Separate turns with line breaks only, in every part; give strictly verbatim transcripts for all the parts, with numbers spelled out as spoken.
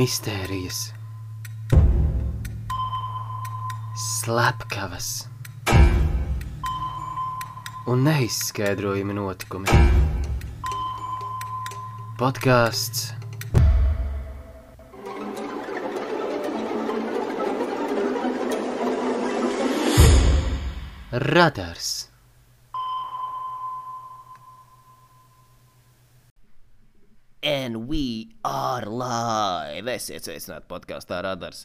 mistērijas, slepkavas un neizskaidrojami notikumi. Podcasts Radars.
And we are live. Esiet sveicināti podkāstā Radars.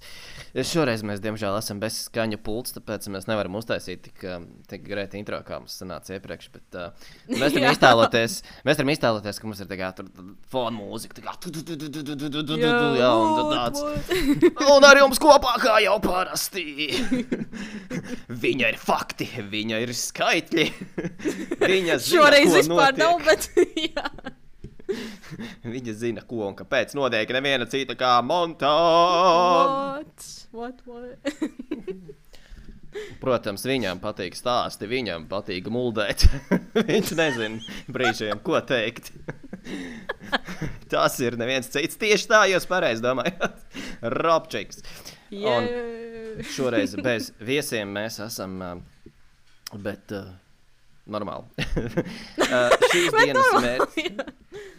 Šoreiz mēs, diemžēl, esam bez skaņu pults, tāpēc mēs nevaram uztaisīt tik, tik greita intro, kā mums sanāca iepriekš, bet uh, mēs varam iztēloties, mēs varam iztēloties, ka mums ir tā kā tur fona mūzika, tā kā tu, tu, tu, tu, tu, tu, tu, tu, jā, un tad tāds. Un ar jums kopā kā jau parasti. Viņa ir fakti, viņa ir skaitļi. Viņa zina,
šoreiz
ko
vispār
notiek.
nav, bet jā.
Viņa zina, ko un kāpēc notiek neviena cita kā Montāna.
What? What, what?
Protams, viņam patīk stāsti, viņam patīk muldēt. Viņš nezina brīžiem, ko teikt. Tas ir neviens cits. Tieši tā jūs pareizi domājat. Robčiks.
Yeah.
Un šoreiz bez viesiem mēs esam, bet uh, normāli. uh, šīs
Bet
dienas
normāli,
mērķis.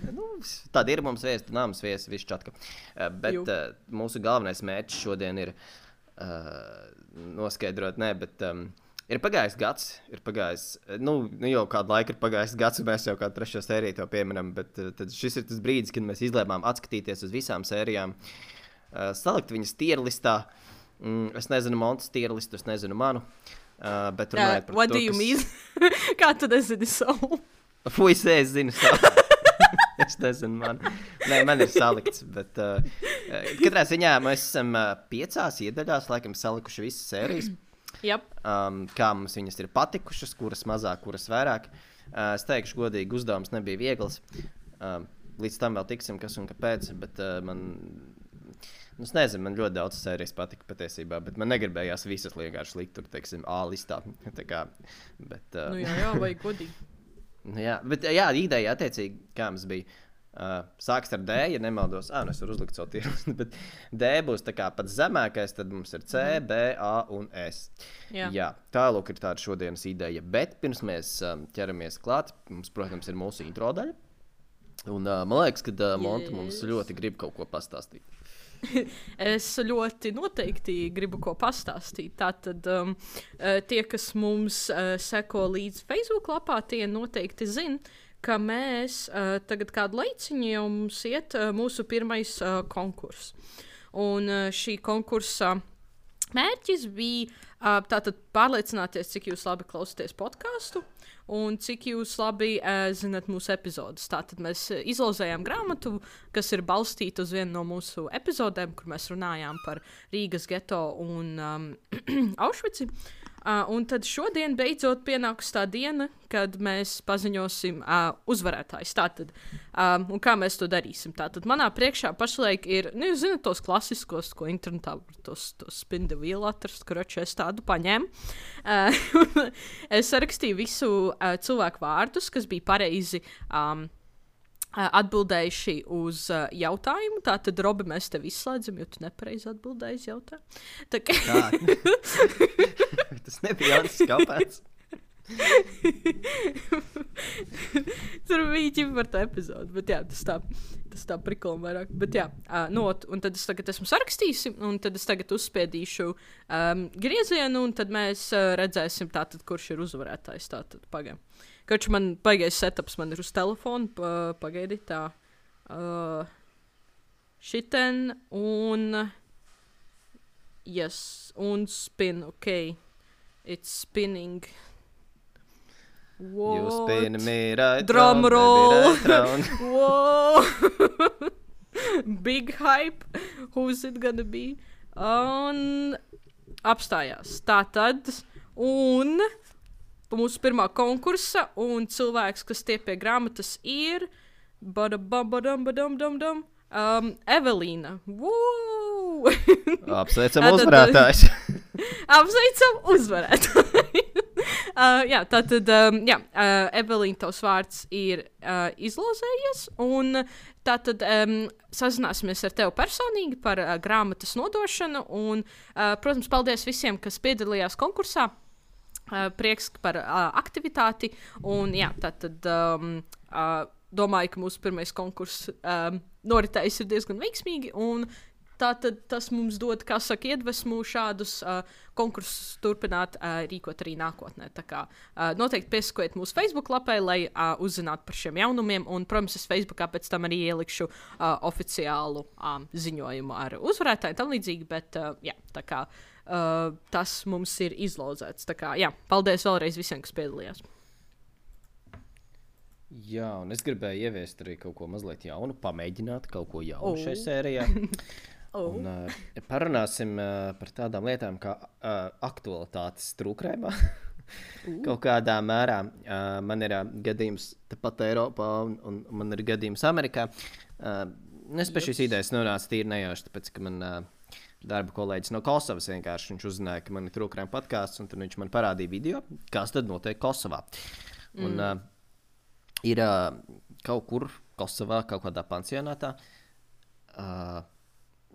Nu, tad ir mums viesi, tad nav mums viesi, viss čatka. Uh, bet uh, mūsu galvenais mērķis šodien ir uh, noskaidrot, ne, bet um, ir pagājis gads, ir pagājis, nu, nu jau kādu laiku ir pagājis gads, un mēs jau kādu trešo sēriju to pieminam, bet uh, tad šis ir tas brīdis, kad mēs izlēmām atskatīties uz visām sērijām, uh, salikt viņas tierlistā. Mm, es nezinu Montas tierlistu, es nezinu manu, uh, bet runājot
Yeah,
par
what
to,
do you
kas...
mean? Kā tu nezini savu?
Fuj, es zinu savu. Es nezinu, man. Nē, man ir salikts, bet uh, katrā ziņā mēs esam uh, piecās iedaļās, laikam salikuši visas sērijas.
Yep.
Um, kā mums viņas ir patikušas, kuras mazāk, kuras vairāk. Uh, es teikšu godīgi, uzdevums nebija viegls. Um, līdz tam vēl tiksim, kas un kāpēc, bet uh, man, nu, es nezinu, man ļoti daudz sērijas patika patiesībā, bet man negribējās visas vienkārši likt tur, teiksim, A listā. Tā kā, bet, uh,
Nu jā, jā, vajag godīgi.
Nu, jā, bet jā, ideja attiecīgi, kā mums bija, uh, sāks ar D, ja nemaldos, ā, nu es varu uzlikt savu tirus, bet D būs tā kā pats zemākais, tad mums ir C, B, A un S.
Jā.
Jā, tālūk ir tāda šodienas ideja, bet pirms mēs um, ķeramies klāt, mums, protams, ir mūsu intro daļa, un uh, man liekas, ka uh, Monta mums ļoti grib kaut ko pastāstīt.
Es ļoti noteikti gribu ko pastāstīt. Tātad um, tie, kas mums uh, seko līdz Facebook lapā, tie noteikti zina, ka mēs uh, tagad kādu laiciņu jau mums iet uh, mūsu pirmais uh, konkurss. Un uh, šī konkursa mērķis bija uh, tātad pārliecināties, cik jūs labi klausāties podcastu un cik jūs labi uh, zinat mūsu epizodus. Tātad mēs uh, izlozējām grāmatu, kas ir balstīta uz vienu no mūsu epizodēm, kur mēs runājām par Rīgas geto un um, Aušvici. Uh, un tad šodien beidzot pienāks tā diena, kad mēs paziņosim uh, uzvarētājs. Tātad, um, un kā mēs to darīsim? Tātad manā priekšā pašlaik ir, nu, jūs zināt tos klasiskos, ko internetā tos, tos spin the wheel atrast, kuroči es tādu paņēmu. Uh, es sarakstīju visu uh, cilvēku vārdus, kas bija pareizi um, atbildējuši uz uh, jautājumu. Tātad, Robi, mēs tevi izslēdzam, jo tu nepareizi atbildēji uz jautājumu. Tā kā...
Tas nebija Jānis Skapēts.
Tur bija ķipa par tā epizodu, bet jā, tas tā, tas tā prikolam vairāk. Bet jā, uh, no, un tad es tagad esmu sarakstījis, un tad es tagad uzspiedīšu um, griezienu, un tad mēs uh, redzēsim tātad, kurš ir uzvarētājs. Tātad, pagaidām. Kač man paigais setups, man ir uz telefonu, pa, pagaidi tā. Uh, šiten un... Yes, un spin, ok. It's spinning. What?
You spin me right
Drum
round,
roll.
baby, right round.
Whoa. Big hype. Who's it gonna be? Un apstājās. Tātad, un mūsu pirmā konkursa, un cilvēks, kas tie pie grāmatas ir, badababadam-badam-dam-dam, um, Evelīna. Woo!
Apsveicam uzvarētājs.
Apsveicam uzvarētāju. uh, jā, tātad, um, jā, uh, Evelīna, tavs vārds ir uh, izlozējies, un tātad um, sazināsimies ar tevi personīgi par uh, grāmatas nodošanu, un, uh, protams, paldies visiem, kas piedalījās konkursā. Uh, prieks par uh, aktivitāti, un jā, tātad um, uh, domāju, ka mūsu pirmais konkurss um, noritējis ir diezgan veiksmīgi, un tātad tas mums dod, kā saka, iedvesmu šādus uh, konkursus turpināt uh, rīkot arī nākotnē. Tā kā uh, noteikti piesakojiet mūsu Facebook lapai, lai uh, uzzinātu par šiem jaunumiem, un, protams, es Facebookā pēc tam arī ielikšu uh, oficiālu um, ziņojumu ar uzvarētāju tam līdzīgi, bet uh, jā, tā kā uh, tas mums ir izlozēts. Tā kā, jā, paldies vēlreiz visiem, kas piedalījās.
Jā, un es gribēju ieviest arī kaut ko mazliet jaunu, pamēģināt kaut ko jaunu
Oh.
šajā sērijā.
Oh.
Un, uh, parunāsim uh, par tādām lietām kā uh, aktualitātes trūkrēmā. Kaut kādā mērā uh, man ir uh, gadījums tepat Eiropā, un, un man ir gadījums Amerikā. Uh, es pie šīs idejas nonācu tīri nejauši, tāpēc, ka man uh, darba kolēģis no Kosovas vienkārši viņš uzzināja, ka man ir trūkrēma podcasts, un tad viņš man parādīja video, kas tad notiek Kosovā. Un, mm. uh, ir uh, kaut kur Kosovā, kaut kādā pansionātā, uh,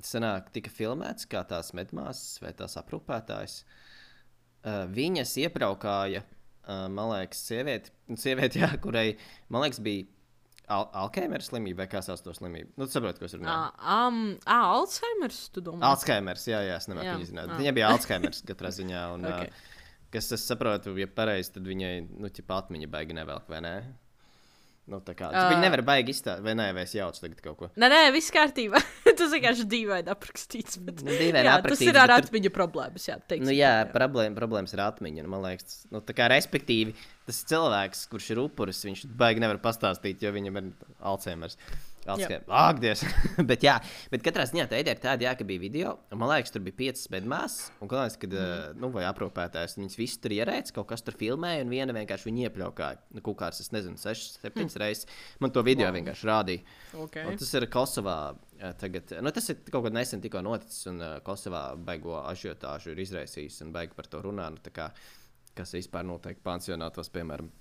sanāk, tika filmēts, kā tās medmāsas vai tās aprūpētājas. Uh, viņas iebraukāja, uh, man liekas, sievieti, sievieti, jā, kurai, man liekas, bija al Alzheimer slimība vai kā sauc to slimību. Nu, tu saproti, ko es runāju.
Ah, um, ah, Alzheimers, tu domā?
Alzheimers, jā, jā, es nemāku viņu zināt. Viņai bija Alzheimers katrā ziņā, un, okay. uh, kas es saprotu, ja pareizi, tad viņai, nu, ķipa atmiņa baigi nevelk, vai ne? Nu, tā kā, uh, viņi nevar baigi izstāstīt, vai nē, vai es jaucu tagad kaut ko.
Nē, nē, viss kārtībā. Tas vienkārši dīvaini aprakstīts. Bet,
nu, dīvaini
jā,
aprakstīts,
tas ir ar
bet
atmiņu tur... problēmas, jā, teiksim.
Nu, jā, problēma, problēmas ir atmiņa, nu, man liekas. Nu, tā kā respektīvi, tas cilvēks, kurš ir upuris, viņš baigi nevar pastāstīt, jo viņam ir Alzheimers. Ak, Dievs. bet jā, bet katrā ziņā tā ideja ir tāda, jā, ka bija video, un man liekas, tur bija piecas medmāsas, un galvenais, kad, mm. nu, vai aprūpētājs, viņas visi tur ierēca, kaut kas tur filmēja, un viena vienkārši viņu iepļaukāja. Nu, kaut kāds, es nezinu, sešas, septiņas mm. reizes. Man to video wow. vienkārši rādīja.
Okay.
Un tas ir Kosovā tagad, nu, tas ir kaut kad nesen tikko noticis, un uh, Kosovā baigo ažiotāžu ir izraisījis, un baigi par to runā, nu, tā kā, kas vispār noteikti pansionātos, piemēram.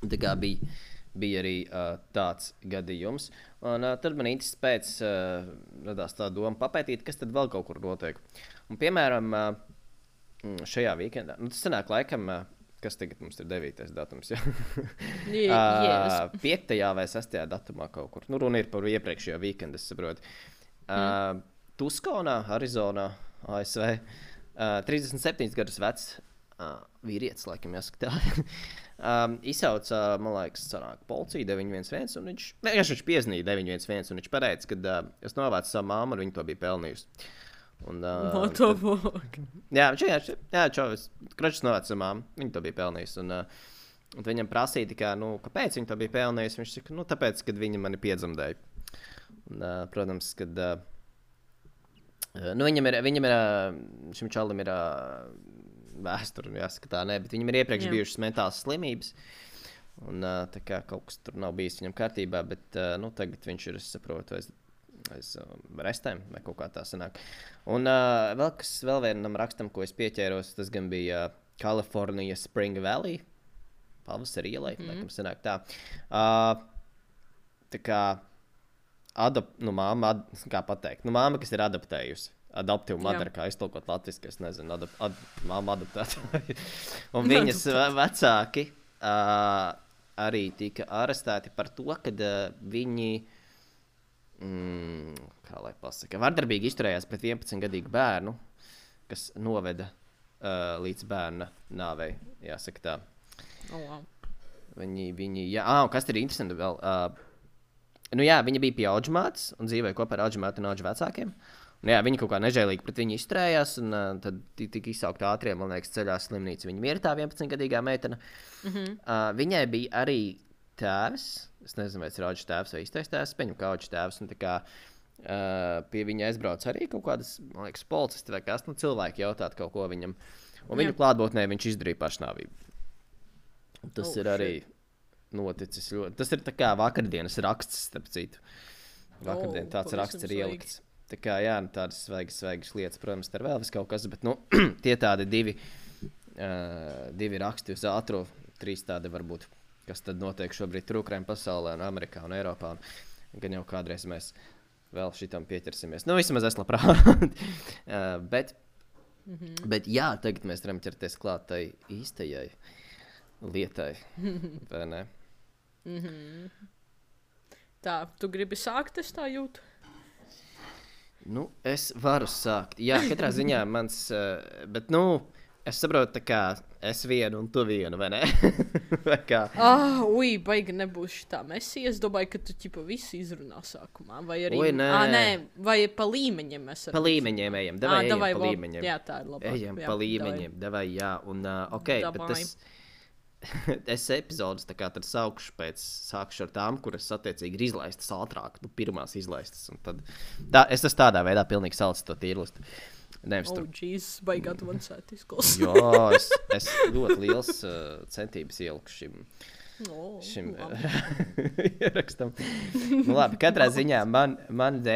Tā kā bija... bija arī uh, tāds gadījums. Un uh, tad man īsti pēc uh, radās tā doma papētīt, kas tad vēl kaut kur notiek. Un, piemēram, uh, šajā weekendā, nu tas sanāk laikam, uh, kas tagad mums ir devītais datums, ja?
yeah,
uh, piektajā vai sestajā datumā kaut kur. Nu, runa ir par iepriekšējo weekendu, es saprotu. Uh, mm. Tuskonā, Arizonā, A S V, uh, trīsdesmit septiņus gadus vecs uh, vīrietis, laikam jāsaka tā. Um, izsauca, man liekas, sanāk, policija deviņi viens viens, un viņš, vienkārši viņš piezīmīja deviņi viens viens, un viņš pateica, ka uh, es novācu savu māmu, un viņa to bija pelnījusi. Un, uh,
no to vāk.
Jā, viņš vienkārši, jā, čovis, kročs novāca savu māmu, viņa to bija pelnījusi, un, uh, un viņam prasīja tikai, nu, kāpēc viņa to bija pelnījusi, viņš saka, nu, tāpēc, kad viņa mani piedzemdēja. Un, uh, protams, kad, uh, nu, viņam ir, viņam ir, uh, šim čalim ir, uh, vēsturi, jāsaka tā, nē, bet viņam ir iepriekš Jā. bijušas mentālas slimības, un tā kā kaut kas tur nav bijis viņam kārtībā, bet, nu, tagad viņš ir, es saprotu, aiz, aiz restēm, vai kaut kā tā sanāk. Un uh, vēl kas, vēl vienam rakstam, ko es pieķēros, tas gan bija uh, California Spring Valley, pavasara ielai, mm. laikam sanāk tā. Uh, tā kā, adap, nu, māma, ad, kā pateikt, nu, māma, kas ir adaptējusi. Adaptīva madara, kā iztulkot latviski, es nezinu, adap, ad, māma adaptētāji. Un viņas vecāki uh, arī tika arestēti par to, ka uh, viņi, mm, kā lai pasaka, vardarbīgi izturējās pret vienpadsmitgadīgu bērnu, kas noveda uh, līdz bērna nāvei, jāsaka tā.
Oh, wow.
Viņi, viņi, jā, ah, kas ir interesanti vēl, uh, nu jā, viņa bija pie audžmātes un dzīvēja kopā ar audžmātu un audžu vecākiem. Un, jā, viņi kaut kā nežēlīgi pret viņu izturējās, un uh, tad tika izsaukt ātrie, man liekas, ceļā slimnīca. Viņa bija tā vienpadsmitgadīgā meitene. Mm-hmm. uh, viņai bija arī tēvs, es nezinu, vai tas ir audžu tēvs vai īstais tēvs, pieņem kā audžu tēvs, un tā kā uh, pie viņa aizbrauc arī kaut kādas, man liekas, policisti vai kas, nu cilvēki jautāt kaut ko viņam. Un viņu klātbūtnē viņš izdarīja pašnāvību. Tas oh, ir arī shit. Noticis ļoti. Tas ir tā kā vakardienas raksts, starp citu. Vakardien tāds oh, raksts ir ielikts. Tā kā, jā, tādas svaigas, svaigas lietas, protams, tā ir vēl vis kaut kas, bet, nu, tie tādi divi uh, divi raksti uz ātro, trīs tādi varbūt, kas tad notiek šobrīd trūkrēm pasaulē un Amerikā un Eiropā. Un gan jau kādreiz mēs vēl šitam pieķersimies. Nu, vismaz es labprāt. uh, bet, mm-hmm. bet jā, tagad mēs varam ķerties klāt tai īstajai lietai, vai ne?
Mm-hmm. Tā, tu gribi sākt, es tā jūtu?
Nu, es varu sākt. Jā, katrā ziņā mans, uh, bet, nu, es saprotu, tā kā es vienu un tu vienu, vai ne? vai kā?
Ah, ui, baigi nebūs šitā mesī. Es domāju, ka tu ķipa visu izrunā sākumā. Vai arī...
Ui, nē.
Ā, nē, vai pa līmeņiem mēs
Pa līmeņiem ejam, davai
Ā,
ejam
davai,
pa
vo-
līmeņiem.
Jā, tā ir labāk.
Ejam
jā,
pa līmeņiem, davai, jā. Un, uh, ok,
Davai.
bet es, es epizodes tā kā tad saukšu pēc, sākšu ar tām, kuras attiecīgi ir izlaistas ātrāk, nu, pirmās izlaistas. Un tad, tā, es tas tādā veidā pilnīgi salicu to tīrlistu. Nevis
Oh,
tur.
jeez, baigi advancēt izklausās.
Jā, es, es ļoti liels uh, centības ieliku šim,
Oh,
šim
labi.
ierakstam. Nu, labi, katrā ziņā man, man D,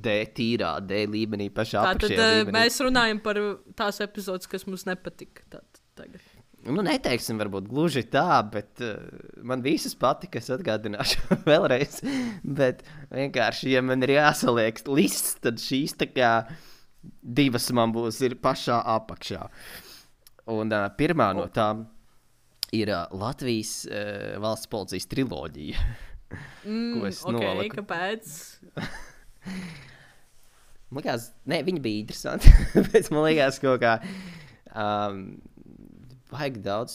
D tīrā, D līmenī, pašā
Tātad
apakšējā
uh,
līmenī.
mēs runājam par tās epizodes, kas mums nepatika. Tātad tagad.
Nu, neteiksim, varbūt gluži tā, bet uh, man visas patika, es atgādināšu vēlreiz. Bet vienkārši, ja man ir jāsaliek lists, tad šīs tā kā divas man būs ir pašā apakšā. Un uh, pirmā no tām ir uh, Latvijas uh, valsts policijas triloģija.
Mm,
Ko es
ok,
noliku.
kāpēc?
Man liekas, ne, viņi bija interesanti, bet man liekas kaut kā um, vajag daudz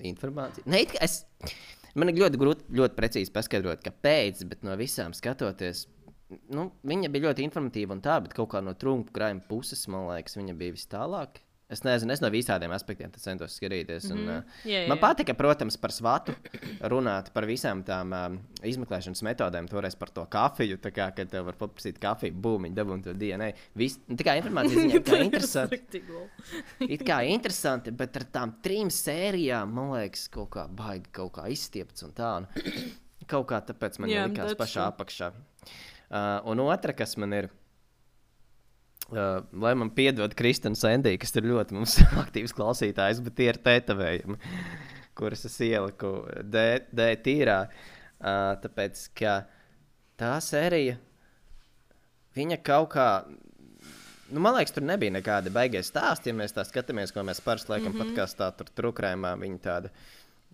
informācijas. Ne, it kā es, man ir ļoti grūti, ļoti precīzi paskaidrot, kāpēc, bet no visām skatoties, nu, viņa bija ļoti informatīva un tā, bet kaut kā no trunku krājuma puses, man liekas, viņa bija vis tālāk. Es nezinu, es no visādiem aspektiem centos skatīties. Un,
Mhm.
uh,
Jā, jā,
man
jā.
patika, protams, par svatu runāt par visām tām um, izmeklēšanas metodēm, toreiz par to kafiju, tā kā, kad tev var paprasīt kafiju, būmiņu, dabūn to D N A. Vis, tā kā informācija ziņā, kā interesanti.
Riktīgi lol.
It kā interesanti, bet ar tām trim sērijām, man liekas, kaut kā baigi, kaut kā izstiepts un tā. Un kaut kā tāpēc man
Jā,
likās
that's
pašā
true.
apakšā. Uh, un otra, kas man ir, uh, lai man piedod Kristina Sendī, kas ir ļoti mums aktīvs klausītājs, bet tie ir tētavējumi, kuras es ieliku D, D tīrā. Uh, tāpēc, ka tā sērija, viņa kaut kā, nu, man liekas, tur nebija nekāda baigie stāsti, ja mēs tā skatāmies, ko mēs parasti laikam mm -hmm. podkastā tur trukrējumā, viņa tāda,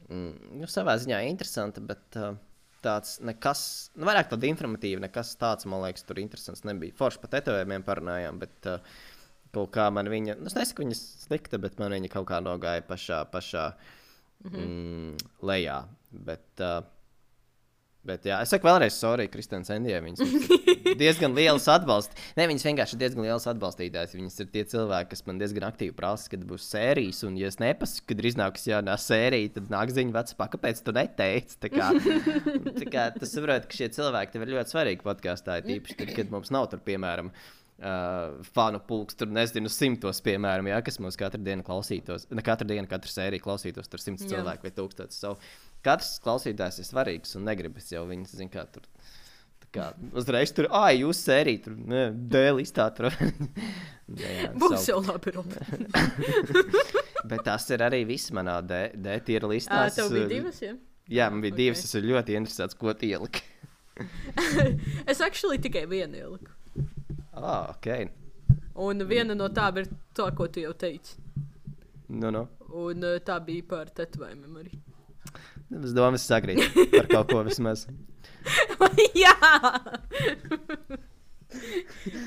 mm, nu, savā ziņā interesanta, bet uh, tāds nekas, nu, vairāk tāda informatīva, nekas tāds, man liekas, tur interesants nebija. Forši pa tetovējumiem parunājām, bet uh, kaut kā man viņa, nu, es nesaku viņa slikta, bet man viņa kaut kā nogāja pašā, pašā mm, lejā, bet... Uh, Bet, jā, es saku vēlreiz, sorry, Kristina Sendijai, viņas ir diezgan liels atbalsts. Ne, viņas vienkārši ir diezgan liels atbalstītājs. Viņas ir tie cilvēki, kas man diezgan aktīvi prasa, kad būs sērijas, un ja es nepasaku, kad ir iznākusi jaunā sērija, tad nāk ziņa vecapā, kāpēc tu neteici? Tā kā, tā kā tu saproti, ka šie cilvēki tev ir ļoti svarīgi podkāstā, tīpaši tad, kad mums nav tur, piemēram, Uh, fanu pulks, tur nezinu, simtos, piemēram, jā, kas mums katru dienu klausītos, ne katru dienu, katru sēriju klausītos, tur simts
Jā.
cilvēku vai tūkstotis. So, katrs klausītājs ir svarīgs un negribas jau viņas, zin kā, tur, tā kā, uzreiz tur, ai, jūs sērija, tur, ne, D listā, tur. jā,
Būs
so,
jau labi, Robi.
bet tas ir arī viss manā D, D tiera listā.
Ā, tev bija divas, jā?
Jā, man bija
Ok.
divas, es esmu ļoti interesēts, ko tu ieliki.
Es actually tikai vienu ieliku.
Ah, ok.
Un viena no tām ir tā, ko tu jau teici.
Nu, nu.
Un uh, tā bija par tetovējumiem arī.
Es domāju, es sakrītu par kaut ko vismaz.
Jā!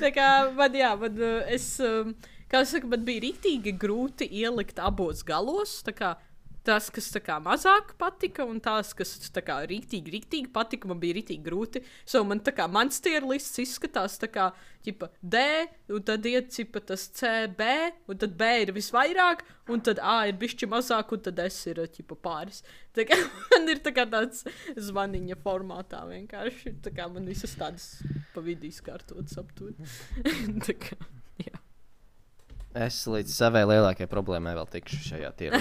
Tā kā man, jā, man, uh, es, um, kā es saku, man bija rīktīgi grūti ielikt abos galos, tā kā tas, kas tā kā mazāk patika, un tās, kas tā kā rīktīgi, rīktīgi patika, man bija rīktīgi grūti. So man tā kā mans tier lists izskatās tā kā, ķipa, D, un tad iet, ķipa, tas C, B, un tad B ir visvairāk, un tad A ir bišķi mazāk, un tad S ir, ķipa, pāris. Tā kā man ir tā kā tāds zvaniņa formātā vienkārši, tā kā man visas tādas pa vidu izkārtotas aptur. Tā kā, jā.
Es līdz savai lielākajai problēmai vēl tikšu šajā tirā.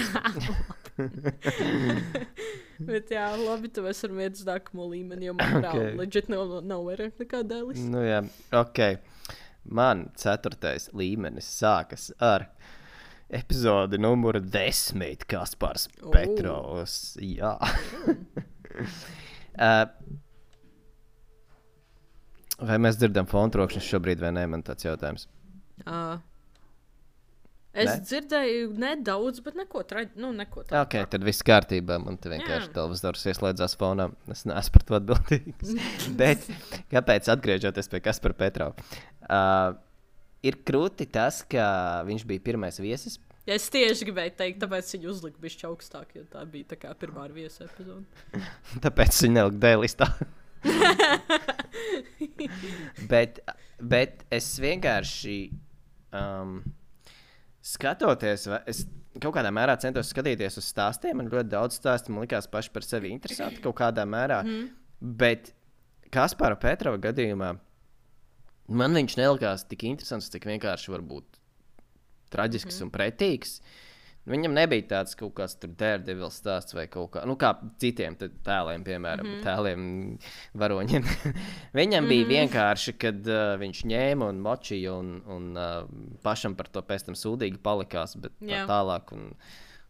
Bet jā, labi, tu esi ar vietu uz nākamo līmeni, jo man
Ok.
okay. Legit nav, nav vairāk nekā dēlis.
Nu jā, ok. Man ceturtais līmenis sākas ar epizode numura desmit, Kaspars
O.
Petrovs. Jā. uh, vai mēs dzirdam fonu trokšņus šobrīd vai nē, man tāds jautājums.
Uh, es
Ne?
dzirdēju nedaudz, bet neko tādu. Nu, neko tādu.
Ok, tad viss kārtībā. Man te vienkārši
Jā.
televizors ieslēdzās fonā. Es neesmu par to atbildīgs. Bet kāpēc atgriežoties pie Kaspara Petrova? Uh, ir krūti tas, ka viņš bija pirmais viesis.
Es tieši gribēju teikt, tāpēc viņu uzliku bišķi augstāk, jo tā bija tā kā pirmā ar viesu epizode.
Tāpēc viņi nelika D-listā. bet, bet es vienkārši um, skatoties, vai- es kaut kādā mērā centos skatīties uz stāstiem. Man ļoti daudz stāstu man likās paši par sevi interesanti kaut kādā mērā. Mm. Bet Kaspara Petrova gadījumā man viņš nelikās tik interesants, cik vienkārši var būt traģisks mm. un pretīgs. Viņam nebija tāds kaut kāds Daredevil stāsts vai kaut kā, nu kā citiem te- tēliem, piemēram, mm -hmm. tēliem, varoņiem. Viņam mm -hmm. bija vienkārši, kad uh, viņš ņēma un močīja un, un uh, pašam par to pēc tam sūdīgi palikās, bet tā
Jā.
tālāk. Un,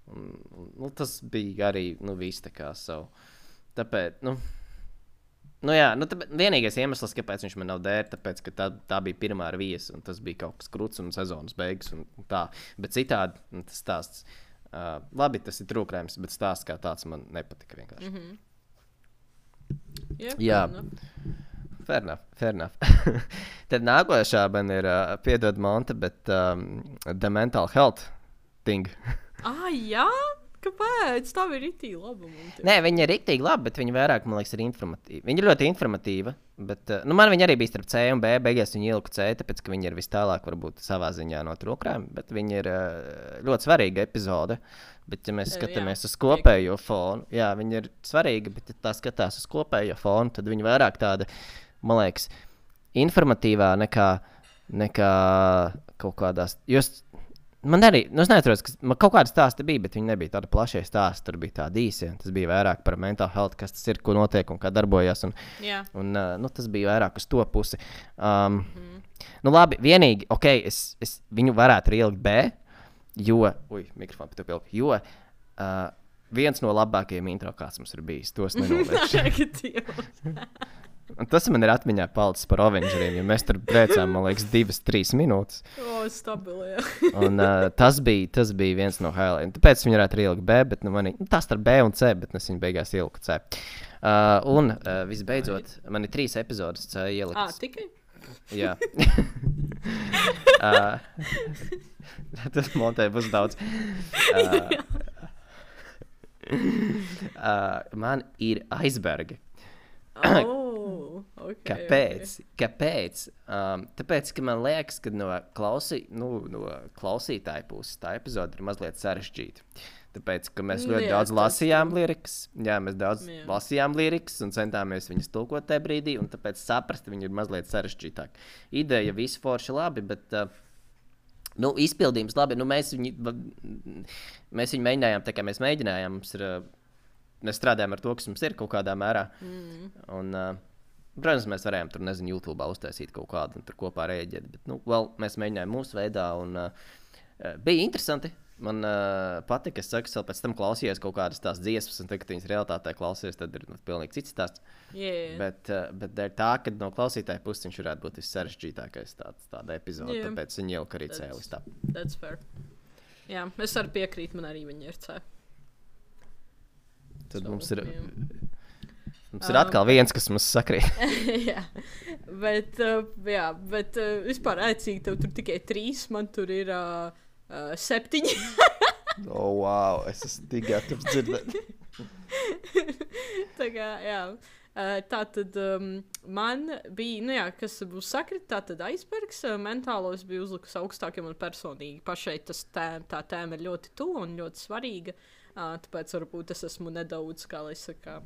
un, un, nu, tas bija arī, nu, viss tā kā savu. Tāpēc, nu, nu jā, nu, tāpēc, vienīgais iemesls, kāpēc viņš man nav dēr, tāpēc, ka tā, tā bija pirmā ar viesu, un tas bija kaut kas kruts un sezonas beigas un tā. Bet citādi, nu, tas stāsts, uh, labi, tas ir trūkrājums, bet stāsts kā tāds man nepatika vienkārši. Mm-hmm.
Yeah,
Jā.
fair enough.
Fair enough, fair enough. Tad nākošā man ir, uh, piedod Monte, bet um, The Mental Health thing.
Ah, jā? Kāpēc? Tā bija rītī laba.
Nē, viņa ir rīktīgi laba, bet viņa vairāk, man liekas, ir informatīva. Viņa ir ļoti informatīva, bet, uh, nu, man viņa arī bija starp C un B, beigās viņa ielika C, tāpēc, ka viņa ir vis tālāk, varbūt savā ziņā no trūkrājuma, bet viņa ir uh, ļoti svarīga epizode. Bet, ja mēs
Jā,
skatāmies uz kopējo fonu, jā, viņa ir svarīga, bet, ja tā skatās uz kopējo fonu, tad viņa vairāk tāda, man liekas, informatīvā nekā, nekā kaut kādās. Jūs, man arī, nu, es neatceros, ka man kaut kāda stāsta bija, bet viņi nebija tāda plašie stāsti. Tur bija tādi īsi. Tas bija vairāk par mental health, kas tas ir, ko notiek un kā darbojas. Un,
Jā.
un, uh, nu, tas bija vairāk uz to pusi. Um, mm. Nu, labi, vienīgi, ok, es, es viņu varētu ielikt B, jo, ui, mikrofonu pat pilku, jo uh, viens no labākajiem intro, kāds mums ir bijis, tos nenoliekšu.
Negatīvs.
Un tas man ir atmiņā palicis par Avengeriem, jo mēs tur brēcām, man liekas, divas, trīs minūtes.
O, stabili, jā.
Un uh, tas, bija, tas bija viens no highlightiem. Tāpēc viņi varētu ielikt B, bet nu, manī, nu, tas starp B un C, bet es viņu beigās ieliku C. Uh, un uh, visbeidzot, man ir trīs epizodes C
Ah,
ieliktas.
tikai?
Jā. uh, tas montē būs daudz. Uh, uh, man ir aizbergi.
Oh, okay,
Kāpēc?
Okay.
Kāpēc? Um, tāpēc, ka man liekas, ka no, klausī, nu, no klausītāja puses tā epizode ir mazliet sarežģīta. Tāpēc, ka mēs ļoti
Jā,
daudz
tas
lasījām lirikas, jā, mēs daudz
Jā.
lasījām lirikas un centāmies viņas tulkot tajā brīdī, un tāpēc saprast, viņi ir mazliet sarežģītāk. Ideja visi forši labi, bet, uh, nu, izpildījums labi, nu, mēs viņu, mēs viņu mēģinājām, tā kā mēs mēģinājām, mums ir, uh, mēs strādājam ar to, kas mums ir kaut kādā mērā. Mm. Un, uh, protams, mēs varējām tur, nezinu, YouTube uztaisīt kaut kādu un tur kopā rēģēt, bet, nu, vēl mēs mēģinājām mūsu veidā un uh, bija interesanti. Man uh, patika, es saku, es vēl pēc tam klausījos kaut kādas tās dziesmas, un tagad, kad viņas realitātē klausies, tad ir nu, pilnīgi cits stāsts.
Yeah.
Bet, uh, bet dēļ tā, ka no klausītāja puses viņš varētu būt vissarežģītākais tāds, tāda epizode,
Yeah.
tāpēc viņi ielika arī C listā.
That's fair. Jā, es arī piekrītu, man arī viņa ir C.
Tad
So,
mums ir,
jā.
mums ir atkal viens, kas mums sakrīt.
jā, bet, uh, jā, bet uh, vispār ēcīgi tev tur tikai trīs, man tur ir uh, uh, septiņi.
Oh, wow, es esmu tik gatavs dzirdēt.
Tā kā, jā. Uh, tā tad um, man bija, nu jā, kas būs sakrit, tā tad aizbergs, uh, mentālos bija uzlikus augstāk, jo man personīgi pašai tas tēma, tā tēma ir ļoti tuva un ļoti svarīga, uh, tāpēc varbūt es esmu nedaudz, kā lai saka,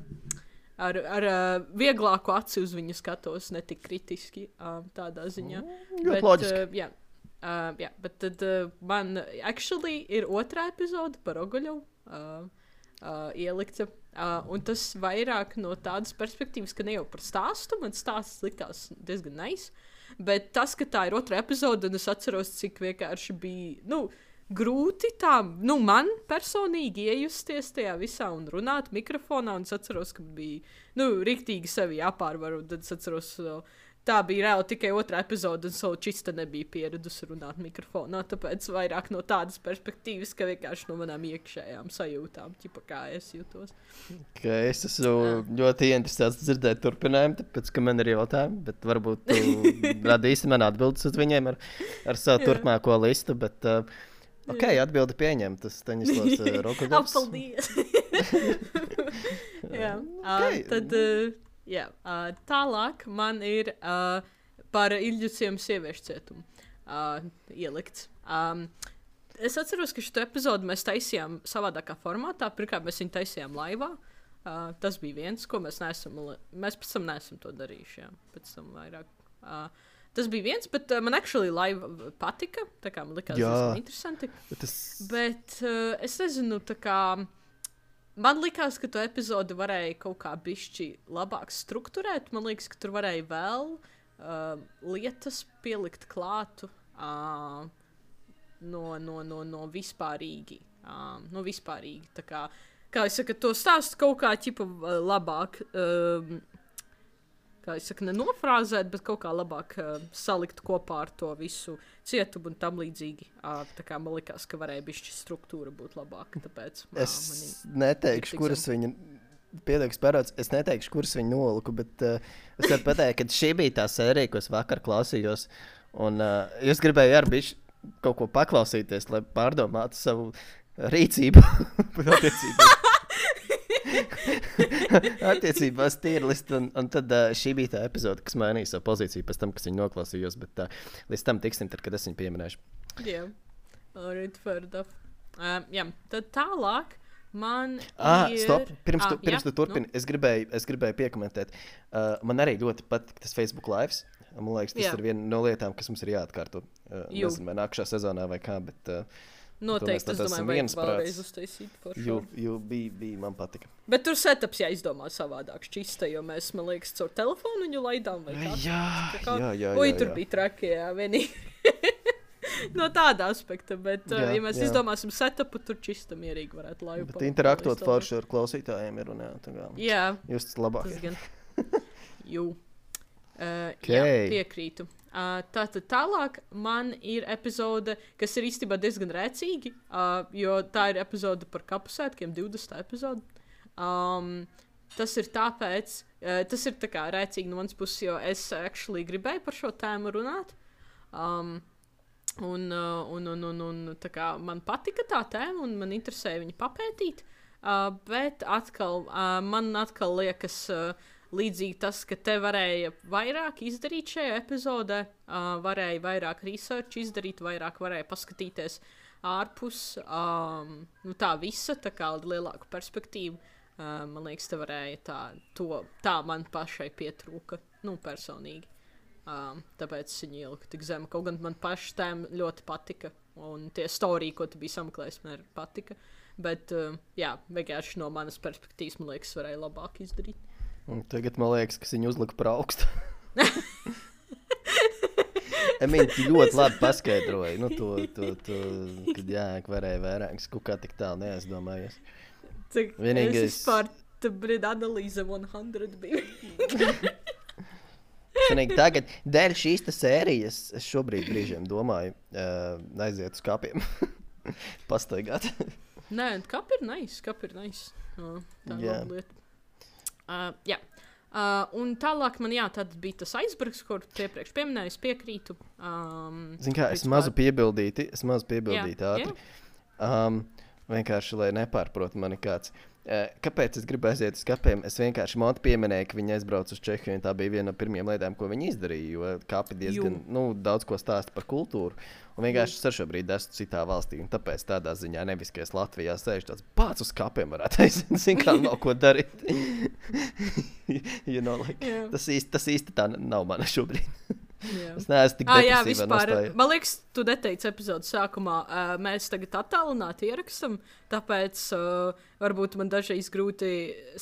ar, ar uh, vieglāku aci uz viņu skatos, ne tik kritiski uh, tādā ziņā.
Ļoti loģiski.
Uh, jā, uh, jā, bet tad uh, man actually ir otrā epizode par Ogoļovu uh, uh, ielikta. Uh, un tas vairāk no tādas perspektīvas, ka ne jau par stāstu, man stāsts likās diezgan nice, bet tas, ka tā ir otrā epizode, un es atceros, cik vienkārši bija, nu, grūti tā, nu, man personīgi iejusties tajā visā un runāt mikrofonā. Un es atceros, ka bija, nu, riktīgi sevi jāpārvar. Un tad es atceros, tā bija reāli tikai otrā epizode, un savu čista nebija pieradusi runāt mikrofonā. Tāpēc vairāk no tādas perspektīvas, ka vienkārši no manām iekšējām sajūtām, ķipa kā es jūtos.
Okay, es esmu ļoti interesēts dzirdēt turpinājumu, tāpēc, ka man ir jautājumi, bet varbūt tu radīsi man atbildes uz viņiem ar, ar savu turpmāko listu, bet, uh, ok, atbildi pieņem, tas Staņislavs uh, Rokodovs.
Paldies! Jā, okay. uh, tad... Uh, Jā, uh, tālāk man ir uh, par Ilģuciem sieviešu cietumu uh, ielikts. Um, es atceros, ka šo epizodu mēs taisījām savādākā formātā. Pirmkārt, mēs viņu taisījām laivā. Uh, tas bija viens, ko mēs neesam, mēs pēc tam neesam to darījuši. Jā, pēc tam vairāk. Uh, tas bija viens, bet uh, man actually laiva patika. Tā kā man likās diezgan interesanti. Bet, es... bet uh, es nezinu, tā kā... Man liekas, ka to epizodi varēja kaut kā bišķi labāk strukturēt. Man liekas, ka tur varēja vēl uh, lietas pielikt klātu uh, no, no, no, no vispārīgi. Uh, no vispārīgi. Tā kā, kā es saku, to stāstu kaut kā ķipa labāk, uh, kā es saku, nenofrāzēt, bet kaut kā labāk uh, salikt kopā ar to visu cietumu un tam līdzīgi. Uh, tā kā man likās, ka varēja bišķi struktūra būt labāka, tāpēc...
Es uh, neteikšu, kuras viņa... Piedāks parāds, es neteikšu, kuras viņa noliku, bet uh, es varu pateikt, ka šī bija tā sērija, ko es vakar klausījos, un uh, jūs gribēju ar bišķi kaut ko paklausīties, lai pārdomātu savu rīcību. Attiecībā. Attiecībās tierlist, un, un tad uh, šī bija tā epizode, kas mainīja savu pozīciju pēc tam, kas viņu noklausījos, bet uh, līdz tam tiksim, tad, kad es viņu pieminēšu. Jā, yeah. Alright, fair enough. Uh, jā, tad tālāk man
ah,
ir...
Stop, pirms
ah,
tu, pirms
jā,
tu turpini,
nu?
es, gribēju, es gribēju piekomentēt. Uh, man arī ļoti patīk tas Facebook lives. Man liekas, tas
jā.
ir viena no lietām, kas mums ir jāatkārto. Uh, nezinu, vai nākušā sezonā vai kā, bet... Uh,
Noteikti, es domāju, vajag vēlreiz uztaisīt par šo.
Jo bija, bija, man patika.
Bet tur setups jāizdomā savādāk šķista, jo mēs, man liekas, caur telefonu viņu laidām vai kā.
Jā,
kā,
jā, jā.
Ui,
jā,
tur
jā.
bija traki, jā, vienīgi. No tāda aspekta, bet, jā, uh, ja mēs jā. izdomāsim setupu, tur čista mierīgi varētu laivu.
Bet interaktot forši ar klausītājiem ir un jā, tā kā.
Jā.
Jūs tas labāk.
Tas gan. Jū. Uh,
okay.
Jā, piekrītu. Uh, tātad tālāk man ir epizode, kas ir īstenībā diezgan rēcīgi, uh, jo tā ir epizode par kapusētkiem, divdesmitā epizode. Um, tas ir tāpēc, uh, tas ir tā kā rēcīgi no manas puses, jo es actually gribēju par šo tēmu runāt. Um, un, uh, un, un, un, un tā kā man patika tā tēma un man interesēja viņu papētīt, uh, bet atkal, uh, man atkal liekas... Uh, Līdzīgi tas, ka te varēja vairāk izdarīt šajā epizodē, uh, varēja vairāk research izdarīt, vairāk varēja paskatīties ārpus um, nu, tā visa, tā kā lielāku perspektīvu. Uh, man liekas, te varēja tā, to, tā man pašai pietrūka, nu, personīgi. Um, tāpēc es viņu ieliku tik zemu. Kaut gan man paši tēm ļoti patika, un tie storija, ko tu biji sameklējis, man arī patika. Bet, uh, jā, vienkārši no manas perspektīvas, man liekas, varēja labāk izdarīt.
Un tagad man liekas, ka viņi uzlika par augstu. Emīļ, tu ļoti labi paskaidroji, nu, to, to, to, kad jā, varēja vairāk, kaut kā tik tālu neaizdomājies.
Cik
Vienīgais...
es vispār, tu brīd analīze simt bija.
Sanīgi, tagad, dēļ šīs te sērijas, es šobrīd brīžiem domāju, uh, aiziet uz kapiem, pastaigāt.
Nē, kapi ir nice, kapi ir nice. Uh, tā ir laba lieta. Uh, jā, uh, un tālāk man jā, tad bija tas aizbergs, kur iepriekš pieminēju, es piekrītu. Um,
Zin kā, es mazu piebildīti, es mazu piebildīti
jā,
ātri. Um, vienkārši, lai nepārprot mani kāds. Uh, kāpēc es gribu aiziet uz kapiem? Es vienkārši Monti pieminēju, ka viņi aizbrauc uz Čehiju, un tā bija viena no pirmajām lietām, ko viņi izdarīja, jo kapi diezgan, Jū. nu, daudz ko stāsta par kultūru. Un vienkārši es ar šobrīd esmu citā valstī, un tāpēc tādā ziņā nevis, ka es Latvijā sēžu tāds pāc uz kapiem varētu aiziet, zin kā nav ko darīt. you know, like, yeah. tas, īsti, tas īsti tā nav mana šobrīd. Yeah. Es neesmu tik
ah,
depresīvā
jā, vispār,
nostājā.
man liekas, tu neteici epizodes sākumā, uh, mēs tagad attālināti ierakstam, tāpēc uh, varbūt man dažreiz grūti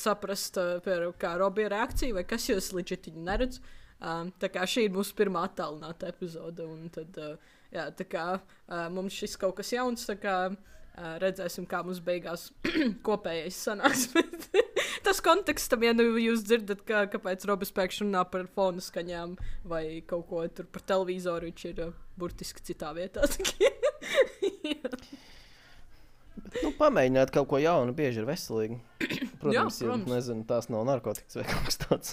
saprast, uh, par, kā Robija reakcija, vai kas jūs legit viņu neredz. Um, tā kā šī ir mūsu pirmā attālināta epizode, un tad... Uh, jā, tā kā uh, mums šis kaut kas jauns, tā kā uh, redzēsim, kā mums beigās kopējais sanāks. Tas kontekstam, ja nu jūs dzirdat, kā, kāpēc Robis pēkšņi runā par fonu skaņām vai kaut ko tur par televizoru, viņš ir uh, burtiski citā vietā.
Nu, pamēģināt kaut ko jaunu, bieži ir veselīgi. Protams,
jā, protams.
Ja, nezinu, tās nav narkotikas vai kaut kas tāds.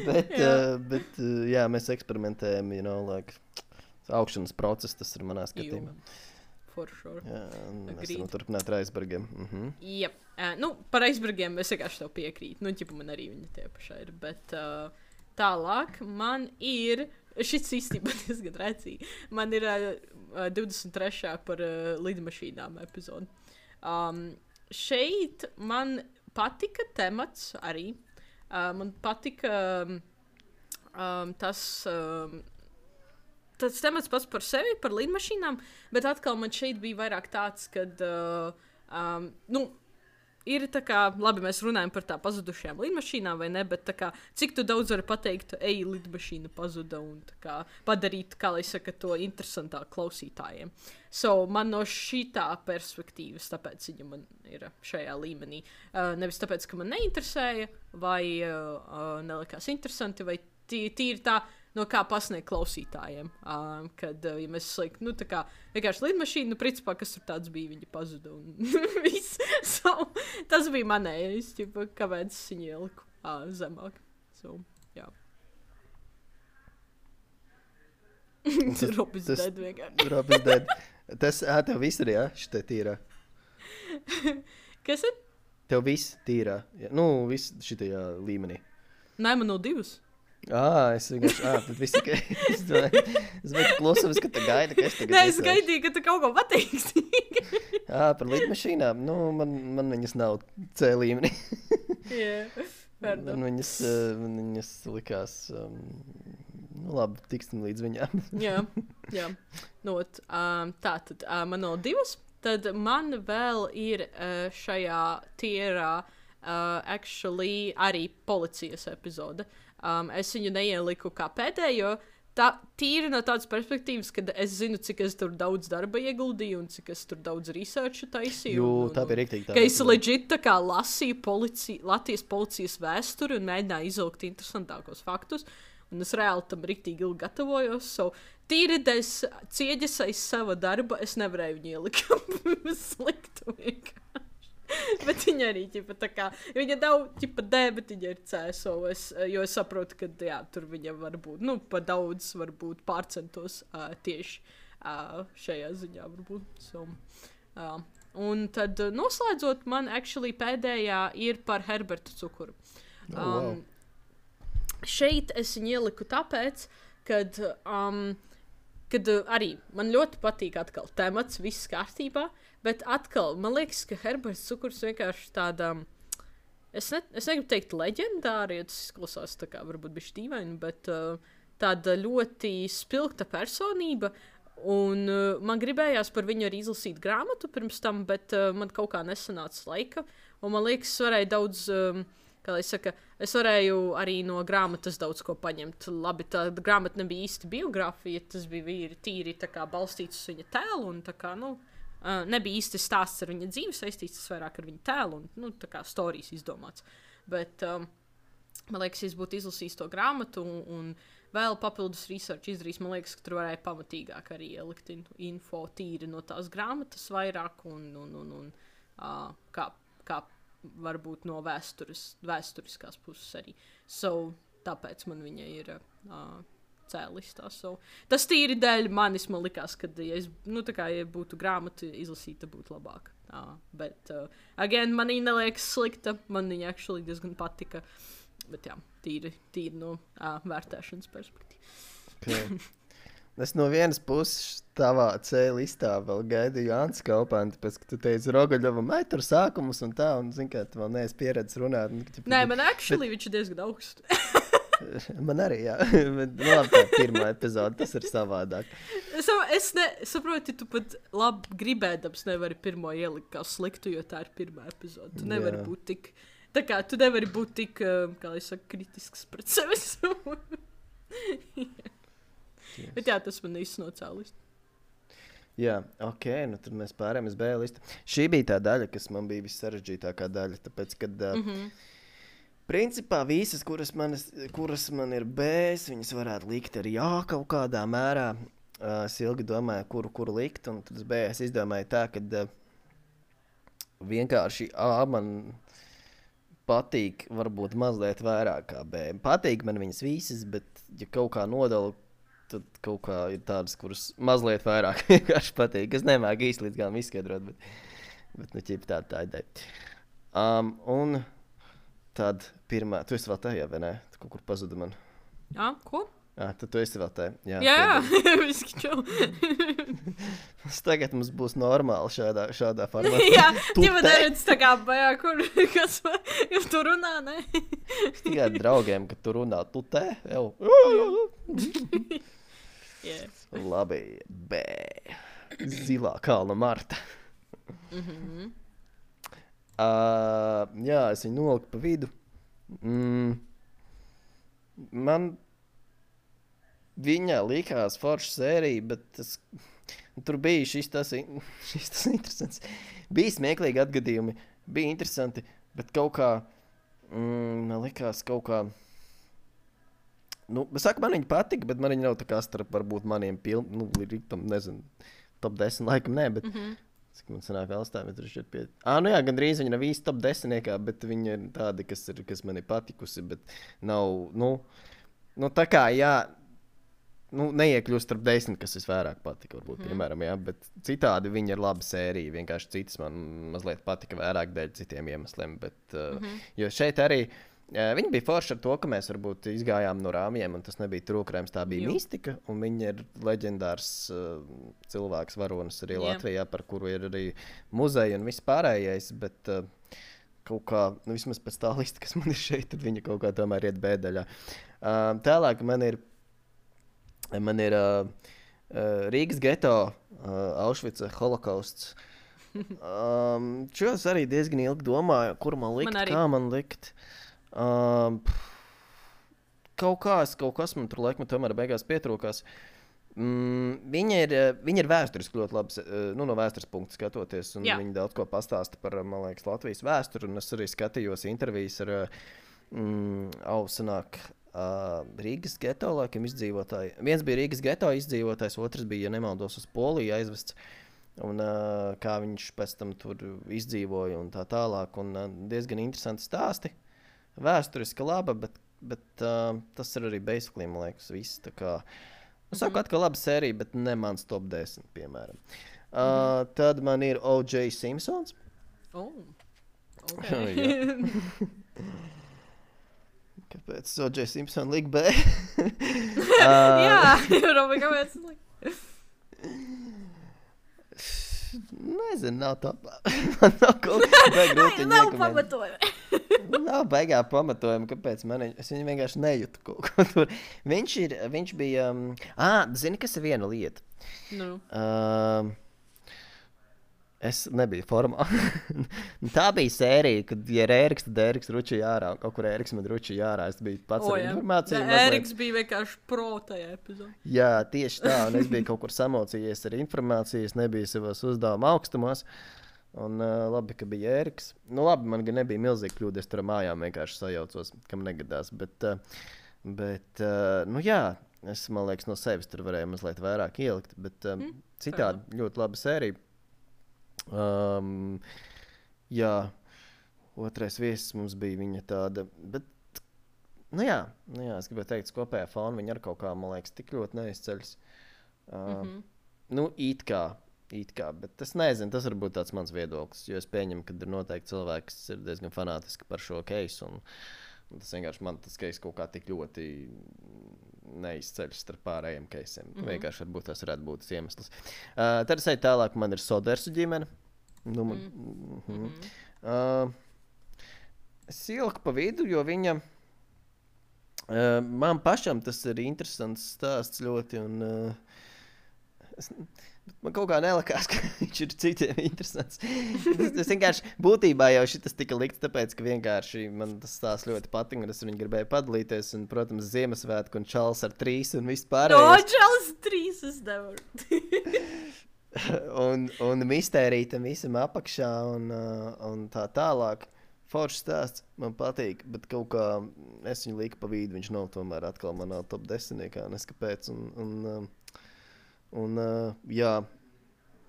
bet,
Jā.
uh, bet uh, jā, mēs eksperimentējam, you know, like, augšanas process, tas ir manā skatījumā.
For sure.
Jā, mēs
Agreed.
varam turpināt ar aizbergiem. Mhm.
Yep. Uh, nu, par aizbergiem es vienkārši tev piekrītu. Nu, ķipa man arī viņi tie pašai ir. Bet uh, tālāk man ir, šis īstenībā diezgan rēcīgi, man ir uh, divdesmit trešā par uh, lidmašīnām epizodi. Um, šeit man patika temats arī. Uh, man patika um, um, tas... Um, Tas temats pats par sevi, par lidmašīnām, bet atkal man šeit bija vairāk tāds, kad, uh, um, nu, ir tā kā, labi, mēs runājam par tā pazudušajām lidmašīnām vai ne, bet tā kā, cik tu daudz vari pateikt, ej, lidmašīna pazuda un tā kā padarīt, kā lai saka, to interesantāk klausītājiem. So, man no šitā perspektīvas, tāpēc viņa man ir šajā līmenī. Uh, nevis tāpēc, ka man neinteresēja, vai uh, uh, nelikās interesanti, vai tī- tīri tā, no kā pasniegt klausītājiem. Um, kad, uh, ja mēs slikt, nu, tā kā vienkārši lidmašīna, nu, principā, kas tur tāds bija, viņa pazuda un viss. So, tas bija manējais, ķipa, kāpēc es viņu ieliku uh, zemāk. So, jā. Robis
tas-
dead vienkārši.
Robis dead. Tas, ā, tev viss ir, jā, šitai tīrā.
Kas ir?
Tev viss tīrā. Jā, nu, viss šitajā līmenī.
Nē, man nav divas.
Ā, es vienkārši, ā, tad viss tikai, es domāju, es biju klusums, ka tu gaidi, ka es tagad
Nē, es
ieslēgšu.
gaidīju, ka tu kaut ko pateiksi.
Ā, par lidmašīnām, nu, man, man viņas nav C līmenī.
Jā,
Man
pardon.
viņas, uh, man viņas likās, um, nu labi, tiksim līdz viņām.
Jā, jā. Not, um, tā tad uh, man nav divas. Tad man vēl ir uh, šajā tierā uh, actually arī policijas epizode. Um, es viņu neieliku kā pēdējo. Tā tīri no tādas perspektīvas, ka es zinu, cik es tur daudz darba ieguldīju un cik es tur daudz researchu taisīju.
Jū,
un, un,
tā bija riktīgi tā.
Ka es legit tā kā lasīju polici, Latvijas policijas vēsturi un mēģināju izvilkt interesantākos faktus. Un es reāli tam riktīgi ilgi gatavojos. So, tīri dēļ cieģes aiz sava darba, es nevarēju viņu ielikt sliktu vienkārši. Bet viņa arī, ķipa, tā kā, viņa nav, ķipa, D, bet viņa ir C, so es, jo es saprotu, ka, jā, tur viņa var būt, nu, pa daudz, varbūt pārcentos uh, tieši uh, šajā ziņā, varbūt. So, uh, un tad uh, noslēdzot, man actually pēdējā ir par Herberta cukuru. Um,
Oh, wow.
Šeit es viņu ieliku tāpēc, kad, um, kad uh, arī man ļoti patīk atkal temats, viss kārtībā, bet atkal man liekas, ka Herberts cukurs vienkārši tāda, es, ne, es negribu teikt leģendāri, jo tas izklausās tā kā varbūt bišķi dīvaini, bet uh, tāda ļoti spilgta personība, un uh, man gribējās par viņu arī izlasīt grāmatu pirms tam, bet uh, man kaut kā nesanāca laika, un man liekas, es varēju daudz... Um, Kā lai saka, es varēju arī no grāmatas daudz ko paņemt. Labi, tā grāmata nebija īsti biogrāfija, tas bija vīri, tīri tā kā balstīts uz viņa tēlu, un tā kā, nu, uh, nebija īsti stāsts ar viņa dzīvi saistīts, tas vairāk ar viņa tēlu, un, nu, tā kā storijas izdomāts. Bet, um, man liekas, es būtu izlasījis to grāmatu, un, un vēl papildus research izdarījis, man liekas, ka tur varēja pamatīgāk arī ielikt in, info tīri no tās grāmatas vairāk, un, un, un, un uh, kā, kā varbūt no vēstures, vēsturiskās puses arī. So, tāpēc man viņa ir uh, cēlistā. So, tas tīri dēļ manis man likās, ka, ja es, nu, tā kā, ja būtu grāmata izlasīta, būtu labāk. Uh, bet, uh, again, man viņa neliekas slikta, man viņa actually diezgan patika. Bet, jā, tīri, tīri no uh, vērtēšanas perspektīvas.
Okay. Es no vienas puses tavā C listā vēl gaidīju Jānis Kaupanti, pēc, ka tu teici Rogaļovam, ai, tur sākumus un tā, un, zin kā, tu vēl neesi pieredzis runāt. Un, ka,
Nē, man actually bet... viņš ir diezgan augsts.
Man arī, jā. Bet, nu, labi, tā pirmā epizode, tas ir savādāk.
Es, es ne, saprotu, tu pat labi gribēdams nevari pirmo ielikt kā sliktu, jo tā ir pirmā epizode. Tu nevari
Jā.
būt tik, tā kā tu nevari būt tik, kā lai saka, kritisks pret sevi.
yes.
Bet jā, tas man īsti no C listu.
Jā, ok, nu tad mēs pārējām uz B listu. Šī bija tā daļa, kas man bija vissarežģītākā daļa, tāpēc, kad uh,
Mhm.
principā visas, kuras man, kuras man ir B, viņas varētu likt arī A kaut kādā mērā. Uh, es ilgi domāju, kuru, kuru likt, un tad uz B es izdomāju tā, ka uh, vienkārši A man patīk varbūt mazliet vairāk kā B. Patīk man viņas visas, bet ja kaut kā nodalu, tad kaut kā ir tādas, kuras mazliet vairāk vienkārši patīk. Es nemāku īsti līdz galam izskaidrot, bet, bet nu ķip tāda tā ideja. Um, un tad pirmā, tu esi vēl tajā, vai ne? Tu kaut kur pazuda man.
Jā, ko?
Ah, tad tu esi vēl tajā. Jā,
Jā,
tad-
viski čau.
Tagad mums būs normāli šādā, šādā formātā.
Jā,
Tu
ģipa
te-
neredz tā kā bajā, kur, kas, ja tu runā, ne?
Tikai draugiem, kad tu runā, tu te jau.
Jā.
Labi, B. Zilā kalna Marta.
Mhm.
Uh, jā, es viņu noliku pa vidu. Mm. Man viņa likās forša sērija, bet tas, tur bija šis tas, in- šis tas interesants. Bija smieklīgi atgadījumi, bija interesanti, bet kaut kā, mm, man likās kaut kā, nu, es saku, man viņa patika, bet man viņa nav tā kā starp varbūt maniem piln, nu, riktam, nezinu, top desmit laikam nē, bet
Mhm.
cik man sanāk Alstāvietra šķiet pie... Ā, nu jā, gandrīz viņa nav īsti top desmitniekā, bet viņa ir tāda, kas, ir, kas man ir patikusi, bet nav, nu, nu tā kā, jā, nu, neiekļūst starp desmit, kas visvairāk patika, varbūt, mm. piemēram, jā, bet citādi viņa ir laba sērija, vienkārši citas man mazliet patika vairāk dēļ citiem iemesliem, bet, uh, mm-hmm. jo šeit arī, uh, viņa bija forša ar to, ka mēs varbūt izgājām no rāmjiem, un tas nebija trūkrējums, tā bija
Jū.
mistika, un viņa ir leģendārs uh, cilvēks, varonis arī
Jā.
Latvijā, par kuru ir arī muzeja un viss pārējais, bet uh, kaut kā, nu vismaz pēc tā lista, kas man ir šeit, tad viņa kaut kā tomēr iet bēdaļā. Uh, tālāk man ir, man ir uh, uh, Rīgas geto, uh, Aušvica, holokausts. Um, šo es arī diezgan ilgi domāju, kur man likt,
Man arī.
kā man likt. Um, kaut kā, es- kaut kas man tur laikam tomēr beigās pietrūkās. Mm, viņa, ir, eh, viņa ir vēsturiski ļoti labi, eh, nu, no vēstures punkta skatoties, un
Jā.
viņa daudz ko pastāsta par, man liekas, Latvijas vēsturi, un es arī skatījos intervijas ar, eh, mm, au, sanāk, uh, Rīgas geto, laikam, izdzīvotāji. Viens bija Rīgas geto izdzīvotājs, otrs bija, ja nemaldos, uz Poliju aizvests, un uh, kā viņš pēc tam tur izdzīvoja un tā tālāk, un uh, diezgan interesanti stāsti. Vēsturiski laba, bet, bet uh, tas ir arī basically, man liekas, viss, tā kā... Es saku, atkal laba sērija, bet ne mans top desmit, piemēram. Uh, mm-hmm. Tad man ir O J Simpsons.
Oh.
Jā. Kāpēc O J Simpson lik B? uh,
Jā, Robi, kāpēc?
Nezinu, nav top. Man nav kaut kā grūti
Nav
iekomentēt.
pamatojumi.
Nav baigā pamatojuma, kāpēc man viņa, es viņu vienkārši nejūtu kaut ko tur. Viņš ir, viņš bija, um, ā, zini, kas ir viena lieta?
Nu.
Um, es nebiju formā. Tā bija sērija, kad, ja ir Ēriks, tad Ēriks ručīja ārā, un kaut kur Ēriks man ručīja ārā, es biju pats
O,
ar
jā.
informāciju.
Nē,
mazliet-
Ēriks bija vienkārši pro tajā epizodē.
Jā, tieši tā, un es biju kaut kur samocījies ar informāciju, es nebiju savos uzdevuma augstumos. Un uh, labi, ka bija Ēriks. Nu, labi, man gan nebija milzīgi kļūda, es tur ar mājām vienkārši sajaucos, kam negadās. Bet, uh, bet uh, nu jā, es, man liekas, no sevis tur varēju mazliet vairāk ielikt. Bet um, mm, citādi ļoti laba sērija. Um, jā, otrais viesis mums bija viņa tāda. Bet, nu jā, nu jā es gribēju teikt, kopējā fona viņa ar kaut kā, man liekas, tik ļoti neizceļas. Uh,
Mhm.
Nu, it kā. It kā, bet es nezinu, tas varbūt tāds mans viedoklis, jo es pieņemu, ka ir noteikti cilvēki, kas ir diezgan fanātiski par šo keisu, un, un tas vienkārši man tas keis kaut kā tik ļoti neizceļas starp pārējiem keisiem. Mm -hmm. Vienkārši varbūt tas varētu būt tas iemesls. Uh, tad es eju tālāk, man ir Sodersu ģimene. Nu, man, mm -hmm. uh, es ieliku pa vidu, jo viņa, uh, man pašam tas ir interesants stāsts ļoti, un uh, es, Man kaut kā nelikās, ka viņš ir citiem interesants. Tas, tas vienkārši būtībā jau šitas tika likts, tāpēc, ka vienkārši man tas tās ļoti patīk, un es viņu gribēju padalīties, un, protams, Ziemassvētku un Čals ar trīs un viss pārējais.
No, Čals trīs es nevaru.
un, un mistērija tam visam apakšā un, uh, un tā tālāk. Foršs stāsts, man patīk, bet kaut kā es viņu liku pa vidu, viņš nav tomēr atkal manā top desmitniekā, neskapēc. Un, un, uh, un uh, jā,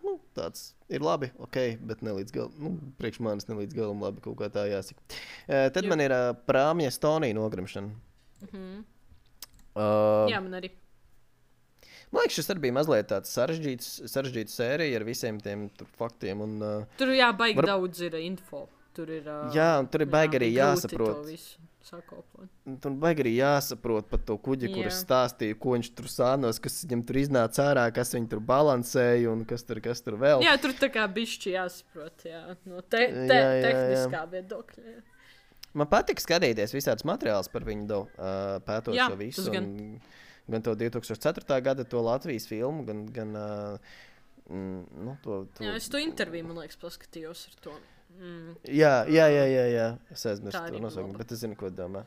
nu, tāds ir labi, ok, bet ne līdz galam, nu, priekš manis ne līdz galam labi, kaut kā tā jāsaka. Uh, tad jā. Man ir uh, Prāmja Stonija nogrimšana.
Mhm.
Uh,
jā, man arī.
Man liekas, šis arī bija mazliet tāds sarežģīts, sarežģīts sērija ar visiem tiem tur faktiem. Un, uh,
tur jā, baigi
var...
daudz ir info. Tur ir, uh,
jā, un tur ir baigi arī jāsaprot. Tur baigi arī jāsaprot par to kuģi,
jā.
Kurš stāstīja, ko viņš tur sānos, kas viņam tur iznāca ārā, kas viņu tur balansēja un kas tur, kas tur vēl.
Jā, tur tā kā bišķi jāsaprot, jā, no te, te, jā, jā, tehniskā jā. Viedokļa. Jā. Man
patika skatīties visādus materiālus par viņu, do, uh, pētot
jā,
šo visu.
Gan.
Un, gan to divi tūkstoši ceturtā gada to Latvijas filmu, gan, gan uh, mm, nu, to, to...
Jā, es to interviju, man liekas, paskatījos ar to. Mm.
Jā, jā, jā, jā, jā. Es aizmirstu to nosaukumu, bet es zinu, ko domā.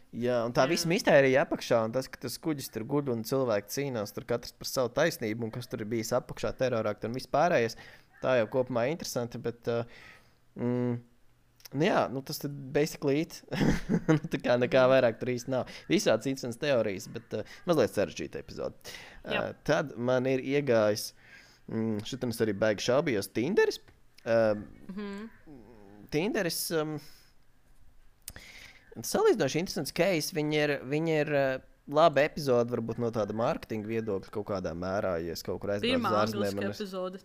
Jā, un tā jā. Visa mistērija apakšā, un tas, ka tas kuģis tur guļ un cilvēki cīnās, tur katrs par savu taisnību, un kas tur ir bijis apakšā terorākti un viss pārējais, tā jau kopumā interesanti, bet, uh, mm, nu jā, nu tas tad basically it. Tā kā nekā vairāk tur īsti nav. Visāds interesants teorijas, bet uh, mazliet sarežģīta epizode. Uh, tad man ir iegājis, mm, šitam es arī baigi šaubījos, Tinderis. Uh, mm-hmm. Tinderis um, salīdzinoši interesants case. Viņi ir, viņi ir uh, laba epizode, varbūt no tāda mārketinga viedokļa kaut kādā mērā, ja es kaut kur aizbraucu uz ārzemēm.
Pirmā angliski epizode.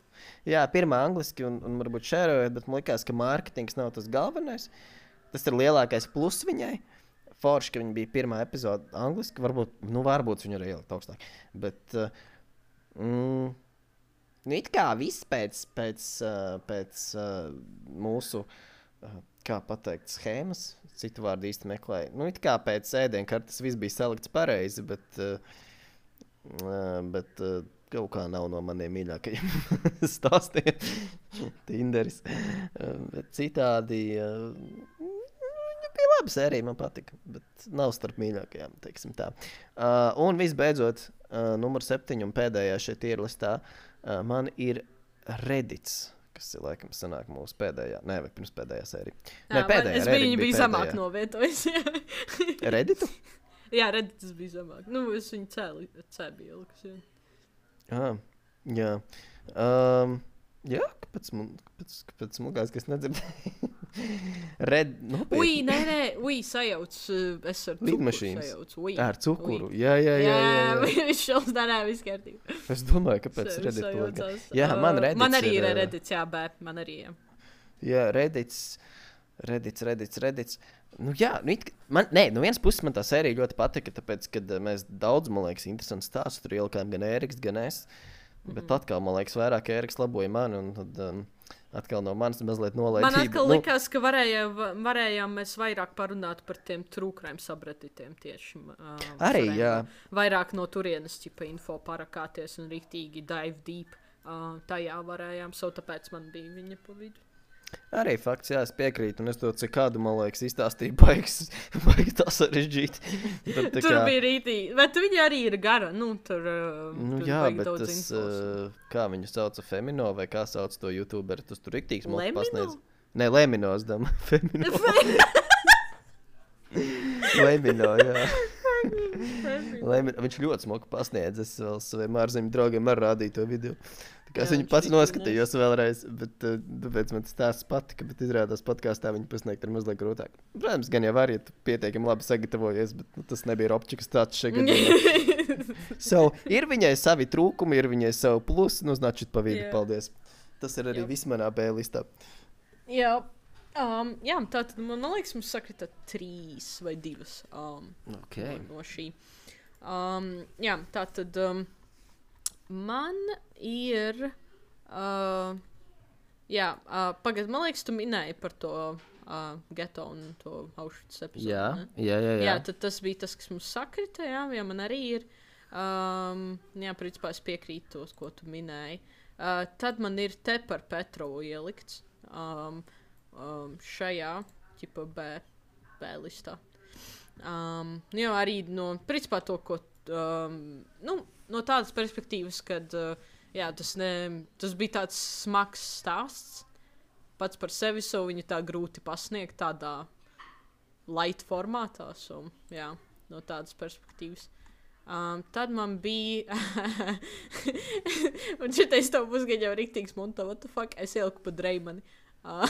Jā, pirmā angliski un, un varbūt šērojot, bet man likās, ka mārketings nav tas galvenais. Tas ir lielākais plus viņai. Forši, ka viņa bija pirmā epizode angliski, varbūt, nu varbūt viņa arī ielikt augstāk. Bet, uh, mm, nu it kā viss pēc, pēc, uh, pēc uh, mūsu, uh, kā pateikt, schēmas, citu vārdu īsti meklēju. Nu it kā pēc ēdienkartes viss bija salikts pareizi, bet, uh, uh, bet uh, kaut kā nav no maniem mīļākajiem stāstiem. Tinderis. Uh, bet citādi... Uh, bija laba sērija, man patika, bet nav starp mīļākajām, teiksim tā. Uh, un visbeidzot, uh, numur septiņi un pēdējā šeit ir listā, uh, man ir Reddits, kas ir laikam sanāk mūsu pēdējā, ne, vai pirms pēdējā sērija.
Jā,
ne, pēdējā,
es biju, viņa bija zemāk novietojis.
Redditu?
Jā, Reddits bija zemāk. Nu, es viņu cēlu, cēlu ielikus, jā.
Ah, jā. Um, jā, kāpēc man, kāpēc, kāpēc smugās, ka es nedzirdēju? Red, nu,
ui, nē, nē, ui, sajauc, es ar cukuru sajaucu. Ui,
ar cukuru, ui. jā, jā, jā. Jā, jā,
jā. Viņš šals, nē, nē, viss kārtībā.
Es domāju, kāpēc Reddit to jā, man Reddits
man arī ir,
ir
Reddits, jā, bē, man arī, jā.
Jā, Reddits, Reddits, Reddits, Reddits. Nu jā, nu it, man, nē, no vienas puses man tā sērija ļoti patika, tāpēc, kad mēs daudz, man liekas, interesants stāsts, tur ielikām gan Ēriks, gan es, bet mm-hmm. atkal, man liekas, vairāk Ēriks laboja mani, un tad... Um, atkal no manis mazliet nolaidība.
Man atkal
nu,
likās, ka varēja, varējām mēs vairāk parunāt par tiem trūkrājiem sabreditiem tieši. Uh,
arī,
varējām,
jā.
Vairāk no turienes ķipa info parakāties un riktīgi dive deep. Uh, tajā varējām, so tāpēc man bija viņa pa vidu.
Arī fakts, jā, es piekrītu, un es to cikādu, man liekas, izstāstīju baigas, baigas tā sarežģīti. Bet, tā
tur
kā...
bija rītīgi, bet viņa arī ir gara, nu, tur,
nu,
tur
jā,
bet
tas, uh, kā viņu sauca, Femino, vai kā sauc to YouTuberu, tas tur riktīgs mums pasniedz. Nē, Lemino, es domāju, Femino. Lemino, jā. Lemino, viņš ļoti smuki pasniedz, es vēl saviem ārzemju draugiem ar rādīju to video. Tā kā es viņu pats noskatījos vēlreiz, bet uh, tāpēc man tas stāsts patika, bet izrādās podkāstā viņu pasniegt ir mazliet grūtāk. Protams, gan jau var, ja tu pietiekami labi sagatavojies, bet nu, tas nebija Robčikas tāds šeit gadījumā. So, ir viņai savi trūkumi, ir viņai savi plusi, nu značit pa vidu, yeah. Paldies. Tas ir arī viss manā B listā.
Jā, um, jā tātad man liekas, mums sakrita trīs vai divas um,
okay.
no, no šī. Um, jā, tātad... Um, man ir, uh, jā, uh, pagad, man liekas, tu minēji par to uh, geto un to Auschwitz epizodu,
jā,
ne?
Jā, jā, jā.
Jā, tad tas bija tas, kas mums sakrita, jā, jā, man arī ir. Um, jā, principā es piekrītu tos, ko tu minēji. Uh, tad man ir te par Petrovu ielikts um, um, šajā ķipa B, B listā. Um, jo arī no, principā to, ko, um, nu, no tādas perspektīvas, kad, uh, jā, tas, ne, tas bija tāds smags stāsts, pats par sevi, so viņu tā grūti pasniegt tādā light formātā, so, jā, no tādas perspektīvas. Um, tad man bija, un šitais tev būs gan jau riktīgs munta, what the fuck, es ieliku pa Dreimani. Uh.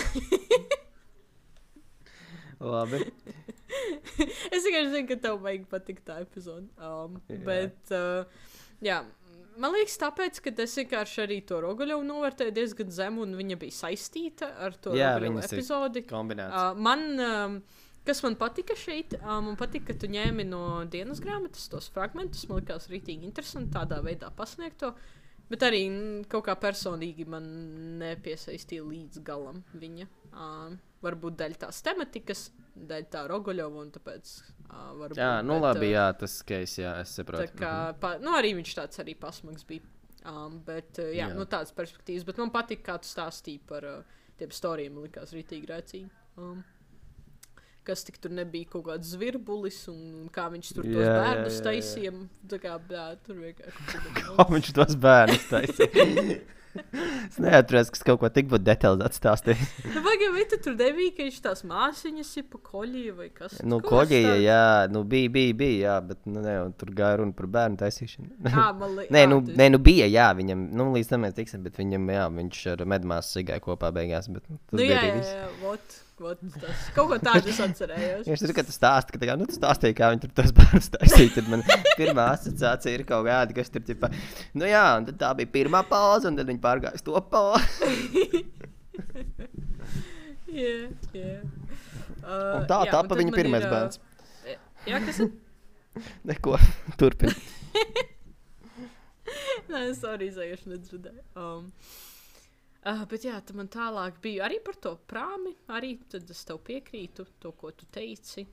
Labi.
Es tikai zinu, ka tev vajag patikt tā epizode. Um,
Jā.
bet, uh, jā, man liekas tāpēc, ka es vienkārši arī to Roguļovu novērtēju diezgan zemu, un viņa bija saistīta ar to
Jā,
Roguļovu
viņas ir
epizodi.
kombinēts.
Uh, man, um, kas man patika šeit, uh, man patika, ka tu ņēmi no dienas grāmatas tos fragmentus, man likās rītīgi interesanti tādā veidā pasniegt to, bet arī mm, kaut kā personīgi man nepiesaistīja līdz galam viņa. Uh, varbūt daļa tās tematikas, daļa tā Roguļova, un tāpēc uh, varbūt...
Jā, nu
bet,
labi,
uh,
jā, tas case, jā, es saprotu.
Tā kā, pa, nu arī viņš tāds arī pasmags bija. Um, bet, uh, jā,
Jā.
nu tādas perspektīvas, bet man patika, kā tu stāstīji par uh, tiem storiem, man likās rītīgi rēcīgi. Um, kas tik tur nebija kaut kāds zvirbulis, un, un kā viņš tur tos
Jā, jā,
bērnus
jā, jā.
taisiem. Tā kā, bļā, tur vienkārši...
Kā viņš tos bērnus taisīja? Es neatceros, kas kaut ko tik būtu detalizēti stāstījis.
Nu, vajag, vai tu tur nebija, ka viņš tās māsiņas ir pa koļie vai kas?
Nu,
Kaut kas
koļie,
tāds.
jā, nu bija, bija, bija, jā, bet, nu, ne, un tur gāja runa par bērnu taisīšanu.
Ā, man li...
Nē,
ā,
nu,
tu-
nē, nu bija, jā, viņam, nu, līdz tam mēs tiksim, bet viņam, jā, viņš ar medmāsu sigāja kopā beigās, bet, nu, tas
Nu,
bija
jā,
arī
jā,
viss.
jā, vot, vot, tas. Kaut ko tādu es atcerējos.
Ja es tur, ka tu stāsti, ka tā kā, nu, tu stāstīji, kā viņi tur tos bērnus taisīja, tad man pirmā asociācija ir kaut kāda, kas tur, tipa, nu jā, un tad tā bija pirmā pauze, un tad viņi pārgāja uz to pauzi.
Jā, jā. Uh,
Un tā
jā,
tapa
tad
viņa
man
pirmais
ir, ā,
bērns.
Jā, kas ir?
Neko, turpin.
Nē, es arī izējuši nedzirdēju. Um, uh, bet jā, tad man tālāk bija arī par to prāmi. Arī tad es tev piekrītu, to, ko tu teici.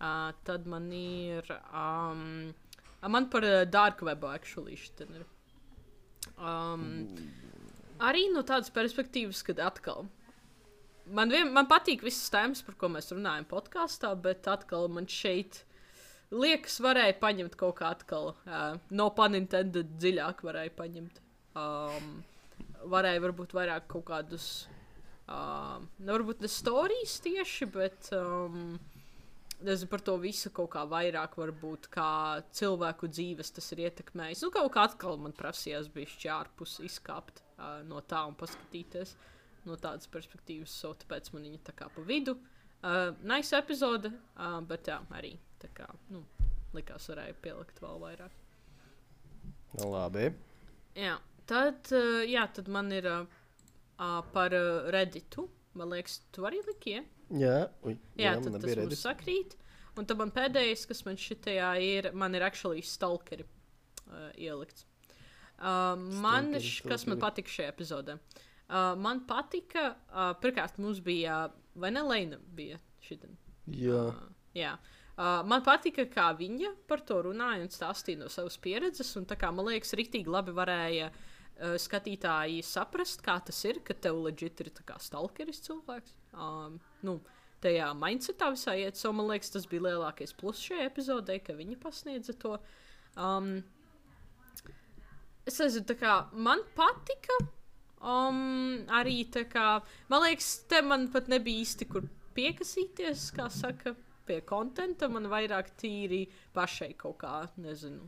Uh, tad man ir... Um, man par uh, Dark Webu actually šitan ir. Um, arī no tādas perspektīvas, kad atkal... Man, vien, man patīk visas tēmas, par ko mēs runājam podkāstā, bet atkal man šeit... Liekas, varēja paņemt kaut kā atkal, uh, no pun intended, dziļāk varēja paņemt. Um, varēja varbūt vairāk kaut kādus, uh, ne varbūt ne storijas tieši, bet um, nezinu par to visu kaut kā vairāk varbūt, kā cilvēku dzīves tas ir ietekmējis. Nu, kaut kā atkal man prasījās bišķi ārpus izkāpt uh, no tā un paskatīties no tādas perspektīvas, so tāpēc man viņa tā kā pa vidu. Uh, nice epizode, uh, bet jā, arī. Tā kā, nu, likās varēja pielikt vēl vairāk.
Nu, labi.
Jā, tad, uh, jā, tad man ir uh, uh, par uh, Redditu. Man liekas, tu arī liki, ja?
Jā, uj,
Jā,
man
tad tas
nebija
mums
redis.
sakrīt. Un tad man pēdējais, kas man šitajā ir, man ir actually stalkeri uh, ielikts. Uh, man,
Stalkeri,
š, kas man
stalkeri.
patika šajā epizodē? Uh, man patika, uh, pirmkārt, mums bija, vai ne Leina bija šitan?
Jā.
Uh, jā. Uh, man patika, kā viņa par to runāja un stāstīja no savas pieredzes. Un, tā kā, man liekas, rīktīgi labi varēja uh, skatītāji saprast, kā tas ir, ka tev legit ir tā kā stalkeris cilvēks. Um, nu, tajā mindsetā visā iet. So, man liekas, tas bija lielākais plus šajā epizodē, ka viņa pasniedza to. Um, es nezinu, tā kā man patika. Um, arī tā kā, man liekas, te man pat nebija īsti kur piekasīties, kā saka, pie kontenta. Man vairāk tīri pašai kaut kā, nezinu.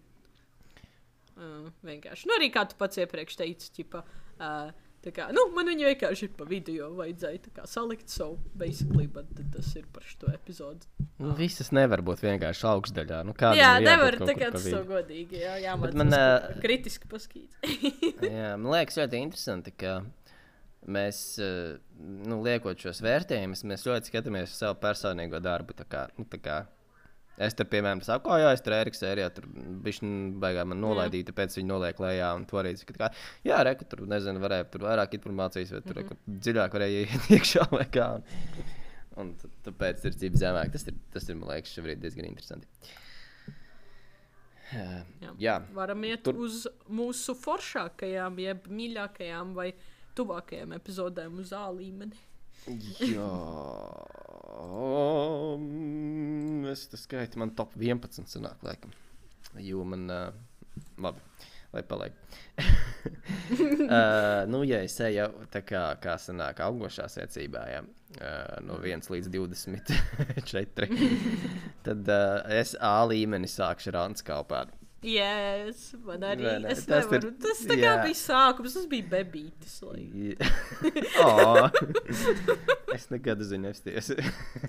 Uh, vienkārši. Nu, arī kā tu pats iepriekš teici, ķipa, uh, tā kā, nu, man viņa vienkārši ir pa vidu, jo vajadzēja tā kā salikt, so, basically, bet tas ir par šo epizodu.
Nu, visas nevar būt vienkārši augstdaļā. Nu, kādam
Jā,
ir jābūt
nevar,
kaut
tā
kur
kā
pa
tas
vidu.
so godīgi, jā,
Bet
jāmācās
man,
kaut
ā,
kā kritiski paskīt.
Jā, man liekas ļoti interesanti, ka mēs, eh, nu, liekot šos vērtējumus, mēs ļoti skatāmies uz savu personīgo darbu. Tā kā, nu, tā kā es tur, piemēram, saku, oh, jā, es tur Eriks sērijā, tur bišķi baigā man nolaidīja, tāpēc viņi noliek lejā un to arī saka, tā kā, jā, reku, tur, nezinu, varēja tur vairāk informācijas, vai tur, reku, dziļāk varēja iet iekšā vai kā. Un, un t- tāpēc ir cība zemāk. Tas ir, tas ir, man liekas, šobrīd diezgan interesanti. Uh,
Jā.
jā.
Varam iet
Tur-
Tur... uz mūsu foršākajām, jeb mīļākajām vai tuvākajām epizodēm uz A līmeni.
Jā, es tas skaitu, man top vienpadsmit sanāk, laikam. Jo man, uh, labi, lai paliek. uh, nu, ja es eju tā kā, kā sanāk augošā secībā, jā, uh, no viens līdz divdesmit četri, tad uh, es A līmeni sākšu ar Anskalpādu.
Yes, man arī.
Vai ne?
Es
Tas
nevaru.
ir-
Tas tā kā
jā.
bija sākums, tas bija bebītis. Like.
oh, es nekad zinu, nepsties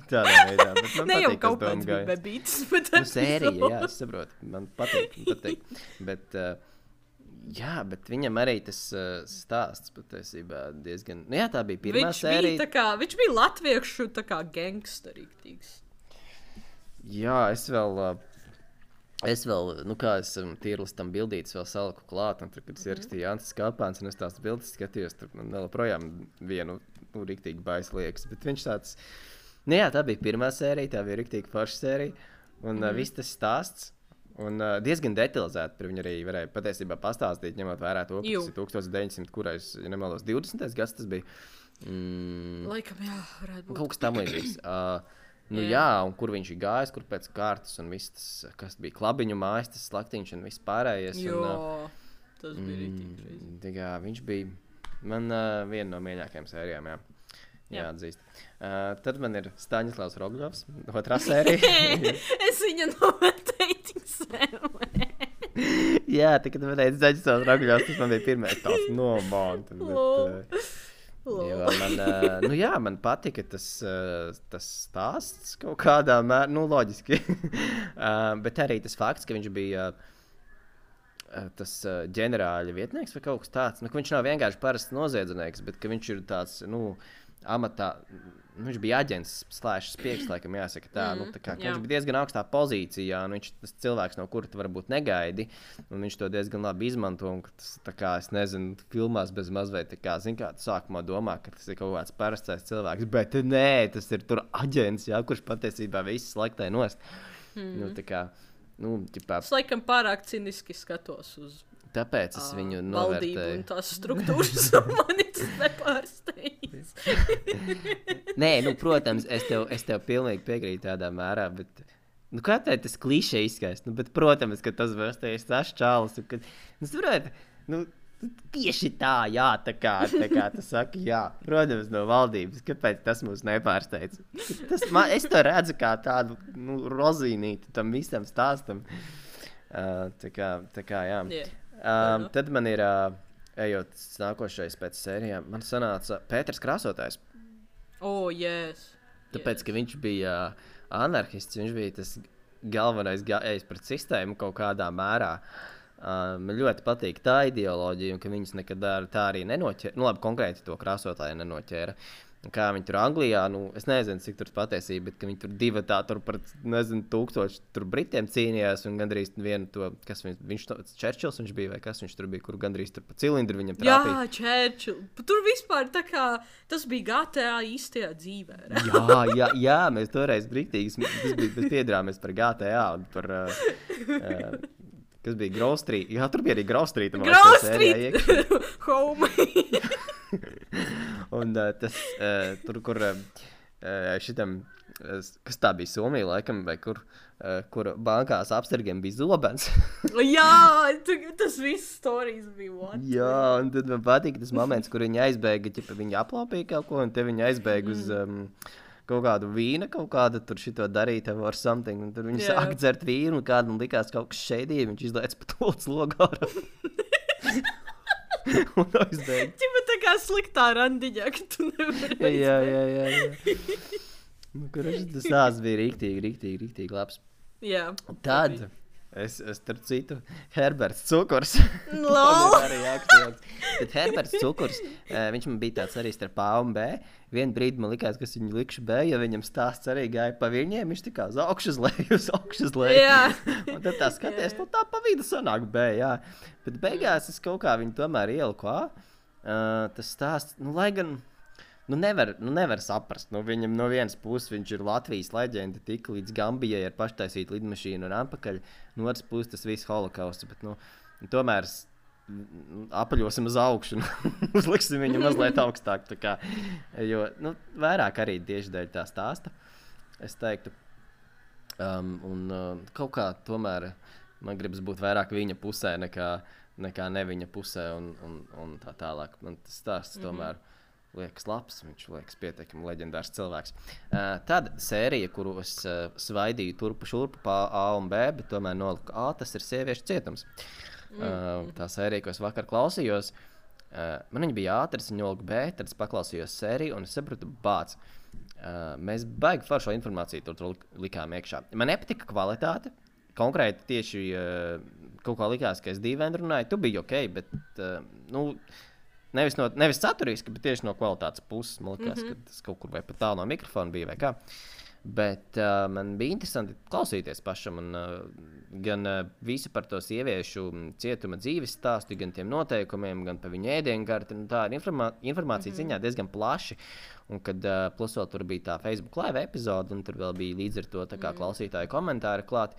tādā veidā. Bet man
Ne jau
patīk,
kaut
tas doma
kāds bija
gājiens.
bebītis, bet
Nu, sērija, jā, es saprotu. Man patīk, man patīk. Bet, uh, jā, bet viņam arī tas uh, stāsts patiesībā diezgan... Nu, jā, tā bija pirmā
viņš bija
sērija.
tā kā, viņš bija latviešu tā kā gangsterīgs.
Jā, es vēl... Uh, Es vēl, nu kā es um, tīrlistam bildītas vēl saliku klāt, un tur, kad es ierakstīju Jānis Skāpāns, un es tās bildes skatījos, tur man vēl projām vienu, nu, riktīgi bais liekas, bet viņš tāds, nu jā, tā bija pirmā sērija, tā bija riktīgi forša sērija, un mm. uh, viss tas stāsts, un uh, diezgan detalizēti par viņu arī varēja patiesībā pastāstīt, ņemot vērā to, ka
Jū.
tas ir tūkstoš deviņsimt, kurais, ja nemaldos, divdesmitais gads tas bija. Mm,
Laikam, jā, varētu būt.
kaut kas tam līdzīgs. Uh, Nu, jā.
Jā.
jā, un kur viņš ir gājis, kur pēc kārtas, un viss tas, kas bija klabiņu mājas, tas slaktiņš un viss pārējais.
Jo,
Un, uh,
tas bija rītīgi crazy.
tā kā viņš bija man uh, viena no mīļākajām sērijām, jā.
Jā.
Jāatzīst. Uh, tad man ir Staņislavs Rogļovs, otrā sērija.
Es viņu novērtēju sēmē.
jā, tā, kad man teica Staņislavs Rogļovs, tas man bija pirmais tāds nomānt.
Lol.
Jo man, uh, nu jā, man patika tas, uh, tas stāsts kaut kādā mērā, nu loģiski, uh, bet arī tas fakts, ka viņš bija uh, tas uh, ģenerāļa vietnieks vai kaut kas tāds, nu, ka viņš nav vienkārši parasts noziedznieks, bet ka viņš ir tāds, nu, amatā, nu, viņš bija aģents, slēšs spieks, laikam jāsaka tā, mm, nu, tā kā, ka
jā.
viņš bija diezgan augstā pozīcijā, un viņš tas cilvēks, no kura tu varbūt negaidi, un viņš to diezgan labi izmanto, un ka tas, tā kā, es nezinu, filmās bez mazveit, tā kā, zin kā, tu sākumā domā, ka tas ir kaut kāds parastais cilvēks, bet nē, tas ir tur aģents, jā, kurš patiesībā viss slēgtai nost. Mm. Nu, tā kā, nu, ķipā,
Es laikam pārāk ciniski skatos uz
tāpēc es
ā,
viņu
valdību
novērtēju.
un tās struktūras, un mani tas nepārsteidz.
Nē, nu, protams, es tev, es tev pilnīgi piekrītu tādā mērā, bet, nu, kā tā tas klišē izskaist, nu, bet, protams, ka tas vērsties tas čāls, un, kad, nu, saprāt, nu, tieši tā, jā, tā kā, tā kā tu saki, jā, protams, no valdības, kāpēc tas mūs nepārsteidz. Tas, man, es to redzu kā tādu, nu, rozīnīti tam visam stāstam. Uh, tā kā, tā kā, jā.
Yeah.
Um, tad man ir, uh, ejot nākošais pēc sērijām, man sanāca Pēters Krāsotājs.
Oh, yes.
Tāpēc, ka viņš bija uh, anarchists, viņš bija tas galvenais gājējs pret sistēmu kaut kādā mērā. Uh, man ļoti patīk tā ideoloģija, un ka viņus nekad ar- tā arī nenoķēra. Nu, labi, konkrēti to krāsotāju nenoķēra. Un kā viņi tur Anglijā, nu, es nezinu, cik tur patiesība, bet ka viņi tur divi tā tur par, nezinu, tūkstoši tur Britiem cīnījās, un gandrīz vienu to, kas viņš, viņš to, Čerčils viņš bija, vai kas viņš tur bija, kur gandrīz tur pa cilindru viņam trāpīja.
Jā, Čērčil. Tur vispār tā kā tas bija G T A īstajā dzīvē. re?
Jā, jā, jā, mēs toreiz brīktīgi, tas bija, mēs piedrāmies par G T A un par, uh, uh, kas bija Grove Street. Jā, tur bija arī Grove Street.
Grove Street! Home!
Un uh, tas, uh, tur, kur uh, šitam, uh, kas tā bija Somija, laikam, vai kur, uh, kur bankās apsargiem bija zobens.
Jā, tu- tas viss stāstījis bija what?
Jā, un tad man patīk tas moments, kur viņi aizbēga, ķipa, viņi aplaupīja kaut ko, un te viņi aizbēga uz um, kaut kādu vīnu, kaut kādu tur šito darīt, or something, un tur viņi
Jā.
sāk dzert vīnu, un kādam likās kaut kas šeidīja, viņš izlēc pa tolts logāru. Un aizbēga.
Ķipa tā kā sliktā randiņā, ka tu nevari.
Jā, jā, jā, jā. Nu, kurš tas tās bija riktīgi, riktīgi, riktīgi labs.
Jā.
Tad es, es starp citu, Herberts Cukurs.
Lol!
Man ir arī aktuāls. Tad Herberts Cukurs, eh, viņš man bija tāds arī starp A un B. Vienu brīdi man likās, ka es viņu likšu B, ja viņam stāsts arī gāja pa viņiem, viņš tā kā uz augšu uz leju, uz augšu uz leju.
Jā.
Un tad tā skaties, nu tā pa vidu sanāk B, jā. Bet beigās es kaut kā viņu tomēr ieliku A. Uh, tas stāsts, nu lai gan, nu nevar, nu nevar saprast. Nu, viņam no vienas puses viņš ir Latvijas leģenda, tika līdz Gambijai ar paštaisītu lidmašīnu un atpakaļ. No otras puses tas viss holokausts, bet nu, tomēr apaļosim uz augšu un uzliksim viņu mazliet augstāk. Tā kā, jo nu, vairāk arī tieši dēļ tā stāsta, es teiktu. Um, un uh, kaut kā tomēr man gribas būt vairāk viņa pusē nekā, nekā ne viņa pusē un, un, un tā tālāk. Man tas stāsts mm-hmm. tomēr liekas labs, viņš liekas pietiekami leģendārs cilvēks. Uh, tad sērija, kuru es uh, svaidīju turpu šurpu pa A un B, bet tomēr noliku A, tas ir Sieviešu cietums. Uh, tā sērija, ko es vakar klausījos, uh, man viņa bija ātrs, viņa noliku B, tad es paklausījos sēriju un es sapratu, bāc, uh, mēs baigi foršo informāciju tur, tur likām iekšā. Man nepatika kvalitāte, konkrēti tieši uh, kaut kā likās, ka es dīvaini runāju, tu biji ok, bet, uh, nu, Nevis, no, nevis saturiski, bet tieši no kvalitātes puses. Man liekas, mm-hmm. ka tas kaut kur vai pat tālu no mikrofona bija vai kā. Bet uh, man bija interesanti klausīties pašam. Un, uh, gan uh, visu par to sieviešu cietuma dzīves stāstu, gan tiem noteikumiem, gan par viņu ēdienkarti. Tā ir informā informācija mm-hmm. ziņā diezgan plaši. Un kad uh, plus vēl tur bija tā Facebook live epizode, un tur vēl bija līdz ar to tā kā mm-hmm. klausītāju komentāri klāt.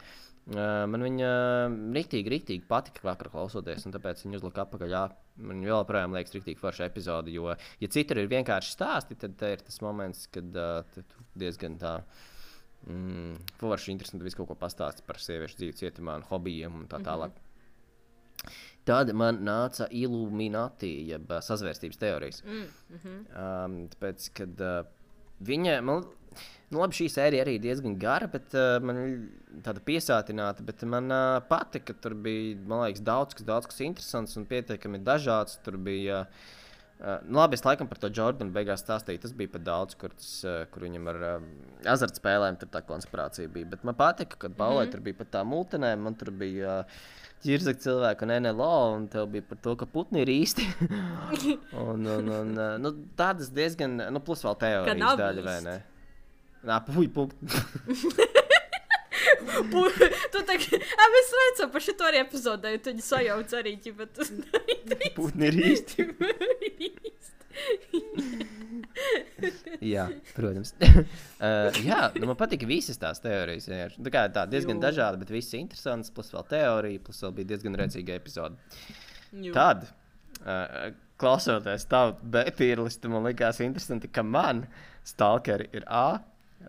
Uh, man viņa uh, riktīgi, riktīgi patika vakar klausoties, un tāpēc viņa uzlika apakaļ. Jā, man joprojām liekas riktīgi forša epizode, jo, ja citur ir vienkārši stāsti, tad tā ir tas moments, kad uh, tu diezgan tā mm, forši interesanti visu kaut ko pastāsti par sieviešu dzīvi cietumā un hobijiem un tā tālāk. Mm-hmm. Tad man nāca Illuminati, jeb uh, sazvērstības teorijas. Mm-hmm. Um, tāpēc, kad uh, viņa... Man, Nu, labi, šī sērija arī diezgan gara, bet uh, man tāda piesātināta, bet man uh, patika, ka tur bija, man liekas, daudz kas, daudz kas interesants un pietiekami dažāds. Tur bija, uh, nu labi, es laikam par to Jordanu beigās stāstīju, tas bija pat daudz, kur, tas, uh, kur viņam ar uh, azartspēlēm tur tā konspirācija bija. Bet man patika, kad Paulai mm-hmm. tur bija pat tā multinēm, man tur bija uh, ķirzak cilvēku un N L O, un tev bija par to, ka putni ir īsti. un, un, un, uh, nu, tādas diezgan, nu plus vēl teorijas daļa, vai ne? Nā, puj, punkti.
Tu tā kā, ā, mēs veicam par šito arī epizodē, tu viņu sajauc arī, ķipa, tu
putni ir īsti. Jā, protams. uh, jā, nu man patika visas tās teorijas. Tā kā tā diezgan Jū. dažāda, bet viss interesants, plus vēl teorija, plus vēl bija diezgan rēcīga epizode. Jū. Tad, uh, klausoties tavu B-tīrlistu, man likās interesanti, ka man Stalkeri ir A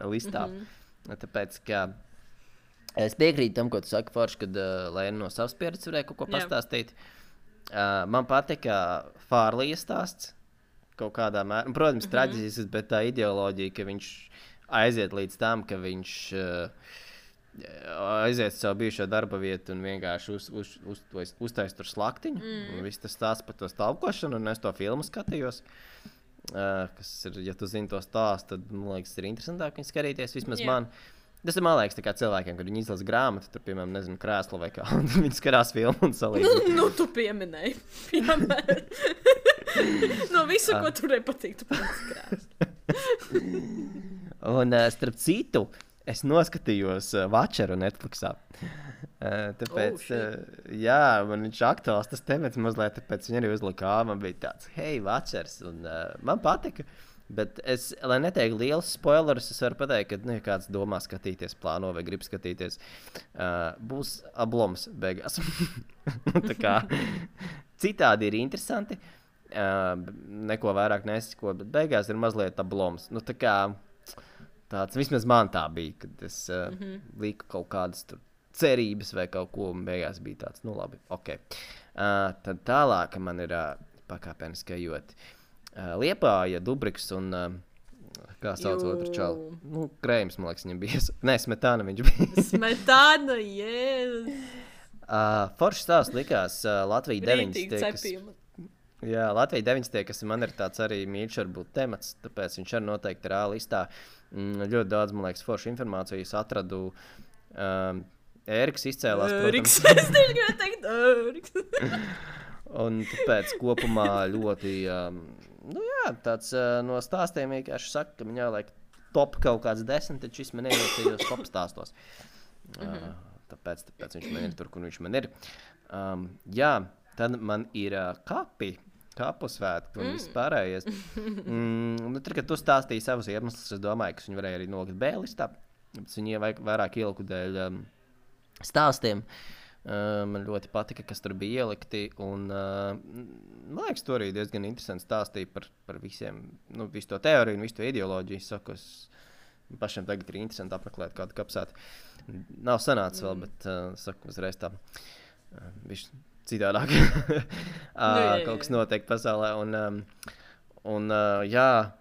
listā. Mm-hmm. Tāpēc, ka es piekrītu tam, ko tu saki, forši, kad uh, Lēna no savas pieredzes varēja kaut ko Jā. pastāstīt. Uh, man patika Fārlija stāsts kaut kādā mērā. Protams, mm-hmm. traģisks, bet tā ideoloģija, ka viņš aiziet līdz tam, ka viņš uh, aiziet savu bijušo darba vietu un vienkārši uz, uz, uz, uz, uztais tur slaktiņu. Mm. Un viss tas stāsts par to stalkošanu, un es to filmu skatījos. Uh, kas ir, ja tu zini to stāstu, tad, man liekas, ir interesantāk viņu skatīties, vismaz yeah. man. Tas ir, man liekas, tā kā cilvēkiem, kad viņi izlasa grāmatu, tur, piemēram, nezinu, krēslu vai kā, un viņi skarās filmu un salīdzina.
Nu, nu, tu pieminēji, piemēram. No visu, ko tu nepatīk, tu pats krēslu.
Un, uh, starp citu, es noskatījos uh, Watcheru Netflixā. Uh, tāpēc, oh, uh, jā, man viņš aktuāls tas temats mazliet, tāpēc viņi arī uzlika, man bija tāds, hei, Watchers, un uh, man patika, bet es, lai neteiktu liels spoilerus, es varu pateikt, ka, nu, ja kāds domā skatīties, plāno vai grib skatīties, uh, būs abloms beigās. Tā kā citādi ir interesanti, uh, neko vairāk nesako, bet beigās ir mazliet abloms. Nu, tā kā tāds, vismaz man tā bija, kad es uh, mm-hmm. liku kaut kādas tur cerības vai kaut ko, un beigās bija tāds, nu labi, ok. Uh, tad tālāk man ir uh, pakāpeniski ejot uh, Liepāja, Dubriks un, uh, kā sauc Jū. otru čalu? Nu, Krējums, man liekas, viņam bija. Nē, Smetāna viņš bija. Smetāna, jēs! Uh, forši stāsts likās uh, Latvija deviņdesmitie. Jā, Latvija deviņdesmitie, kas man ir tāds arī mīļš varbūt temats, tāpēc viņš arī noteikti ir A listā. Mm, ļoti daudz, man liekas, forši informācijas atradu. Um, Ēriks izcēlās,
Ēriks, protams. Es tieši gribēju teikt, Ēriks.
Un tāpēc kopumā ļoti, um, nu jā, tāds uh, no stāstiem vienkārši saka, ka viņā laik top kaut kāds desmit, tad šis man ievietījos top stāstos. Uh, tāpēc, tāpēc viņš man ir tur, kur viņš man ir. Um, jā, tad man ir uh, kapi. kapu svētku un mm. viss pārējais. Mm, nu, tur, kad tu stāstīji savus iemeslus, es domāju, ka viņi varēja arī nolikt B-listā. Viņi vairāk ieliku dēļ um, stāstiem. Uh, man ļoti patika, kas tur bija ielikti. Un, uh, man liekas, tur arī diezgan interesanti stāstīja par, par visiem, nu, visu to teoriju un visu to ideoloģiju. Saku, es pašiem tagad ir interesanti apmeklēt kādu kapsētu. Nav sanācis vēl, bet uh, saku uzreiz tā. Uh, bišķi citādāk. uh, nu, jā, jā. Kaut kas notiek pasaulē. Un, um, un uh, jā,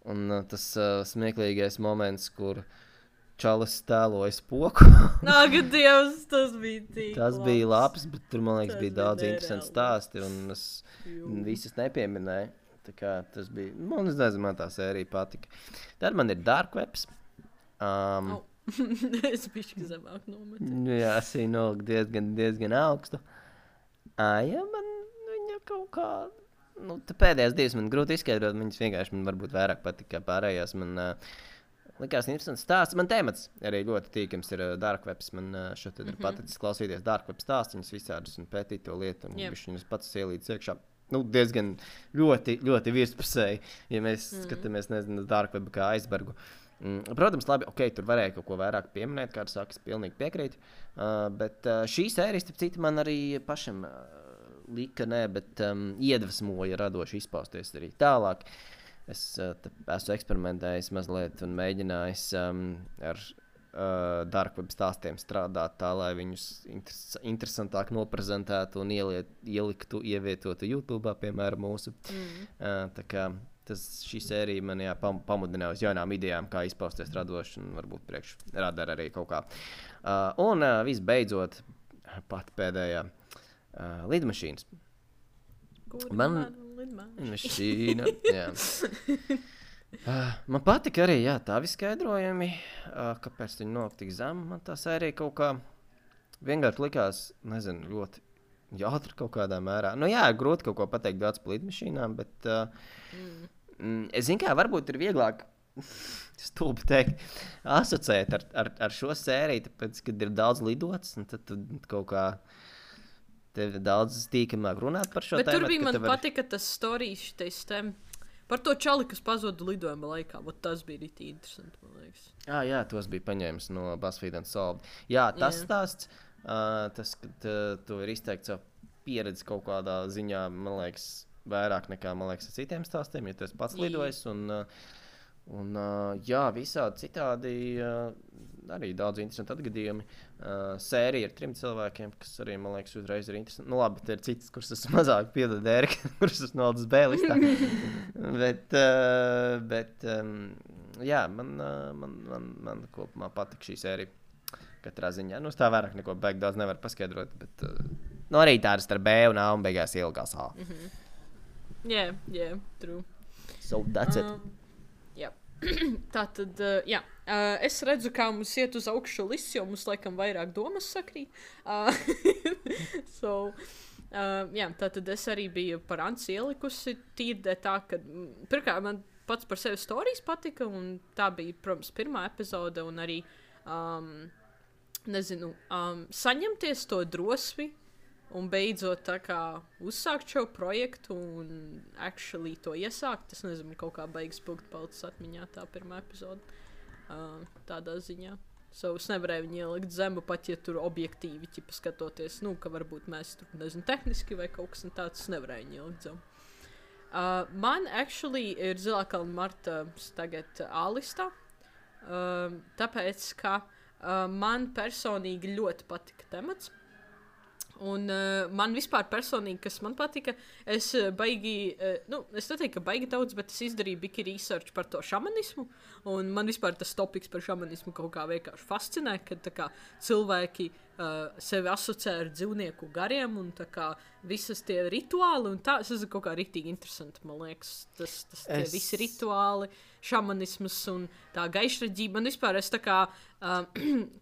un uh, tas uh, smieklīgais moments, kur čalis tēloja spoku.
Nāk, Dievs, tas bija tik
Tas labs. bija labs, bet tur, man liekas,
tas
bija daudz interesanti stāsti, un es Jū. visus nepieminēju. Tā kā tas bija, man es nezinu, man tā sērija patika. Tad man ir Dark Webs. Um,
oh. es bišķi zemāk nometu.
Jā, es viņu noliku diezgan, diezgan augstu. Uh, jā, man viņa kaut kā, nu, te pēdējās divas man grūti izskaidrot, viņas vienkārši man varbūt vairāk patika kā pārējās. Man uh, likās interesants stāsts. Man temats arī ļoti tīkams ir uh, Dark Webs. Man uh, šeit ir mm -hmm. paticis klausīties Dark Web stāstīņus visādus un pētīt to lietu. Un yep. viņus pats ielīdz iekšā. Nu, diezgan ļoti, ļoti virspusēji, ja mēs mm. skatāmies, nezinu, Dark Web kā aizbergu. Mm, protams, labi, ok, tur varēja kaut ko vairāk pieminēt, kāds saka, es pilnīgi piekrītu. Uh, bet uh, šī sērija, starp citu, man arī pašam uh, lika, ne, bet um, iedvesmoja radoši izpausties arī tālāk. Es uh, esmu eksperimentējis mazliet un mēģinājis um, ar uh, Dark Web stāstiem strādāt tā, lai viņus interes interesantāk noprezentētu un ieliet, ieliktu, ievietotu YouTube, piemēram, mūsu. Mm. Uh, tā kā tas, šī sērija man jā, pam, pamudināja uz jaunām idejām, kā izpausties radoši un varbūt priekš radara arī kaut kā. Uh, un uh, visbeidzot, pat pēdējā uh, lidmašīnas.
Kur
man lidmašīna, jā. Uh, man patika arī, jā, tā viskaidrojumi, uh, kāpēc viņi nāk tik zem. Man tā sērija kaut kā vienkārši likās, nezinu, ļoti jātri kaut kādā mērā. Nu jā, grūti kaut ko pateikt daudz par lidmašīnām, bet uh, mm. Mm, es zinu, kā varbūt ir vieglāk stulbi teikt, asociēt ar, ar, ar šo sēriju, tāpēc, kad ir daudz lidots, un tad tu kaut kā tev ir daudz tīkamāk runāt par šo
bet
tēmatu.
Bet tur bija man
var...
patika tas storijas šitais tēm. Par to čali, kas pazuda lidojuma laikā, ot tas bija rītī interesanti, man liekas.
Ah, jā, tos bija paņēmis no BuzzFeed and Solved. Jā, tas yeah. stāsts, uh, tas, kad uh, tu ir izteikt savu pieredzi kaut kādā ziņā, man liekas, vairāk nekā, man liekas, ar citiem stāstiem, ja tu esi pats lidojis. Un, uh, un uh, jā, visādi citādi uh, arī daudz interesanti atgadījumi. Uh, sērija ar trim cilvēkiem, kas arī, man liekas, uzreiz ir interesanti. Nu labi, te ir citas, kuras es mazāk piedod Ērika, kuras es noldas B-listā. bet, uh, bet um, jā, man, uh, man, man, man kopumā patika šī sērija katrā ziņā. Nu, es tā vairāk neko beig daudz nevaru paskaidrot, bet uh, nu, arī tādas ar B un A un beigās ielgās A.
Mm -hmm. Yeah, yeah, true.
So that's it.
Um, yeah. Tā tad, uh, jā. Uh, es redzu, kā mums iet uz augšu lists, jo mums laikam vairāk domas sakrīt. Uh, so, uh, jā, tā tad es arī biju par Anci ielikusi tīrdē tā, ka, pirmkārt, man pats par sevi storijas patika, un tā bija, protams, pirmā epizode, un arī, um, nezinu, um, saņemties to drosmi, un beidzot tā kā uzsākt šo projektu un actually to iesākt. Es nezinu, kaut kā beigas punktu palicis atmiņā tā pirmā epizode. Uh, tādā ziņā. So es nevarēju viņu ielikt zemu, pat ja tur objektīvi ķipa skatoties, nu, ka varbūt mēs tur, nezinu, tehniski vai kaut kas tāds, es nevarēju viņu ielikt zemu. Uh, man actually ir Zilākalna Marta tagad A-listā, uh, tāpēc, ka uh, man personīgi ļoti patika temats. Un uh, man vispār personīgi, kas man patika, es uh, baigi, uh, nu, es neteiktu, ka baigi daudz, bet es izdarīju biki research par to šamanismu, un man vispār tas topiks par šamanismu kaut kā vienkārši fascinē, kad tā kā cilvēki uh, sevi asociē ar dzīvnieku gariem, un tā kā visas tie rituāli, un tā, es esmu kaut kā riktīgi interesanti, man liekas, tas, tas tie es... visi rituāli, šamanismas un tā gaišraģība, man vispār es tā kā uh,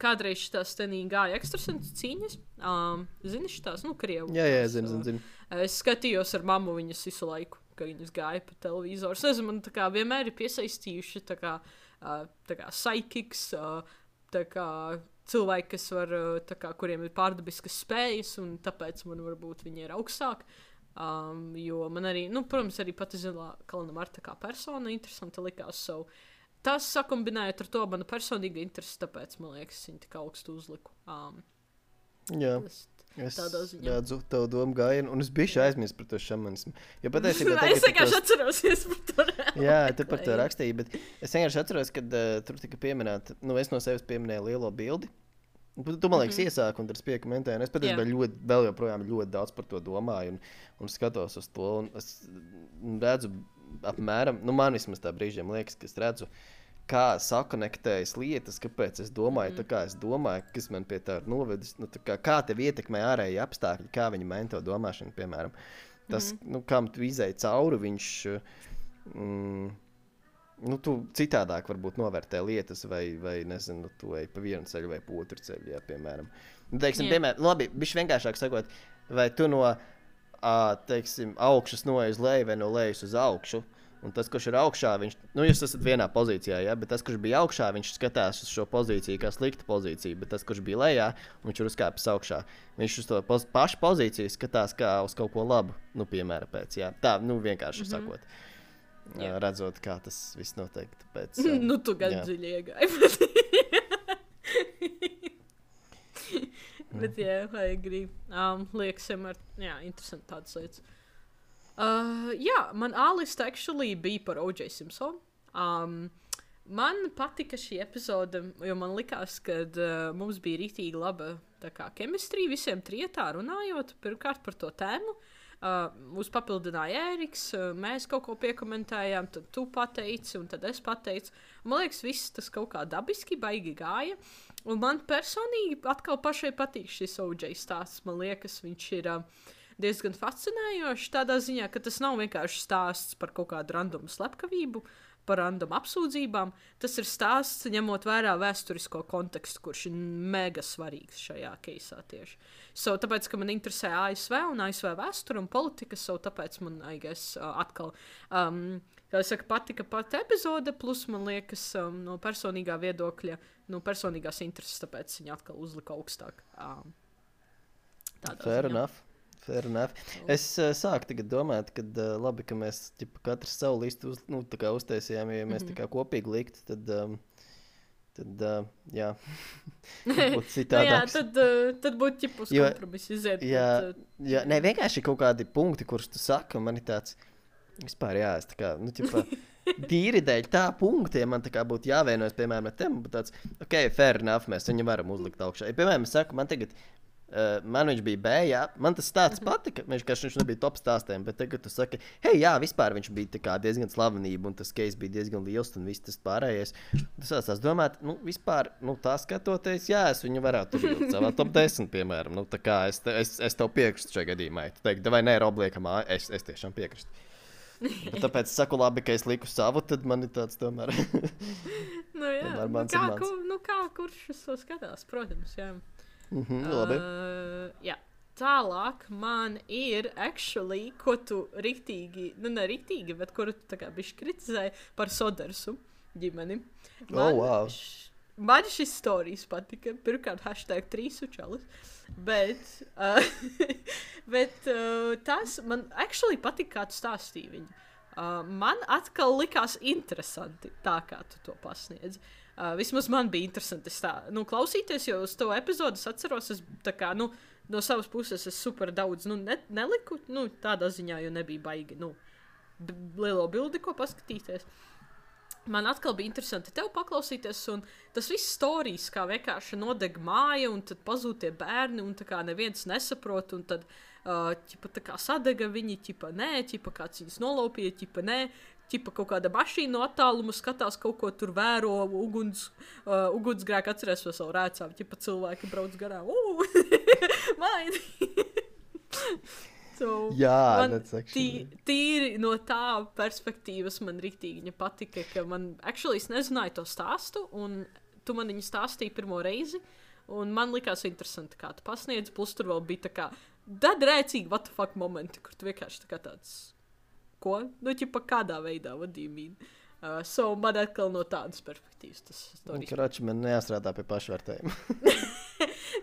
kādreiz šitās tenī gāja ekstrasentu cīņas, um, zini šitās, nu, Krievu.
Jā, jā, zinu, zinu, zinu.
Es skatījos ar mammu viņas visu laiku, ka viņas gāja pa televizoru. Es nezinu, man tā kā vienmēr ir piesaistījuši tā kā, uh, tā kā psychics, uh, tā kā cilvēki, kas var, uh, tā kā, kuriem ir pārdabiskas spējas, un tāpēc man varbūt viņi ir augstāk. Um, jo man arī, nu, protams, arī pati Zilā Kalna Marta kā persona interesanta likās. So, tas sakombinējot ar to manu personīgu interesi, tāpēc, man liekas, viņi tik augstu uzliku. Um,
Jā.
tas,
Es
ziņā.
redzu tavu domu gājienu, un es biju aizmirsis par to šamanismu. Jo patiesībā
es vienkārši atceros par to.
Jā, tu par to rakstīji, bet es vienkārši atceros, kad uh, tur tika pieminēta, nu es no sevis pieminēju lielo bildi. Tu, tu man liekas, mm -hmm. iesāki, un tad es piekomentēju, un es patiesībā ļoti, vēl joprojām ļoti daudz par to domāju, un, un skatos uz to, un es redzu apmēram, nu man vismaz tā brīžiem liekas, ka es redzu, kā sakonektējas lietas, kāpēc es domāju, mm -hmm. tā kā es domāju, kas man pie tā ir novedis, nu tā kā, kā tev ietekmē ārēji apstākļi, kā viņi maina to domāšanu, piemēram. Tas, mm -hmm. nu, kam tu izēji cauri, viņš, mm, nu, tu citādāk varbūt novērtē lietas, vai, vai nezinu, tu ej pa vienu ceļu vai pa otru ceļu, jā, piemēram. Nu, teiksim, yeah. piemēram, labi, bišķi vienkāršāk sakot, vai tu no, ā, teiksim, augšas noej uz leju vai no lejas uz augšu, un tas, kurš ir augšā, viņš, nu, jūs esat vienā pozīcijā, ja, bet tas, kurš bija augšā, viņš skatās uz šo pozīciju kā slikta pozīcija, bet tas, kurš bija lejā, viņš ir uzkāpis augšā. Viņš uz to poz, pašu pozīciju skatās kā uz kaut ko labu, nu, piemēram, pēc, jā. Tā, nu, vienkārši mm -hmm. sakot, yeah. redzot, kā tas viss notiek, tāpēc. Um,
nu, tu gan dziļi iegāji. Bet, jā, I agree. Um, liekas, vienmēr, jā, interesanti tādas lietas. Uh, jā, man A-lista actually bija par O J Simpsonu. Um, man patika šī epizode, jo man likās, ka uh, mums bija rītīgi laba tā kā chemistry visiem trietā runājot, pirmkārt par to tēmu. Uh, mūs papildināja Ēriks, uh, mēs kaut ko piekomentējām, tad tu pateici, un tad es pateicu. Man liekas, viss tas kaut kā dabiski baigi gāja. Un man personīgi atkal pašai patīk šis O J stāsts. Man liekas, viņš ir... Uh, diezgan fascinējoši tādā ziņā, ka tas nav vienkārši stāsts par kaut kādu randomu slepkavību, par randomu apsūdzībām. Tas ir stāsts, ņemot vērā vēsturisko kontekstu, kurš ir mega svarīgs šajā keisā tieši. So, tāpēc, ka man interesē A S V un A S V vēsture un politika, so tāpēc man, I guess, uh, atkal, um, kā es saku, patika pat epizode, plus man liekas um, no personīgā viedokļa, no personīgās intereses, tāpēc viņa atkal uzlika augstāk. Um,
Fair ziņā. Enough. Fair enough. Es uh, sāku tagad domāt, ka uh, labi, ka mēs ķipa, katrs savu listu uz, nu, tā kā uztaisījām, ja mēs mm -hmm. tā kā kopīgi liktu, tad, um, tad uh, jā, būtu citādāks.
nu, jā, tad, uh, tad būtu ķipus kompromiss iziet.
Jā,
bet, uh,
jā, ne, vienkārši kaut kādi punkti, kurus tu saka, man ir tāds, vispār jā, es tā kā, nu, ķipa, tīri dēļ tā punkti, ja man tā kā būtu jāvienojas, piemēram, ar tēmu, bet tāds, ok, fair enough, mēs viņu varam uzlikt augšā. Ja, piemēram, es saku, man tagad, Uh, man viņš bija B, jā, man tas stāsts patika, viņš, viņš nebija top stāstiem, bet tagad tu saki, hei, jā, vispār viņš bija tā kā diezgan slavenība, un tas case bija diezgan liels, un viss tas pārējais. Tas sāstās domāt, nu, vispār, nu, tā skatoties, jā, es viņu varētu ielikt savā top desmit, piemēram, nu, tā kā es, te, es, es tev piekristu šajā gadījumā, tu teiksi, vai nē, obliekam, es, es tiešām piekristu. Bet tāpēc es saku labi, ka es liku savu, tad man ir tāds tomēr.
nu, jā,
tomēr
nu, kā, kur, nu, kā, kurš uz to skatās, protams, jā.
Mm-hmm, labi.
Uh, jā. Tālāk man ir actually, ko tu riktīgi, nu ne riktīgi, bet kuru tu tā kā bišķi kritizēji par Sodersu ģimeni. Man,
oh, wow.
š, man šis stories patika, pirmkārt hashtag trīs učalis, bet, uh, bet uh, tas man actually patika, kā tu stāstīji viņu. Uh, man atkal likās interesanti tā, kā tu to pasniedzi. Uh, vismaz man bija interesanti tā, nu, klausīties, jo uz to epizodu es atceros, es tā kā, nu, no savas puses es super daudz, nu, ne, neliku, nu, tādā ziņā, jo nebija baigi, nu, lielo bildi, ko paskatīties. Man atkal bija interesanti tev paklausīties, un tas viss stories, kā vienkārši nodeg māja, un tad pazūd tie bērni, un tā kā neviens nesaprot, un tad, uh, ķipa, tā kā sadega viņi, ķipa, nē, ķipa, kāds viņus nolaupīja, ķipa, nē, ķipa, kaut kāda mašīna no attāluma skatās, kaut ko tur vēro, uguns, uh, ugunsgrēku atceries vēl savu rēcām, ķipa, cilvēki brauc garām, uu, maini. So,
jā,
man tī, tīri no tā perspektīvas man riktīgi viņa patika, ka man, actually, es nezināju to stāstu, un tu man viņu stāstīji pirmo reizi, un man likās interesanti, kā tu pasniedzi, plus tur vēl bija tā kā dadrēcīgi what the fuck momenti, kur tu vienkārši tā kā tāds, ko? Nu, ķipa, kādā veidā, what do you mean? Uh, so, man atkal no tādas perspektīvas tas stāstījums.
Karači, man nejāstrādā pie pašvērtējuma.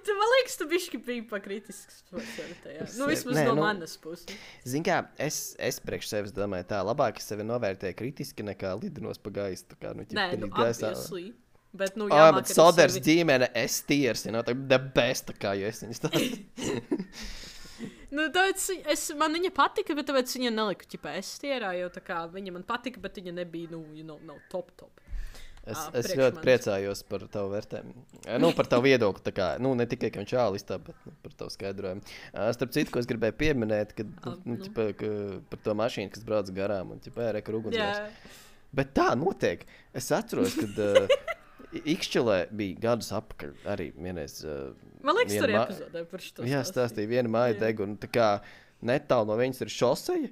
Tu, man liekas, tu bišķi biji pakritisks. Nu, vismaz
Nē,
no
nu-
manas puses.
Zini, kā es, es priekš sevis domāju, tā labāk es sevi novērtēju kritiski nekā lidinos pa gaisu. Tā kā, nu, ķip,
Nē,
kad
nu,
ir gaisā.
obviously. Bet, nu,
Oh,
jāmāk
bet
arī
Soders
sevi-
ģimene, es tiers, you know, tā the best, tā kā jo es viņas tā.
Nu, tāpēc es, man viņa patika, bet tāpēc viņa neliku ķipā es tierā, jo tā kā viņa man patika, bet viņa nebija, nu, you know, nav top top.
Es,
Ā,
es
priekš
ļoti
manis.
priecājos par tavu vērtējumu. Nu, par tavu viedokli. Tā kā, nu, ne tikai, ka viņš āli iztā, bet nu, par tavu skaidrojumu. Ā, Starp citu, ko es gribēju pieminēt, kad, nu,
Ā,
nu,
nu.
ķipa, ka, par to mašīnu, kas brauc garām un ķipa, ērē, kur ugunsgrēks.
Jā,
Bet tā notiek. Es atceros, kad uh, Ikšķelē bija gadus apakaļ arī vienreiz. Uh,
man liekas,
viena
tur ir
ma-
epizodē par šo.
Jā, stāstīja, viena māja
Jā.
deg, un tā kā netālu no viņas ir šoseja.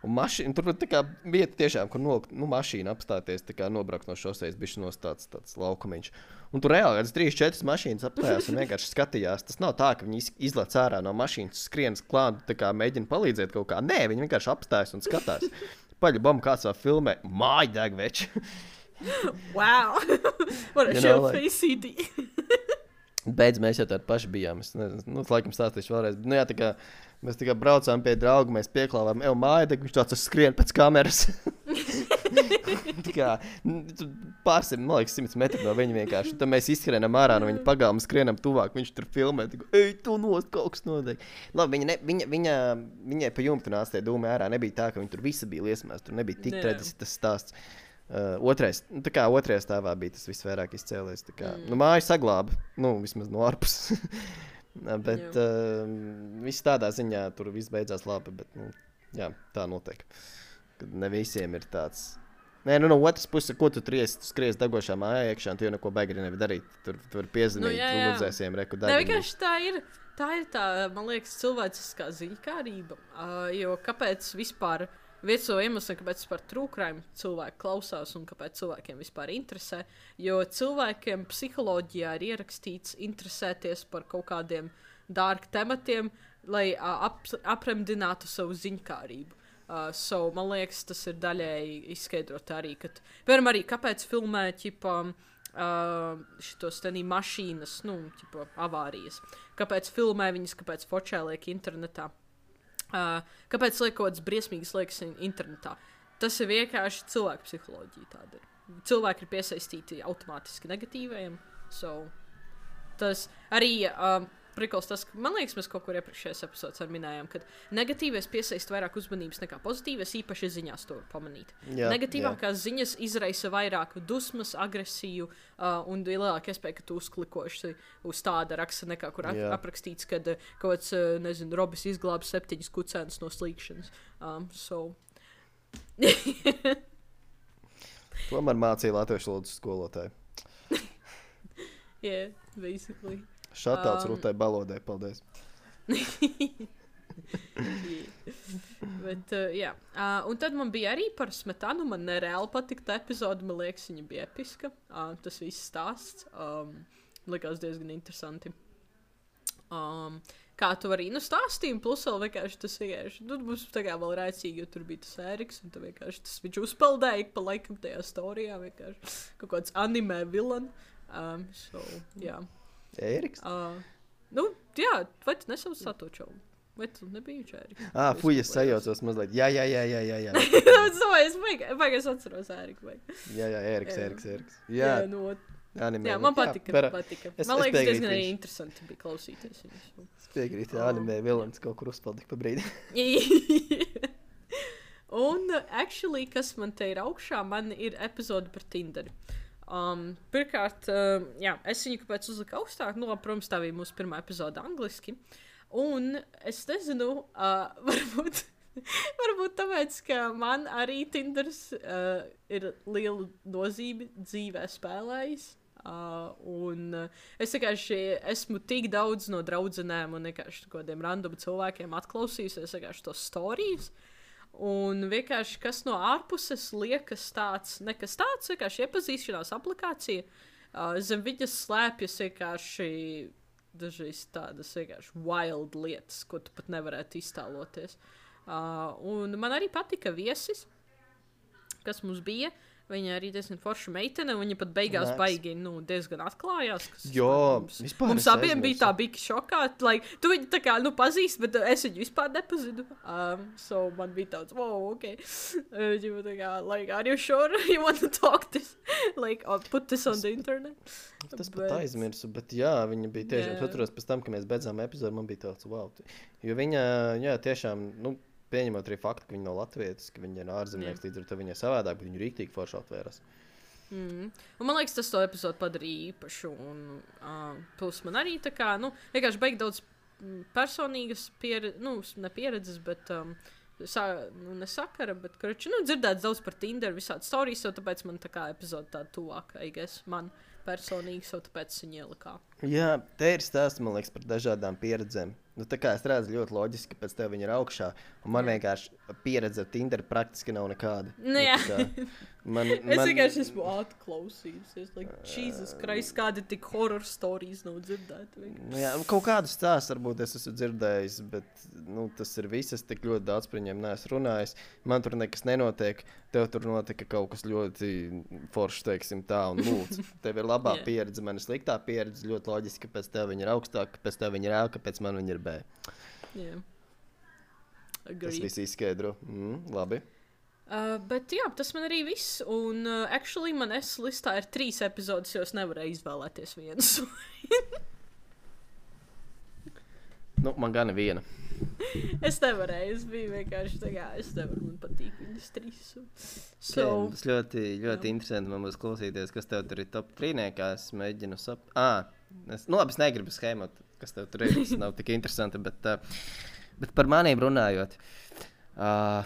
Un mašīna, tur tā kā vieta tiešām, kur nolikt, nu, mašīna apstāties, tā kā nobraukt no šosejas, bišķi nos tāds, tāds laukumiņš. Un tur reāli kāds trīs, četras mašīnas apstājās un vienkārši skatījās. Tas nav tā, ka viņi iz- izlec ārā no mašīnas, skrien klāt, tā kā mēģina palīdzēt kaut kā. Nē, viņi vienkārši apstājas un skatās. Paļu bombu kāds vēl filmē, māja deg veči.
Wow! What a
You
show
know, like-
for C D.
Beidz, mēs jau tādi paši bijām. Es nezinu, nu, laikam stāstīšu vēlreiz. Bet, nu, jā, tā kā mēs tā kā braucām pie drauga, mēs pieklāvām, ej, māja, tad viņš tāds skrien pēc kameras. tā kā nu, tu pārsim, man liekas, simts metru no viņa vienkārši. Tad mēs izskrienam ārā no viņa pagalma, skrienam tuvāk, viņš tur filmē. Tā kā, ej, tu nost, kaut kas notiek. Labi, viņa, ne, viņa, viņa, viņai pa jumtu nāca tie dūmi ārā. Nebija tā, ka viņa tur visa bija liesmās. Tur nebija tik
Nē.
traģiski tas stāsts. Uh, otrais, nu, tā kā otrajā stāvā bija tas visvairāk izcēlies. tā Kā, mm. nu, māja saglāba, nu, vismaz no ārpus. bet uh, viss tādā ziņā tur viss beidzās labi. Bet, nu, jā, tā notiek. Kad ne visiem ir tāds. Nē, nu, no otras puses, ko tu tries, tu skries degošā mājā iekšā, un tu jau neko baigi nevari darīt. Tur tu vari piezvanīt,
Nu,
nu,
jā, jā.
ugunsdzēsējiem, reku
Nē,
degunu.
vienkārši tā ir. Tā ir tā, man liekas, cilvēciskā ziņkārība. Uh, jo kāpēc vispār, viens no iemesliem, kāpēc vispār true crime cilvēki klausās un kāpēc cilvēkiem vispār interesē, jo cilvēkiem psiholoģijā ir ierakstīts interesēties par kaut kādiem dark tematiem, lai uh, ap, apremdinātu savu ziņkārību. Uh, so, man liekas, tas ir daļēji izskaidrot arī, ka, piemēram, arī kāpēc filmē, ķipa, Uh, šitos tenī mašīnas, nu, ķipa, avārijas. Kāpēc filmē viņas, kāpēc fočē liek internetā. Uh, kāpēc liek kaut kāds briesmīgas liekas in- internetā. Tas ir vienkārši cilvēku psiholoģija tāda ir. Cilvēki ir piesaistīti automātiski negatīvajiem. So, tas arī uh, prikals tas, ka, man liekas, mēs kaut kur iepriekšējās epizodes minējām, ka negatīvais piesaist vairāk uzmanības nekā pozitīvais, īpaši ziņās to var pamanīt.
Jā,
Negatīvākās jā. ziņas izraisa vairāk dusmas, agresiju uh, un lielāka iespēja, ka tu uzklikoši uz tāda raksta nekā, kur ap
Jā.
aprakstīts, kad uh, kaut kāds, uh, nezinu, Robis izglāba septiņas kucēnas no slīkšanas. Um, so...
Tomēr mācīja latviešu valodas skolotāju.
yeah, basically.
Šatauts
Um,
um, Rūtai Balodai, paldies.
Bet, uh, jā. Uh, un tad man bija arī par smetanu. Man nereāli patika tā epizode. Man liekas, viņa bija episka. Uh, tas viss stāsts. Um, likās diezgan interesanti. Um, kā tu vari nu stāstīt, plus vēl vienkārši tas vienkārši, nu, mums tā kā vēl rēcīgi, jo tur bija tas Ēriks, un tad vienkārši tas viņš uzpeldēja pa laikam tajā storijā, vienkārši kaut kāds anime villain. Um, so, jā.
Ēriks?
Uh, nu, jā, vai tu nesauc Satoču? Vai tu nebija viņš Ēriks?
Ā, fuj, es sajaucos mazliet. Jā, jā, jā, jā, jā, jā.
Es domāju, es baigi, baigi es atceros Ēriku. Baigi.
Jā, jā, Ēriks,
Jā.
Ēriks, Ēriks.
Jā,
Jā,
nu,
anime.
jā, man patika.
Jā, pera-
patika.
es-
Man
es
liekas,
piekrītu,
diezgan arī
viņš-
interesanti bija klausīties viņus.
Es piekrītu, jā,
Oh.
anime vilants kaut kur uzpaldīja pa brīdi.
Un, uh, actually, kas man te ir augšā, man ir epizode par Tinderi. Um, pirmkārt, uh, jā, es viņu kāpēc uzliku augstāk, nu, labi, protams, tā bija mūsu pirmā epizode angliski. Un es nezinu, uh, varbūt, varbūt tāpēc, ka man arī Tinders uh, ir liela nozīme dzīvē spēlējis. Uh, un uh, es vienkārši esmu tik daudz no draudzenēm un vienkārši kādiem random cilvēkiem atklausījusies vienkārši tos stāstus. Un vienkārši kas no ārpuses liekas tāds, nekas tāds, vienkārši iepazīšanās aplikācija. Uh, zem viņas slēpjas vienkārši dažreiz tādas vienkārši wild lietas, ko tu pat nevarētu iztēloties. Uh, un man arī patika viesis, kas mums bija. Viņa arī diezgan forša meitene, un viņa pat beigās
Nāc.
baigi, nu, diezgan atklājās. Kas
Jo,
mums,
vispār
mums
es
abiem bija
aizmirsu.
tā bika šokā. Like, tu viņu tā kā, nu, pazīst, bet uh, es viņu vispār nepazinu. Um, so man bija tāds, wow, ok. Uh, viņa tā kā, like, are you sure you want to talk this? Like, I'll put this on the internet.
Tas pat aizmirsu, bet jā, viņa bija tiešām,
Jā.
es atceros pēc tam, kad mēs beidzām epizodu, man bija tāds, wow. Jo viņa, jā, tiešām, nu, pieņemot arī faktu, ka viņa nav latvietis, ka viņa ir ārzemnieks, līdz ar to viņa ir savādāk, bet viņa rīktīgi forši atvērās.
Mm. Un man liekas, tas to epizodu padarīja īpašu, un uh, plus man arī tā kā, nu, vienkārši beig daudz mm, personīgas pieredzes, nu, ne pieredzes, bet, um, sa, nu, ne sakara, bet, karoči, nu, dzirdēts daudz par Tinder, visādi storijas, so tāpēc man tā kā epizoda tāda tuvāk, I guess, man personīgi, so tāpēc viņa ielikā.
Jā, te ir stāsts, man liekas, par dažādām pieredzēm. Nu, tā kā es redzu ļoti loģiski, ka pēc tev viņa ir augšā, un man vienkārši pieredze ar Tinder praktiski nav nekāda.
Nu, jā.
tā kā man,
Es
man,
vienkārši esmu atklausījusies, like, Jesus Christ, kādi tik horror stories nav dzirdēti.
nu, jā, nu, kaut kādu stāstu varbūt es esmu dzirdējis, bet nu, tas ir viss, es tik ļoti daudz par viņiem neesmu runājis. Man tur nekas nenotiek, tev tur notika kaut kas ļoti foršs, teiksim tā, un lūdzu. Tev ir labā
Jā.
pieredze, man ir sliktā pieredze, ļoti loģiski, ka pēc tev viņa ir augstāk, ka pēc tev viņa ir ēl, ka pēc man viņa ir B.
Yeah.
Tas
Agree.
viss izskaidro. Mm, labi.
Uh, bet jā, tas man arī viss, un uh, actually man es listā ir trīs epizodes, jo es nevarēju izvēlēties vienas.
Nu, man gan ir viena.
Es nevarēju, es biju vienkārši tā kā, es nevaru, man patīk viņas trīs. un- So,
Okay, tas ļoti, ļoti interesanti man būs klausīties, kas tev tur ir top trīniekā. Es mēģinu sap... Ā, es, nu labi, es negribu schēmot, kas tev tur ir. Tas nav tik interesanti, bet, uh, bet par maniem runājot. Uh,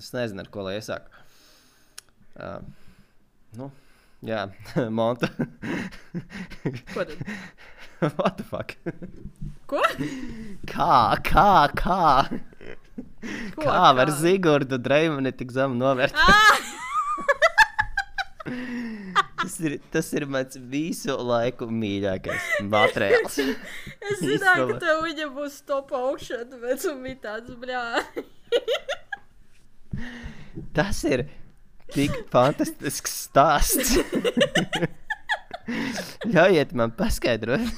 es nezinu, ar ko lai iesāku. Uh, nu, jā, Monta.
ko tad?
What the fuck?
Ko?
Kā, kā, kā?
Ko?
Kā var Zigordu Dreimani tik zemu novērt? tas, ir, tas ir mans visu laiku mīļākais materiāls.
Es zināju, ka tev viņa būs top augšā, tāpēc un bija tāds, bļā.
Tas ir tik fantastisks stāsts. Ļaujiet man paskaidrot.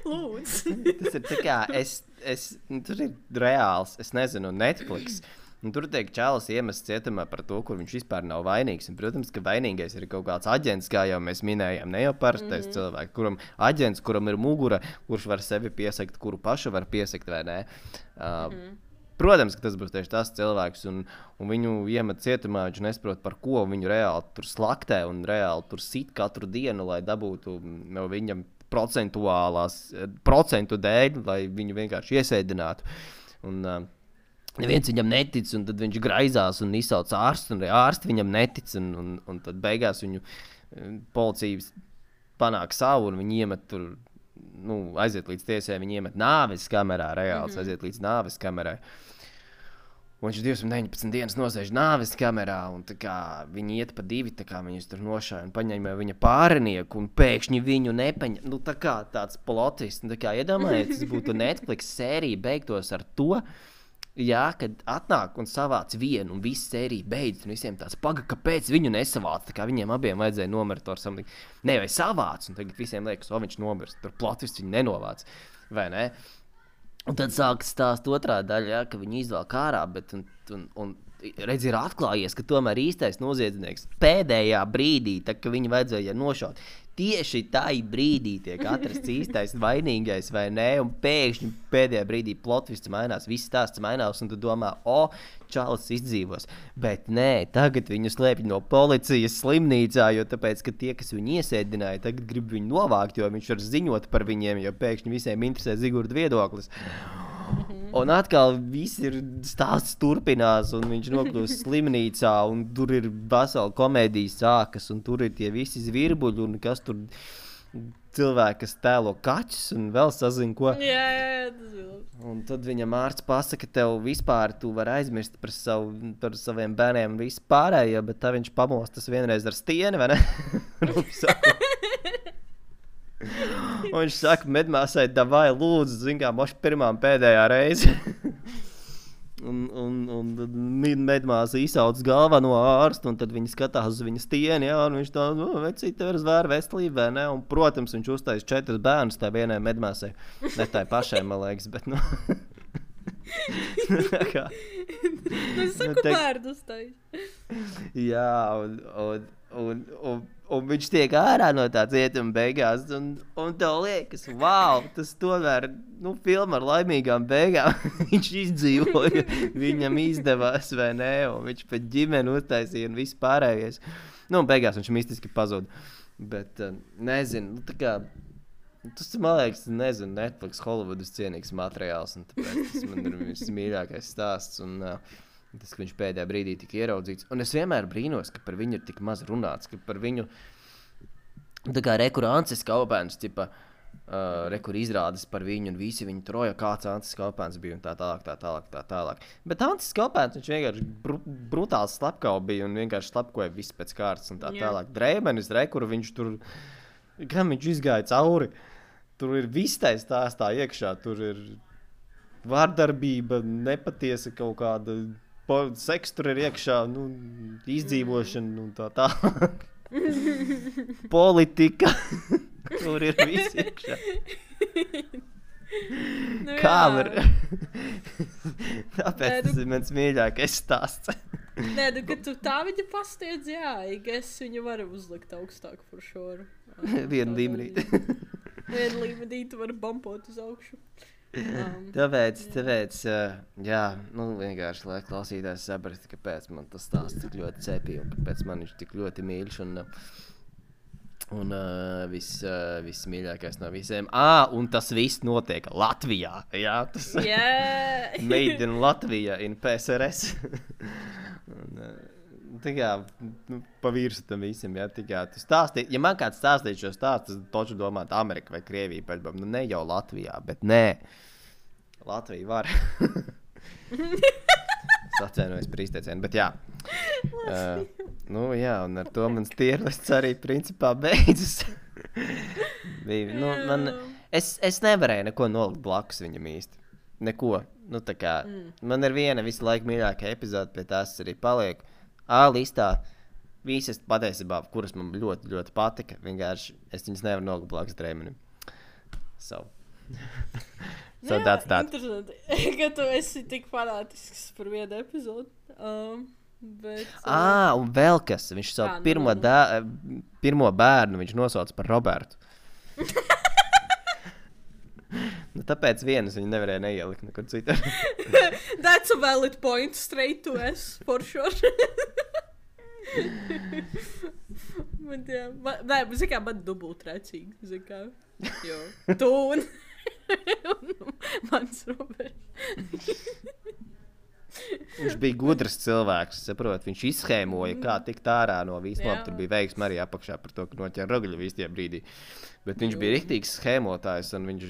Lūdzu.
Tas ir tā kā, es, es, nu, tur ir reāls, es nezinu, Netflix. Un tur tiek čalis iemests cietumā par to, kur viņš vispār nav vainīgs. Un, protams, ka vainīgais ir kaut kāds aģents, kā jau mēs minējām, ne jau parastais mm -hmm. cilvēks, kuram aģents, kuram ir mugura, kurš var sevi piesakt, kuru pašu var piesakt, vai ne? Uh, mm -hmm. Protams, ka tas būs tieši tas cilvēks, un, un viņu iemet cietumā, viņš nesaprot par ko, viņu reāli tur slaktē un reāli tur sit katru dienu, lai dabūtu no viņam procentuālās, procentu dēļ, lai viņu vienkārši iesēdinātu. Un uh, neviens viņam netic, un tad viņš graizās un izsauc ārstu, un arī ārsti viņam netic, un, un, un tad beigās viņu policijas panāk savu, un viņi iemet tur, nu, aiziet līdz tiesai, viņi iemet nāves kamerā, reāls, mm -hmm. aiziet līdz nāves kamerai. Un viņš divsimt deviņpadsmit dienas nosēž nāves kamerā, un tā kā viņi iet pa divi, tā kā viņus tur nošāja un paņēma viņa pārinieku, un pēkšņi viņu nepaņem. Nu, tā kā tāds plotis, nu, tā kā iedomājiet, tas būtu Netflix sērija beigtos ar to, jā, kad atnāk un savāc vienu, un viss sērija beidz, un visiem tāds, paga, kāpēc viņu nesavāc, tā kā viņiem abiem vajadzēja nomirt ar something. Nē, vai savāc, un tagad visiem liekas, o, viņš nomirst, tur plotis viņu nenovāc, vai ne? Un tad sākas stāst otrā daļa, jā, ka viņi izvēl kārā, bet un, un, un redz, ir atklājies, ka tomēr īstais noziedznieks pēdējā brīdī, tā ka viņu vajadzēja nošaut, tieši tā brīdī tiek atrasts īstais vainīgais, vai ne? Un pēkšņi pēdējā brīdī plotvists mainās, viss stāsts mainās, un tu domā, o, čalis izdzīvos. Bet nē, tagad viņu slēpj no policijas slimnīcā, jo tāpēc, ka tie, kas viņu iesēdināja, tagad grib viņu novākt, jo viņš var ziņot par viņiem, jo pēkšņi visiem interesē Zigurda viedoklis. Un atkal viss ir stāsts turpinās, un viņš nokļūst slimnīcā, un tur ir vesela komēdijas sākas, un tur ir tie visi zvirbuļi, un kas tur cilvēki, kas tēlo kaķus, un vēl sazin, ko.
Jā, jā, jā, tas bija labi.
Un tad viņam ārsts pasaka, tev vispār tu vari aizmirst par, savu, par saviem bērniem un visu pārējo, bet tā viņš pamostas vienreiz ar stieni, vai ne? Un viņš saka, medmāsai, davai, lūdzu, zin kā, moši pirmā un pēdējā reize. Un, un, un tad medmāsa izsauc galveno ārstu, un tad viņi skatās uz viņas stieni, jā, un viņš tā, nu, vecīt, tev ir zvēra veselība, vai ne? Un, protams, viņš uztais četras bērnus tā vienai medmāsai. Ne tā pašai, man liekas, bet, nu... kā...
Es saku,
te...
bērnus tai.
Jā, un, un, un, un, un viņš tiek ārā no tā cietuma beigās, un, un tev liekas, wow, tas tomēr, nu, filma ar laimīgām beigām, viņš izdzīvoja, viņam izdevās, vai ne, un viņš pēc ģimeni uztaisīja un viss pārējais. Nu, un beigās viņš mistiski pazuda, bet, nezinu, nu, tā kā, tas, man liekas, nezinu, Netflix, Hollywoodas cienīgs materiāls, un tāpēc tas man ir viss mīļākais stāsts, un uh, tas, ka viņš pēdējā brīdī tika ieraudzīts. Un es vienmēr brīnos, ka par viņu ir tik maz runāts, ka par viņu, tā kā rekur Ancis Kaupēns, tipa, uh, rekur izrādes par viņu, un visi viņu troja, kāds Ancis Kaupēns bija, un tā tālāk, tā tālāk, tā tālāk. Bet Ancis Kaupēns, viņš vienkārši br brutāls slepkau bija, un vienkārši slepkoja viss pēc kārtas, un tā tālāk. Dreimenis, rekur, viņš tur, kam viņš izgāja cauri, tur ir viss tais stāstā iekšā, tur ir vārdarbība, nepatiesa kaut kāda, seks tur ir iekšā, nu, izdzīvošana un tā tā. Politika. Tur ir viss iekšā.
Nu,
Kā
jā.
var? Tāpēc
Nē,
tas
nu-
ir mans mīļākais stāsts.
Nē, nu, kad tu tā viņa pastiedz, jā, es viņu varu uzlikt augstāk par šoru.
Vienu līmenī.
Vienu līmenī tu vari bumpot uz augšu. Um,
Tāpēc, tāpēc, uh, jā, nu, vienkārši, lai klausītājs saprast, kāpēc man tas stāsts tik ļoti cepīja un kāpēc man viņš tik ļoti mīļš un, un uh, viss, uh, viss mīļākais no visiem. Ā, un tas viss notiek Latvijā, jā, tas
yeah.
made in Latvija, in P S R S. un, uh, tā kā, nu, pa virsu tam visam, jā, tā kā, tu stāstī, ja man kāds stāstīja šo stāstu, tad toču domāt Amerika vai Krievija, pēc, nu, ne jau Latvijā, bet nē. Latvija var. Es atvainojos par izteicienu, bet jā. Uh, nu jā, un ar to mans tierlists arī principā beidzas. Bija, nu, man, es, es nevarēju neko nolikt blakus viņam īsti. Neko. Nu, tā kā, mm. man ir viena visu laiku mīļākā epizode, pie tās arī paliek. A listā visas patiesībā, kuras man ļoti, ļoti patika, vienkārši es viņas nevaru nolikt blakus Dreimenim. So. So that's that.
Interesanti, ka tu esi tik fanātisks par vienu epizodu. Um, bet, uh,
Ā, un vēl kas, viņš savu
Ā, nu,
pirmo,
nu, nu.
dā, pirmo bērnu viņš nosauca par Robertu. Nu, tāpēc vienas viņi nevarēja neielikt nekur citur.
That's a valid point, straight to S, for sure. Bet jā, man, nē, bet zin kā, man dubult rēcīgi, zin kā. Jo, tu un, un mans Roberts.
Viņš bija gudrs cilvēks, saprot, viņš izschēmoja, kā tikt ārā no visām.
Jā.
Tur bija veiksme arī apakšā par to, ka noķēra rogļu vistie brīdī. Bet viņš bija riktīgs schēmotājs, un viņš,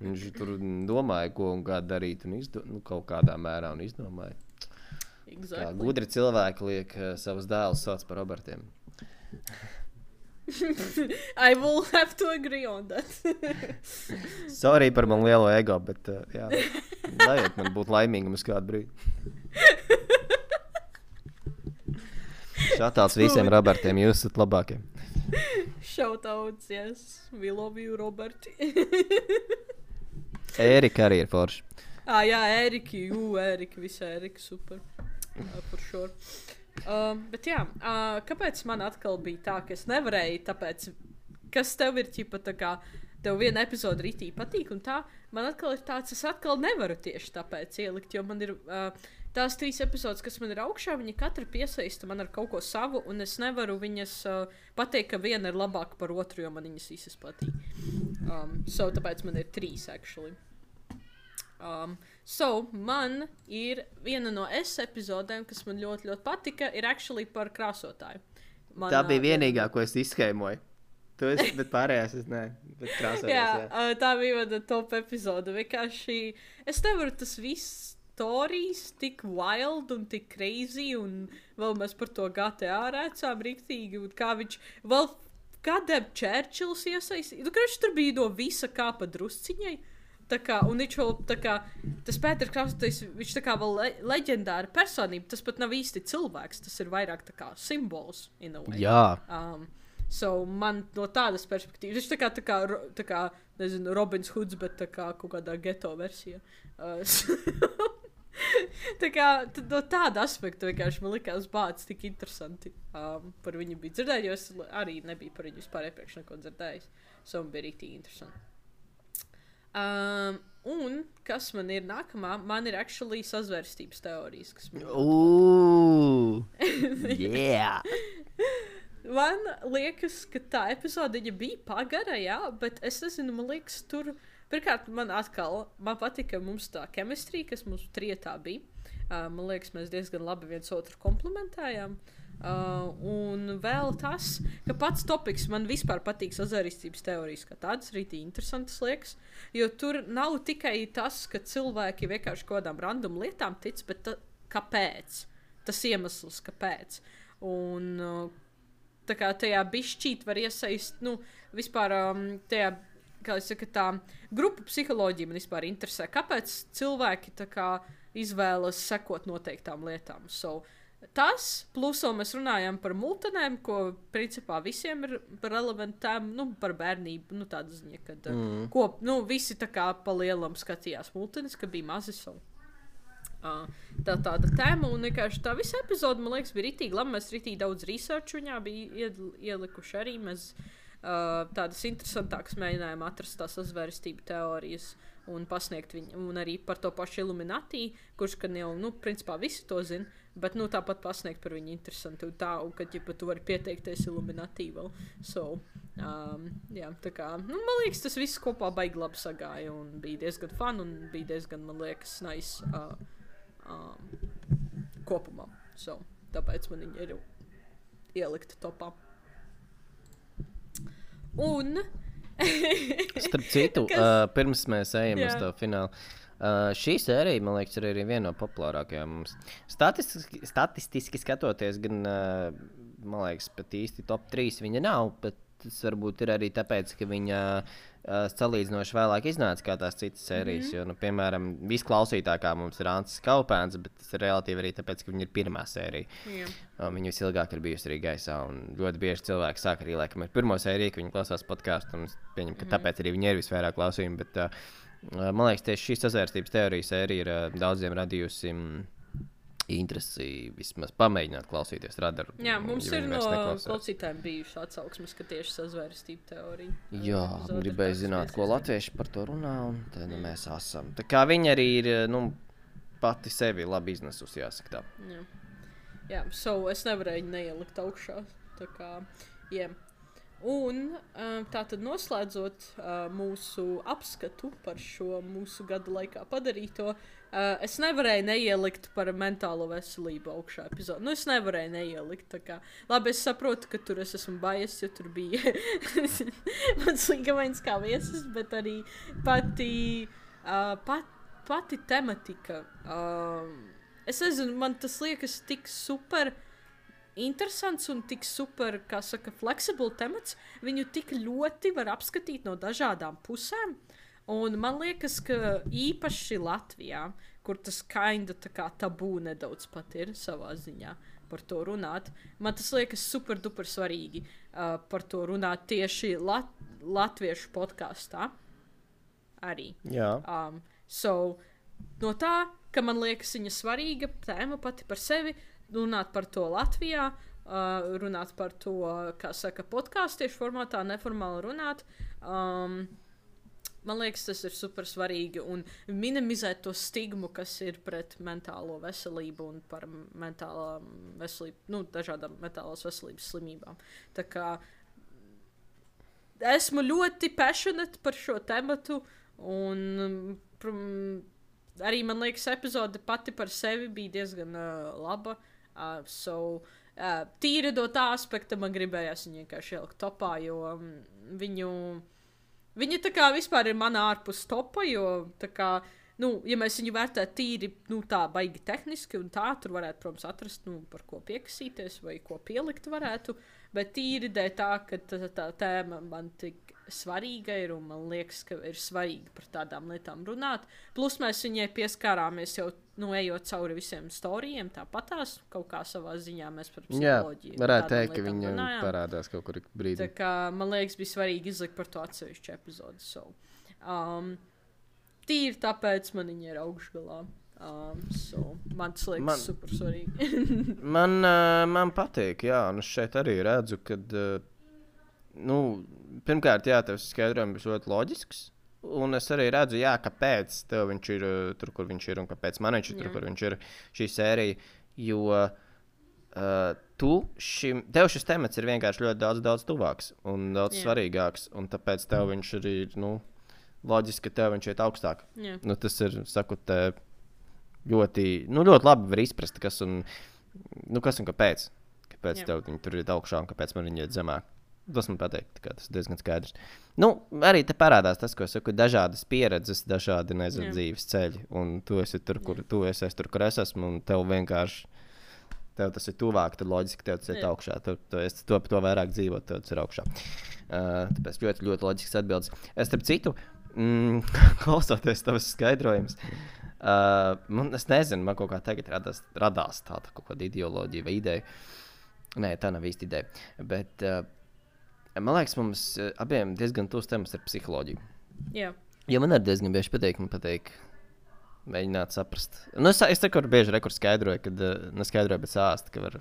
viņš tur domāja, ko un kā darīt, un izdo, nu, kaut kādā mērā un izdomāja. Kā
Exactly.
gudri cilvēki liek uh, savus dēlus sauc par Robertiem.
I will have to agree on that.
Sorry par man lielo ego, bet uh, jā, ļaujiet man būt laimīgam uz kādu brīdi. Šātāls visiem Robertiem, jūs esat labākie.
Shoutouts, yes. We love you, Roberti.
Ērika arī ir forši.
Ah, jā, Eriki, jū, Eriki, visi Eriki, super. Uh, for sure. Uh, bet jā, uh, kāpēc man atkal bija tā, ka es nevarēju, tāpēc, kas tev ir ķipa tā kā, tev viena epizode ritī patīk un tā, man atkal ir tāds, es atkal nevaru tieši tāpēc ielikt, jo man ir uh, tās trīs epizodes, kas man ir augšā, viņi katra piesaista man ar kaut ko savu, un es nevaru viņas uh, pateikt, ka viena ir labāka par otru, jo man viņas visas patīk. Um, so, tāpēc man ir trīs, actually. Um, so, man ir viena no S epizodēm, kas man ļoti, ļoti patika, ir actually par krāsotāju. Man,
Tā bija
uh,
vienīgā, ko es izskēmoju. Tu esi, bet pārējās es ne. Bet krāsojās,
Jā,
jā.
uh, tā bija mana top epizode. Vienkārši es nevaru tas viss stories tik wild un tik crazy, un vēl mēs par to G T A rēcām riktīgi, un kā viņš vēl kādēļ Churchills iesaistīja. Nu, ka viņš tur bija no visa kā pa drusciņai. Tā kā, un viņš vēl tā kā, tas Pēters Kraustotis, viņš tā kā vēl le leģendāra personība, tas pat nav īsti cilvēks, tas ir vairāk tā kā simbols, in a way.
Jā.
Um, so man no tādas perspektīvas, viņš tā kā, tā kā, tā kā, nezinu, Robins Hoods, bet tā kā kaut kādā geto versijā. Uh, tā kā, no tāda aspekta vienkārši man likās bāds tik interesanti um, par viņu bija dzirdēt, jo es arī nebiju par viņu vispār iepriekš neko dzirdējis. So man bija rītīgi interesanti. Um, un, kas man ir nākamā, man ir actually sazvērstības teorijas, kas man
Ooh, yeah.
Man liekas, ka tā epizode bija pagara, jā, bet es nezinu, man liekas, tur, pirmkārt, man atkal, man patika mums tā chemistry, kas mums trietā bija. Uh, man liekas, mēs diezgan labi viens otru komplementējām. Uh, un vēl tas, ka pats topiks man vispār patīk sazvērstības teorijas, kā tādas rītīgi interesantas liekas, jo tur nav tikai tas, ka cilvēki vienkārši kaut kādām random lietām tic, bet ta, kāpēc? Tas iemesls, kāpēc? Un uh, tā kā tajā bišķīt var iesaist, nu, vispār um, tajā, kā es saku, tā grupu psiholoģija man vispār interesē, kāpēc cilvēki tā kā izvēlas sekot noteiktām lietām. So, tas, plus vēl mēs runājam par multenēm, ko principā visiem ir relevantām, nu, par bērnību, nu, tāda ziņa, kad mm. ko, nu, visi tā kā pa lielam skatījās multenes, ka bija mazi savu. Uh, tā tāda tēma, un vienkārši tā visa epizode, man liekas, bija ritīgi labi, mēs ritīgi daudz research viņā bija ielikuši arī, mēs uh, tādas interesantākas mēģinājām atrast tās sazvērstību teorijas un pasniegt viņu, un arī par to pašu Illuminati, kurš, ka jau, nu, principā visi to zina, bet, nu, tāpat pasniegt par viņu interesanti, un tā, un kad, ja pat tu vari pieteikties Illuminati vēl. So, um, jā, tā kā, nu, man liekas, tas viss kopā baigi labi sagāja, un bija diezgan fun, un bija diezgan, man liekas, nice uh, um, kopumā. So, tāpēc man viņa ir ielikta topā. Un...
Starp citu, Kas? uh, pirms mēs ejam
Jā.
uz to finālu, uh, šī sērija, man liekas, ir arī viena no populārākajām mums. Statistiski, statistiski skatoties, gan, uh, man liekas, pat īsti top trīs viņa nav, bet tas varbūt ir arī tāpēc, ka viņa uh, salīdzinoši vēlāk iznāca kā tās citas sērijas, mm-hmm. jo, nu, piemēram, visklausītākā mums ir Ancis Kaupēns, bet tas ir relatīvi arī tāpēc, ka viņa ir pirmā sērija. Yeah. Uh, viņa visilgāk ir bijusi arī gaisā, un ļoti bieži cilvēki sāk arī, laikam, ar pirmo sēriju, ka viņi klausās podcastu, un es pieņemu, ka mm-hmm. tāpēc arī viņa ir visvairāk klausījumi, bet, uh, man liekas, tieši šī sazvērstības teorija sērija ir uh, daudziem radījusi mm, interesi vismaz pamēģināt klausīties radaru.
Jā, mums ja ir no klausītājiem bijuši atsauksmes, ka tieši sazvērstība teorija.
Jā, gribēju zināt, ko latvieši par to runā, un tad mm. mēs esam. Tā kā viņa arī ir, nu, pati sevi labi iznesusi, jāsaka tā.
Jā, Jā so es nevarēju neielikt augšā, tā kā, jā. Yeah. Un tā tad noslēdzot uh, mūsu apskatu par šo mūsu gada laikā padarīto, uh, es nevarēju neielikt par mentālo veselību augšā epizodu. Nu, es nevarēju neielikt, tā kā. Labi, es saprotu, ka tur es esmu bias, jo tur bija mans līgamains kā viesis, bet arī pati, uh, pat, pati tematika. Uh, es nezinu, man tas liekas tik super interesants un tik super, kā saka, flexible temats, viņu tik ļoti var apskatīt no dažādām pusēm, un man liekas, ka īpaši Latvijā, kur tas kinda tā kā tabū nedaudz pat ir savā ziņā par to runāt, man tas liekas super duper svarīgi uh, par to runāt tieši lat latviešu podkastā arī.
Jā.
Um, so, no tā, ka man liekas viņa svarīga tēma pati par sevi, runāt par to Latvijā, uh, runāt par to, kā saka, podkāstiešu formātā, neformāli runāt. Um, man liekas, tas ir super svarīgi un minimizēt to stigmu, kas ir pret mentālo veselību un par mentālā veselību, nu, dažādām mentālās veselības slimībām. Tā kā esmu ļoti passionate par šo tematu un prum, arī, man liekas, epizode pati par sevi bija diezgan uh, laba. Uh, so, uh, tīri no tā aspekta man gribējās viņu vienkārši ielikt topā, jo um, viņu, viņa tā kā vispār ir mana ārpus topa, jo tā kā, nu, ja mēs viņu vērtētu tīri, nu, tā baigi tehniski un tā, tur varētu, protams, atrast, nu, par ko piekasīties vai ko pielikt varētu, bet tīri dēļ tā, ka tā, tā tēma man tik svarīga ir, un man liekas, ka ir svarīgi par tādām lietām runāt. Plus mēs viņai pieskārāmies jau, nu, ejot cauri visiem storijiem, tāpatās kaut kā savā ziņā mēs par psiholoģiju.
Jā, varētu teikt, ka viņa runājām. Parādās kaut kur brīdī.
Tā kā, man liekas, bija svarīgi izlikt par to atsevišķu epizodu. So, um, tīri tāpēc man viņa ir augšgalā. Um, so, man tas liekas man, super svarīgi.
man, uh, man patīk, jā, un es šeit arī redzu, kad, uh, nu, pirmkārt, jā, tevs skaidrojums ir ļoti loģisks, un es arī redzu, jā, kāpēc tev viņš ir uh, tur, kur viņš ir, un kāpēc man viņš ir tur, kur viņš ir šī sērija, jo uh, tu šim, tev šis temats ir vienkārši ļoti daudz, daudz tuvāks un daudz jā. svarīgāks, un tāpēc tev viņš arī, nu, loģiski, ka tev viņš iet augstāk. Jā. Nu, tas ir, saku, te ļoti, nu, ļoti labi var izprast, kas un, nu, kas un kāpēc. Kāpēc jā. tev viņi tur ir augšā un kāpēc man viņi iet zemāk. Tas man patīk, tas ir diezgan skaidrs. Nu, arī te parādās tas, ko es saku, dažādas pieredzes, dažādi, nezinu, dzīves ceļi. Un tu esi tur, kur jā. tu esi, es tur, kur es esmu, un tev vienkārši, tev tas ir tuvāk, tad loģiski tev tas ir augšā. Tu, tu esi to, to vairāk dzīvot, tev tas ir augšā. Uh, tāpēc ļoti, ļoti loģisks atbildes. Es starp citu, mm, klausoties tavas skaidrojums, uh, man, es nezinu, man kaut kā tagad radās, radās tāda kaut kāda ideoloģija vai ideja. Nē, tā nav īsti ideja. Bet, uh, man liekas, mums uh, abiem diezgan tūs temats ar psiholoģiju.
Jā.
Ja man arī diezgan bieži patīk, man patīk mēģināt saprast. Nu, es, es tekur bieži rekur skaidroju, kad, uh, neskaidroju, bet sāstu, ka var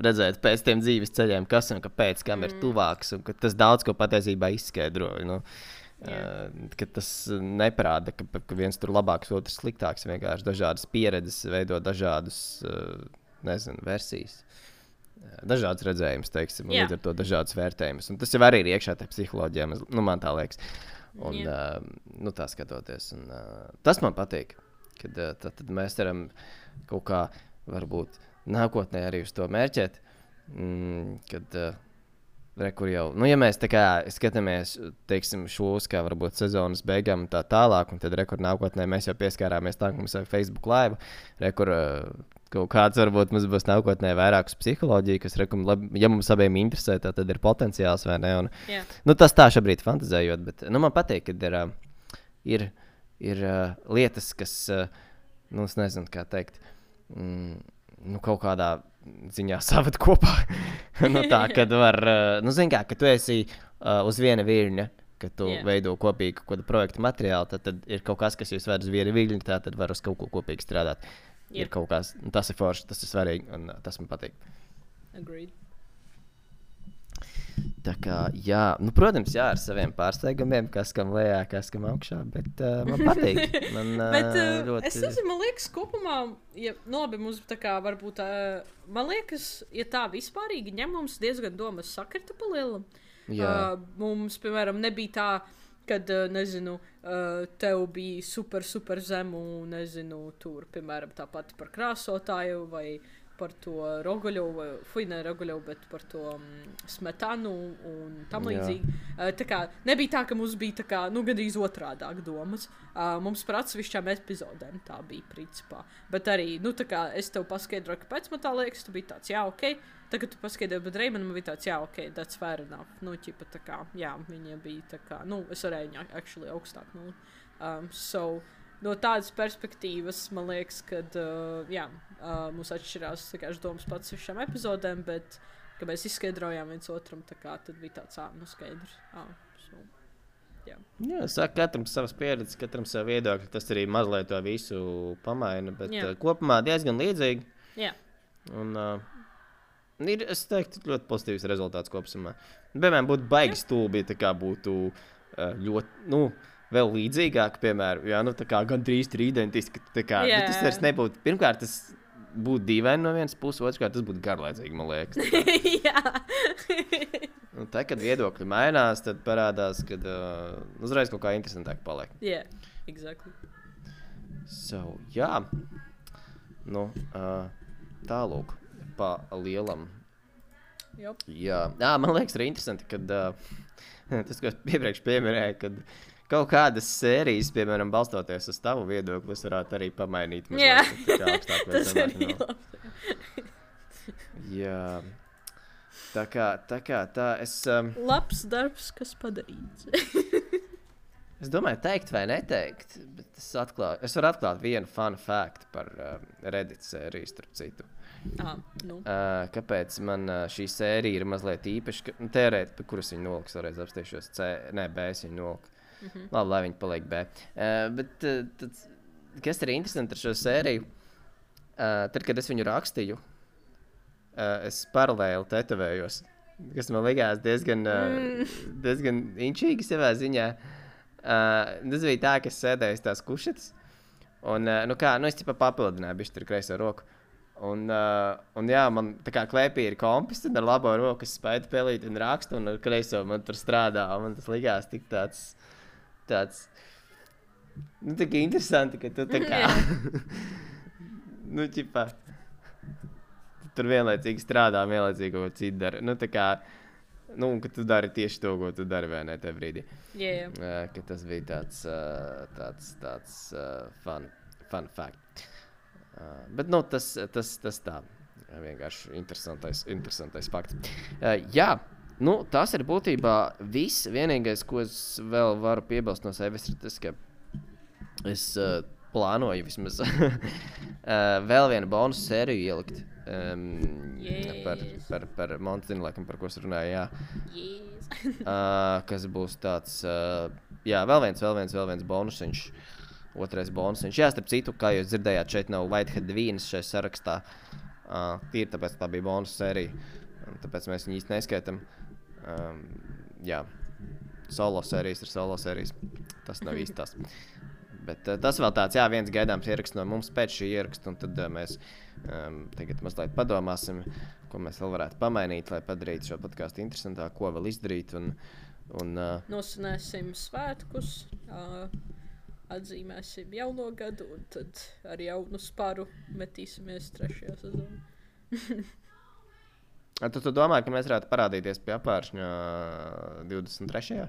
redzēt pēc tiem dzīves ceļiem, kas un kāpēc, kam mm. ir tuvāks, un ka tas daudz ko patiesībā izskaidroja. Nu, uh, ka tas neparāda, ka, ka viens tur labāks, otrs sliktāks, vienkārši dažādas pieredzes veido dažādus, uh, nezinu, versijas. Dažādas redzējumus, teiksim, un līdz ar to dažādas vērtējumus. Un tas jau arī ir iekšā tajā psiholoģijā, nu, man tā liekas. Un, uh, nu, tā skatoties. Un, uh, tas man patīk, kad uh, tad, tad mēs varam kaut kā, varbūt, nākotnē arī uz to mērķēt, mm, kad, uh, re, kur jau, nu, ja mēs tā kā skatāmies, teiksim, šos, kā varbūt sezonas beigām un tā tālāk, un tad, re, kur nākotnē mēs jau pieskārāmies tā, ka mums ir Facebook live, re, kur uh, kaut kāds varbūt mums būs nākotnē vairāk uz psiholoģiju, kas, rekum, labi, ja mums abiem interesē, tā tad ir potenciāls, vai ne? Un,
yeah.
nu, tas tā šobrīd fantazējot, bet, nu, man patīk, kad ir, ir, ir lietas, kas, nu, es nezinu, kā teikt, mm, nu, kaut kādā ziņā savat kopā. nu, tā, kad var, nu, zin kā, ka tu esi uh, uz viena viļņa, ka tu yeah. veido kopīgi kaut kādu projektu materiālu, tad, tad ir kaut kas, kas jūs ved uz viena viļņa, tā tad var uz kaut ko kopīgi strādāt. Ir kaut kas, tas ir forši, tas ir svarīgi, un uh, tas man patīk.
Agreed.
Tā kā, jā, nu, protams, jā, ar saviem pārsteigumiem, kas kam lejā, kas kam augšā, bet uh, man patīk. Man, uh,
bet, uh,
ļoti...
es nezinu, man liekas, kopumā, ja, nu, labi, mums tā kā varbūt, uh, man liekas, ja tā vispārīgi ņem, mums diezgan domas sakrita pa lielam. Uh, mums, piemēram, nebija tā, kad, nezinu, tev bija super, super zemu, nezinu, tur, piemēram, tāpat par krāsotāju vai par to Rogoļovu, fuj, ne Rogoļovu, bet par to um, Smetanu un tam līdzīgi. Uh, tā kā nebija tā, ka mums bija tā kā, nu, gandrīz otrādāk domas. Uh, mums par atsevišķām epizodēm tā bija principā. Bet arī, nu, tā kā es tev paskaidroju, kāpēc man tā liekas, tu biji tāds, jā, okei. Okay. Tagad tu paskaidroji, bet Reimanam bija tāds, jā, ok, that's fair enough. Nu, ķipa tā kā, jā, viņa bija tā kā, nu, es varēju viņā actually augstāk, nu. Um, so, no tādas perspektīvas, man liekas, kad, uh, jā, uh, mums atšķirās, tā kā, domas pats višām epizodēm, bet, kad mēs izskaidrojām viens otram, tā kā, tad bija tāds, ā, nu, skaidrs. Ā, so, jā.
Jā, saka, katram savas pieredzes, katram savu viedokļu, tas arī mazliet to visu pamaina, bet uh, kopumā diezgan līdzīgi.
Jā.
Un, uh, Ir, es teiktu, ļoti pozitīvs rezultāts kopsumā. Piemēram, būtu baigi stulbi, tā kā būtu ļoti, nu, vēl līdzīgāk, piemēram, jā, nu, tā kā gandrīz ir identiski, tā kā, yeah. tas vairs nebūtu, pirmkārt, tas būtu dīvaini no vienas puses, otrkārt, tas būtu garlaicīgi, man liekas.
Jā.
Un tā, kad viedokļi mainās, tad parādās, kad uh, uzreiz kaut kā interesantāk paliek.
Jā, yeah, exactly.
So, jā, nu, uh, tālūk. Pa lielam.
Jop.
Jā, Jā man liekas arī interesanti, kad uh, tas, ko es iepriekš pieminēju, kad kaut kādas sērijas, piemēram, balstoties uz tavu viedokli, es varētu arī pamainīt.
Jā,
mazliet, augstāk,
tas
zemāk,
arī
no. Jā.
Tā kā tā, kā, tā es... Um,
Labs darbs, kas padarīts.
es domāju, teikt vai neteikt, bet es, atklāju, es varu atklāt vienu fun fact par um, Reddit sēriju, starp citu.
Ah, nu.
Uh, kāpēc man uh, šī sērija ir mazliet īpaša? Ka, nu, tērēt, pa kuras viņa noliks, vēlreiz apstīšos. C, nē, B es viņu noliku. Mm-hmm. Labi, lai viņi paliek B. Uh, bet, uh, tad, kas ir interesanti ar šo sēriju? Uh, tad, kad es viņu rakstīju, uh, es paralēli tetovējos, kas man likās diezgan, uh, diezgan inčīgi savā ziņā. Uh, tas bija tā, ka es sēdēju tās kušetas, un, uh, nu kā, nu es tipa papildināju bišķi tur kreiso roku. Un, uh, un jā, man tā kā klēpī ir kompis, un ar labo roku es spēju pelīt un rakstu, un ar kreiso man tur strādā, un man tas likās tik tāds, tāds, nu tā kā interesanti, ka tu tā kā, nu ķipā, tur vienlaicīgi strādā, vienlaicīgi ko citu dara, nu tā kā, nu, ka tu dari tieši to, ko tu dari, vai ne, te brīdī.
Jā, jā.
Uh, ka tas bija tāds, uh, tāds, tāds uh, fun, fun fact. Uh, bet, nu, tas, tas, tas tā, vienkārši interesantais, interesantais fakts. Uh, jā, nu, tas ir būtībā viss. Vienīgais, ko es vēl varu piebilst no sevis, ir tas, ka es uh, plānoju vismaz uh, vēl vienu bonusu sēriju ielikt. Um,
yes.
par, par, par Montinu, laikam, par ko es runāju, jā.
Yes.
uh, kas būs tāds, uh, jā, vēl viens, vēl viens, vēl viens bonusiņš. Otrais bonusiņš. Jā, starp citu, kā jūs dzirdējāt, šeit nav Whitehead vīnas šajā sarakstā. Uh, tīri tāpēc tā bija bonus sērija. Un tāpēc mēs viņu īsti neskaitam. Um, jā, solo sērijas ir solo sērijas. Tas nav īsti tas. Bet uh, tas vēl tāds, jā, viens gaidāms ieraksts no mums pēc šī ieraksta. Un tad uh, mēs um, tagad mazliet padomāsim, ko mēs vēl varētu pamainīt, lai padarītu šo podcastu interesantāku, ko vēl izdarīt. Un, un, uh,
Nosvinēsim svētkus. Uh... Atzīmēsim jauno gadu, un tad ar jaunu sparu metīsimies trešajā sezonā.
tu, tu domā, ka mēs varētu parādīties pie apvēršņa divdesmit trešajā?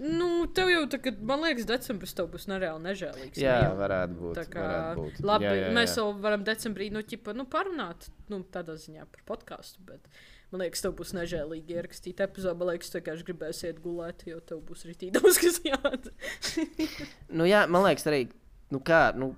Nu, tev jau tagad, man liekas, decembris tev būs nereāli nežēlīgs.
Jā,
ne jau?
varētu būt.
Tā kā,
varētu būt.
labi,
jā, jā, jā.
mēs vēl varam decembrī, nu, ķipa, nu, parunāt, nu, tādā ziņā par podcastu, bet man liekas, tev būs nežēlīgi ierakstīt epizodu, man liekas, tu vienkārši gribēsi iet gulēt, jo tev būs ritīgi daudz, kas jādara.
Nu jā, man liekas arī, nu kā, nu,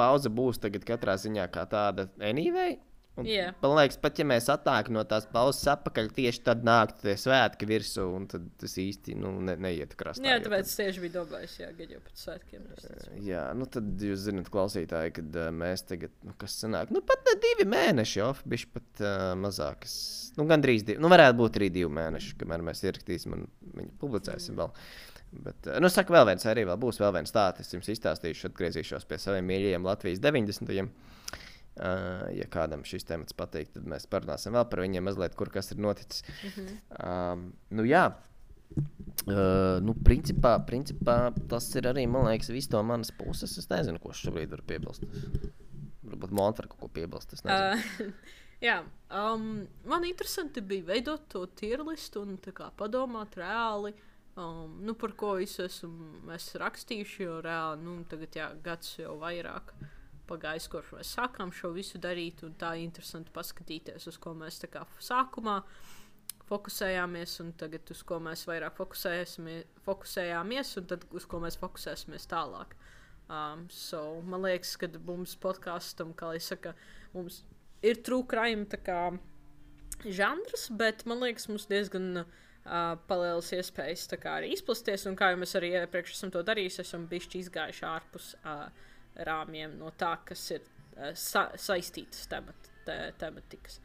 pauze būs tagad katrā ziņā kā tāda anyway. Un,
Jā.
man liekas, pat ja mēs atnāk no tās pauzes atpakaļ, tieši tad nāk tie svētki virsū, un tad tas īsti, nu, ne, neiet krastā.
Jā, tāpēc tieši bija domājis, jā, gad jau pēc svētkiem.
Jā, nu tad jūs zināt, klausītāji, kad uh, mēs tagad, nu, kas sanāk, nu, pat ne divi mēneši, jo, bišķi pat uh, mazākas, nu, gandrīz divi, nu, varētu būt arī divi mēneši, kamēr mēs ierakstīsim un viņu publicēsim vēl. Bet, uh, nu, saka, vēl viens arī vēl būs, vēl viens stāsts, es jums izstāstīšu, atgriezīšos pie saviem mīļajiem Latvijas deviņdesmitajiem. Uh, ja kādam šis temats patīk, tad mēs parunāsim vēl par viņiem mazliet, kur kas ir noticis. Mm-hmm. Um, nu jā, uh, nu principā, principā tas ir arī, man liekas, viss to manas puses. Es nezinu, ko šobrīd var piebilst. Varbūt Monta var kaut ko piebilst, es nezinu.
Uh, jā, um, man interesanti bija veidot to tier listu un tā kā padomāt reāli, um, nu par ko visu esmu es rakstījuši, jo reāli, nu tagad jā, gads jau vairāk pagājis, kurš mēs sākām šo visu darīt, un tā interesanti paskatīties, uz ko mēs tā kā sākumā fokusējāmies, un tagad uz ko mēs vairāk fokusējāmies, un tad uz ko mēs fokusēsimies tālāk. Um, so, man liekas, ka mums podkastam, kā lai saka, mums ir true crime tā kā žanrs, bet man liekas, mums diezgan uh, palielas iespējas tā kā arī izplasties, un kā jau mēs arī iepriekš esam to darījuši, esam bišķi izgājuši ārpus uh, rāmjiem no tā, kas ir uh, sa saistītas temat te tematikas.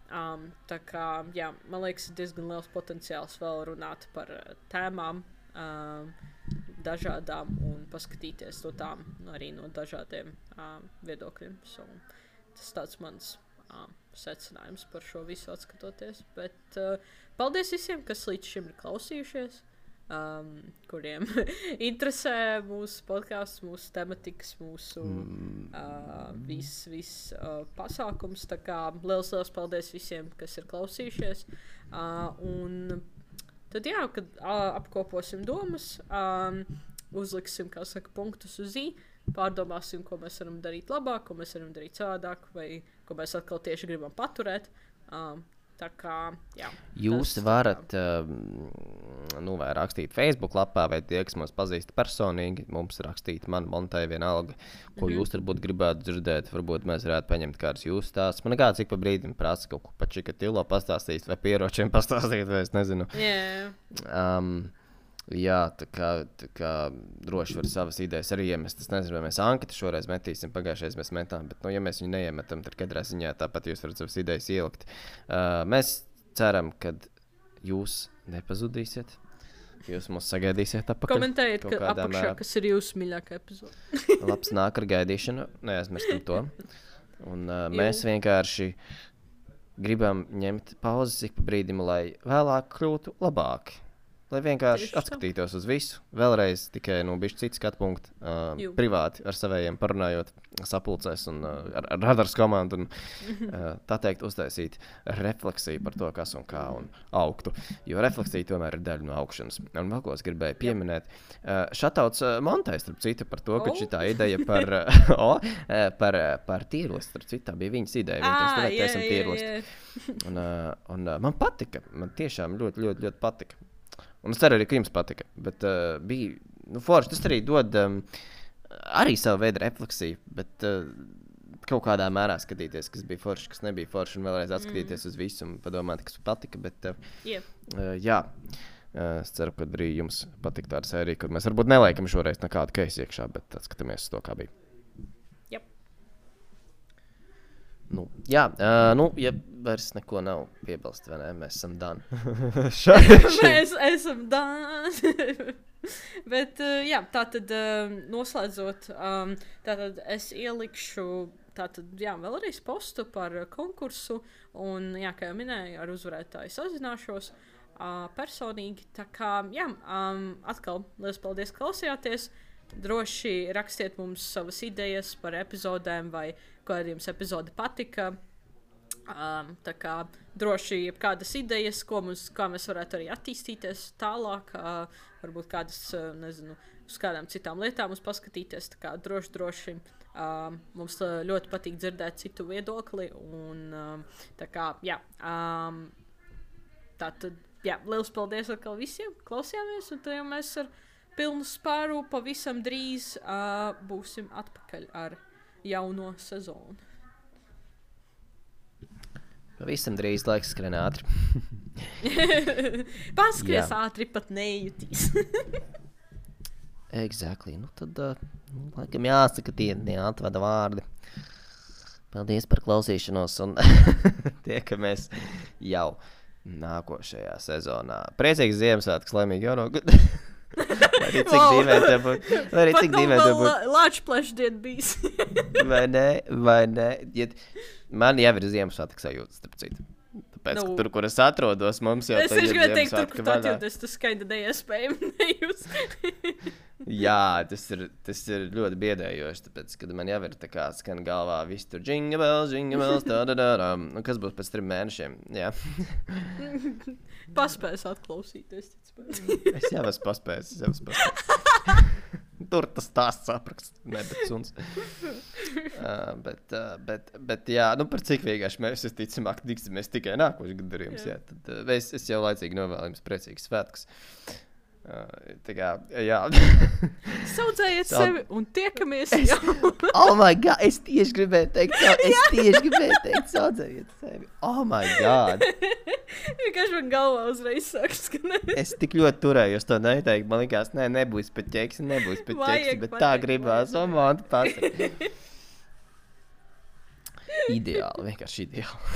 Um, tā kā, jā, man liekas, ir diezgan liels potenciāls vēl runāt par uh, tēmām um, dažādām un paskatīties to tām arī no dažādiem um, viedokļiem. So, tas tāds mans um, secinājums par šo visu atskatoties. Bet uh, paldies visiem, kas līdz šim ir klausījušies. Um, kuriem interesē mūsu podkāsts, mūsu tematikas, mūsu uh, viss vis, uh, pasākums. Tā kā liels, liels paldies visiem, kas ir klausījušies. Uh, un tad jā, kad uh, apkoposim domas, um, uzliksim, kā saka, punktus uz i, pārdomāsim, ko mēs varam darīt labāk, ko mēs varam darīt savādāk, vai ko mēs atkal tieši gribam paturēt. Um, Tā kā, jā.
Jūs
tas,
varat uh, nu, vai rakstīt Facebook lapā, vai tie, kas mums pazīst personīgi, mums rakstīt, man Montai vienalga, ko mm-hmm. jūs varbūt gribētu dzirdēt. Varbūt mēs varētu paņemt kādus jūsu stāstus. Man nekāds ik pa brīdim prasa kaut ko pa Čikatilo pastāstīt, vai pieročiem pastāstīt, vai es nezinu.
Yeah.
Um, jā, tā kā, tā kā droši var savas idejas arī iemest. Es nezinu, vai mēs anketu šoreiz metīsim, pagājušais mēs metām, bet, nu, ja mēs viņu neiemetam, tad katrā ziņā tāpat jūs varat savas idejas ielikt. Uh, mēs ceram, ka jūs nepazudīsiet. Jūs mūs sagaidīsiet apakaļ.
Komentējiet, ka apakšā, mērā. Kas ir jūsu mīļākā epizode.
Labs nāk ar gaidīšanu, neaizmirstam to. Un uh, mēs vienkārši gribam ņemt pauzes ik pa brīdim, lai vēlāk kļūtu labāki. Lai vienkārši Tieši atskatītos tā. Uz visu. Vēlreiz tikai no bišķi citu skatu punktu. Uh, privāti ar savējiem parunājot sapulcēs un uh, ar, ar radars komandu. Un, uh, tā teikt, uztaisīt refleksiju par to, kas un kā un augtu. Jo refleksija tomēr ir daļa no augšanas. Un vēl ko es gribēju pieminēt. Uh, šatauts uh, Montai, starp citu, par to, ka oh. šitā ideja par, uh, oh, uh, par, uh, par tīrlosti. Starp citu, tā bija viņas ideja.
Ah,
Viņa
yeah,
esam tīrlosti. Yeah, yeah. Un, uh, un uh, man patika. Man tiešām ļoti, ļoti, ļoti patika. Un es ceru arī, ka jums patika, bet uh, bija, nu, forši, tas arī dod um, arī savu veidu refleksiju, bet uh, kaut kādā mērā skatīties, kas bija forši, kas nebija forši, un vēlreiz atskatīties mm. uz visu un padomāt, kas patika, bet uh,
yeah.
uh, jā, uh, es ceru, ka arī jums patika tāda sērija, kur mēs varbūt neliekam šoreiz nekādu keisi iekšā, bet atskatāmies uz to, kā bija.
Yep.
Nu, jā, uh, nu, ja vairs neko nav piebilst, vai ne, mēs esam done.
mēs esam done. Bet, uh, jā, tātad uh, noslēdzot, um, tātad es ielikšu, tātad, jā, vēlreiz postu par uh, konkursu, un, jā, kā jau minēju, ar uzvarētāju sazināšos uh, personīgi, tā kā, jā, um, atkal, liels paldies, klausījāties. Droši rakstiet mums savas idejas par epizodēm vai kāda jums epizode patika. Um, tā kā droši kādas idejas, ko mums, kā mēs varētu arī attīstīties tālāk. Uh, varbūt kādas, uh, nezinu, uz kādām citām lietām mums paskatīties. Tā kā droši, droši. Um, mums ļoti patīk dzirdēt citu viedokli. Un um, tā kā, jā. Um, tā tad, jā, liels paldies atkal visiem. Klausījāmies un tad jau mēs ar pilnu spāru pavisam drīz uh, būsim atpakaļ ar jauno sezonu.
Pavisam drīz laiks skrien ātri.
Paskries ātri, pat nejutīs.
Exactly. Nu tad, uh, nu, laikam jāsaka tie neatvada vārdi. Paldies par klausīšanos un tiekamies jau nākošajā sezonā. Priecīgs Ziemassvētkus, laimīgi jauno gadu. Vai arī cik dīvaini te būt. Vai arī cik dīvaini te būt.
Lāču plešdien bijis.
Vai ne, vai ne. Ja, man jau ir Ziemassvētku sajūta, starp citu. Tāpēc,
no.
ka tur, kur es atrodos, mums jau
es
tā ir
Ziemassvētku teikt, tur, kur
vaļā.
atjūties, tas skaida neiespējami nejūs.
Jā, tas ir, tas ir ļoti biedējoši, tāpēc, kad man jau ir tā kā skan galvā viss tur jingle bells, jingle bells, tā, tā, tā, tā. Nu, kas būs pēc trim mēnešiem, jā.
Paspēs atklausīties.
Es jau esmu paspējis, es jau esmu paspējis. Tur tas stāsts apraksts, ne, bet suns. Uh, bet, uh, bet, bet, jā, nu par cik vienkārši mēs, es ticamāk, tiksimies tikai nākošu gadu ar jums, jā. Tad uh, es, es jau laicīgi novēlu jums priecīgas svētkus. Uh, tā kā, jā.
Saudzējiet
Sau...
sevi un tiekamies jau.
Oh my god, es tieši gribēju teikt, sau... es tieši gribēju teikt, saudzējiet sevi. Oh my god.
Vienkārši man galvā uzreiz sāk skanēt.
Es tik ļoti turējos to neteikt, man likās, nē, nebūs pat ķeksi, nebūs pat ķeksi, bet tā gribās, un man tu pasaka. Ideāli, vienkārši ideāli.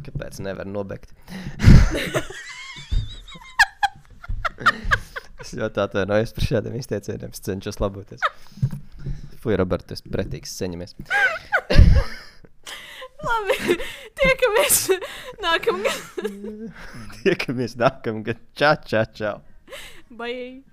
Kāpēc nevar nobegt? Es ļoti atvainojos par šādiem izteicieniem, es cenšos laboties. Fuj, Robert, tu esi pretīgs, ceņamies.
Labi, tiekamies nākamgad.
Tiekamies nākamgad. Čau, čau, čau.
Bye.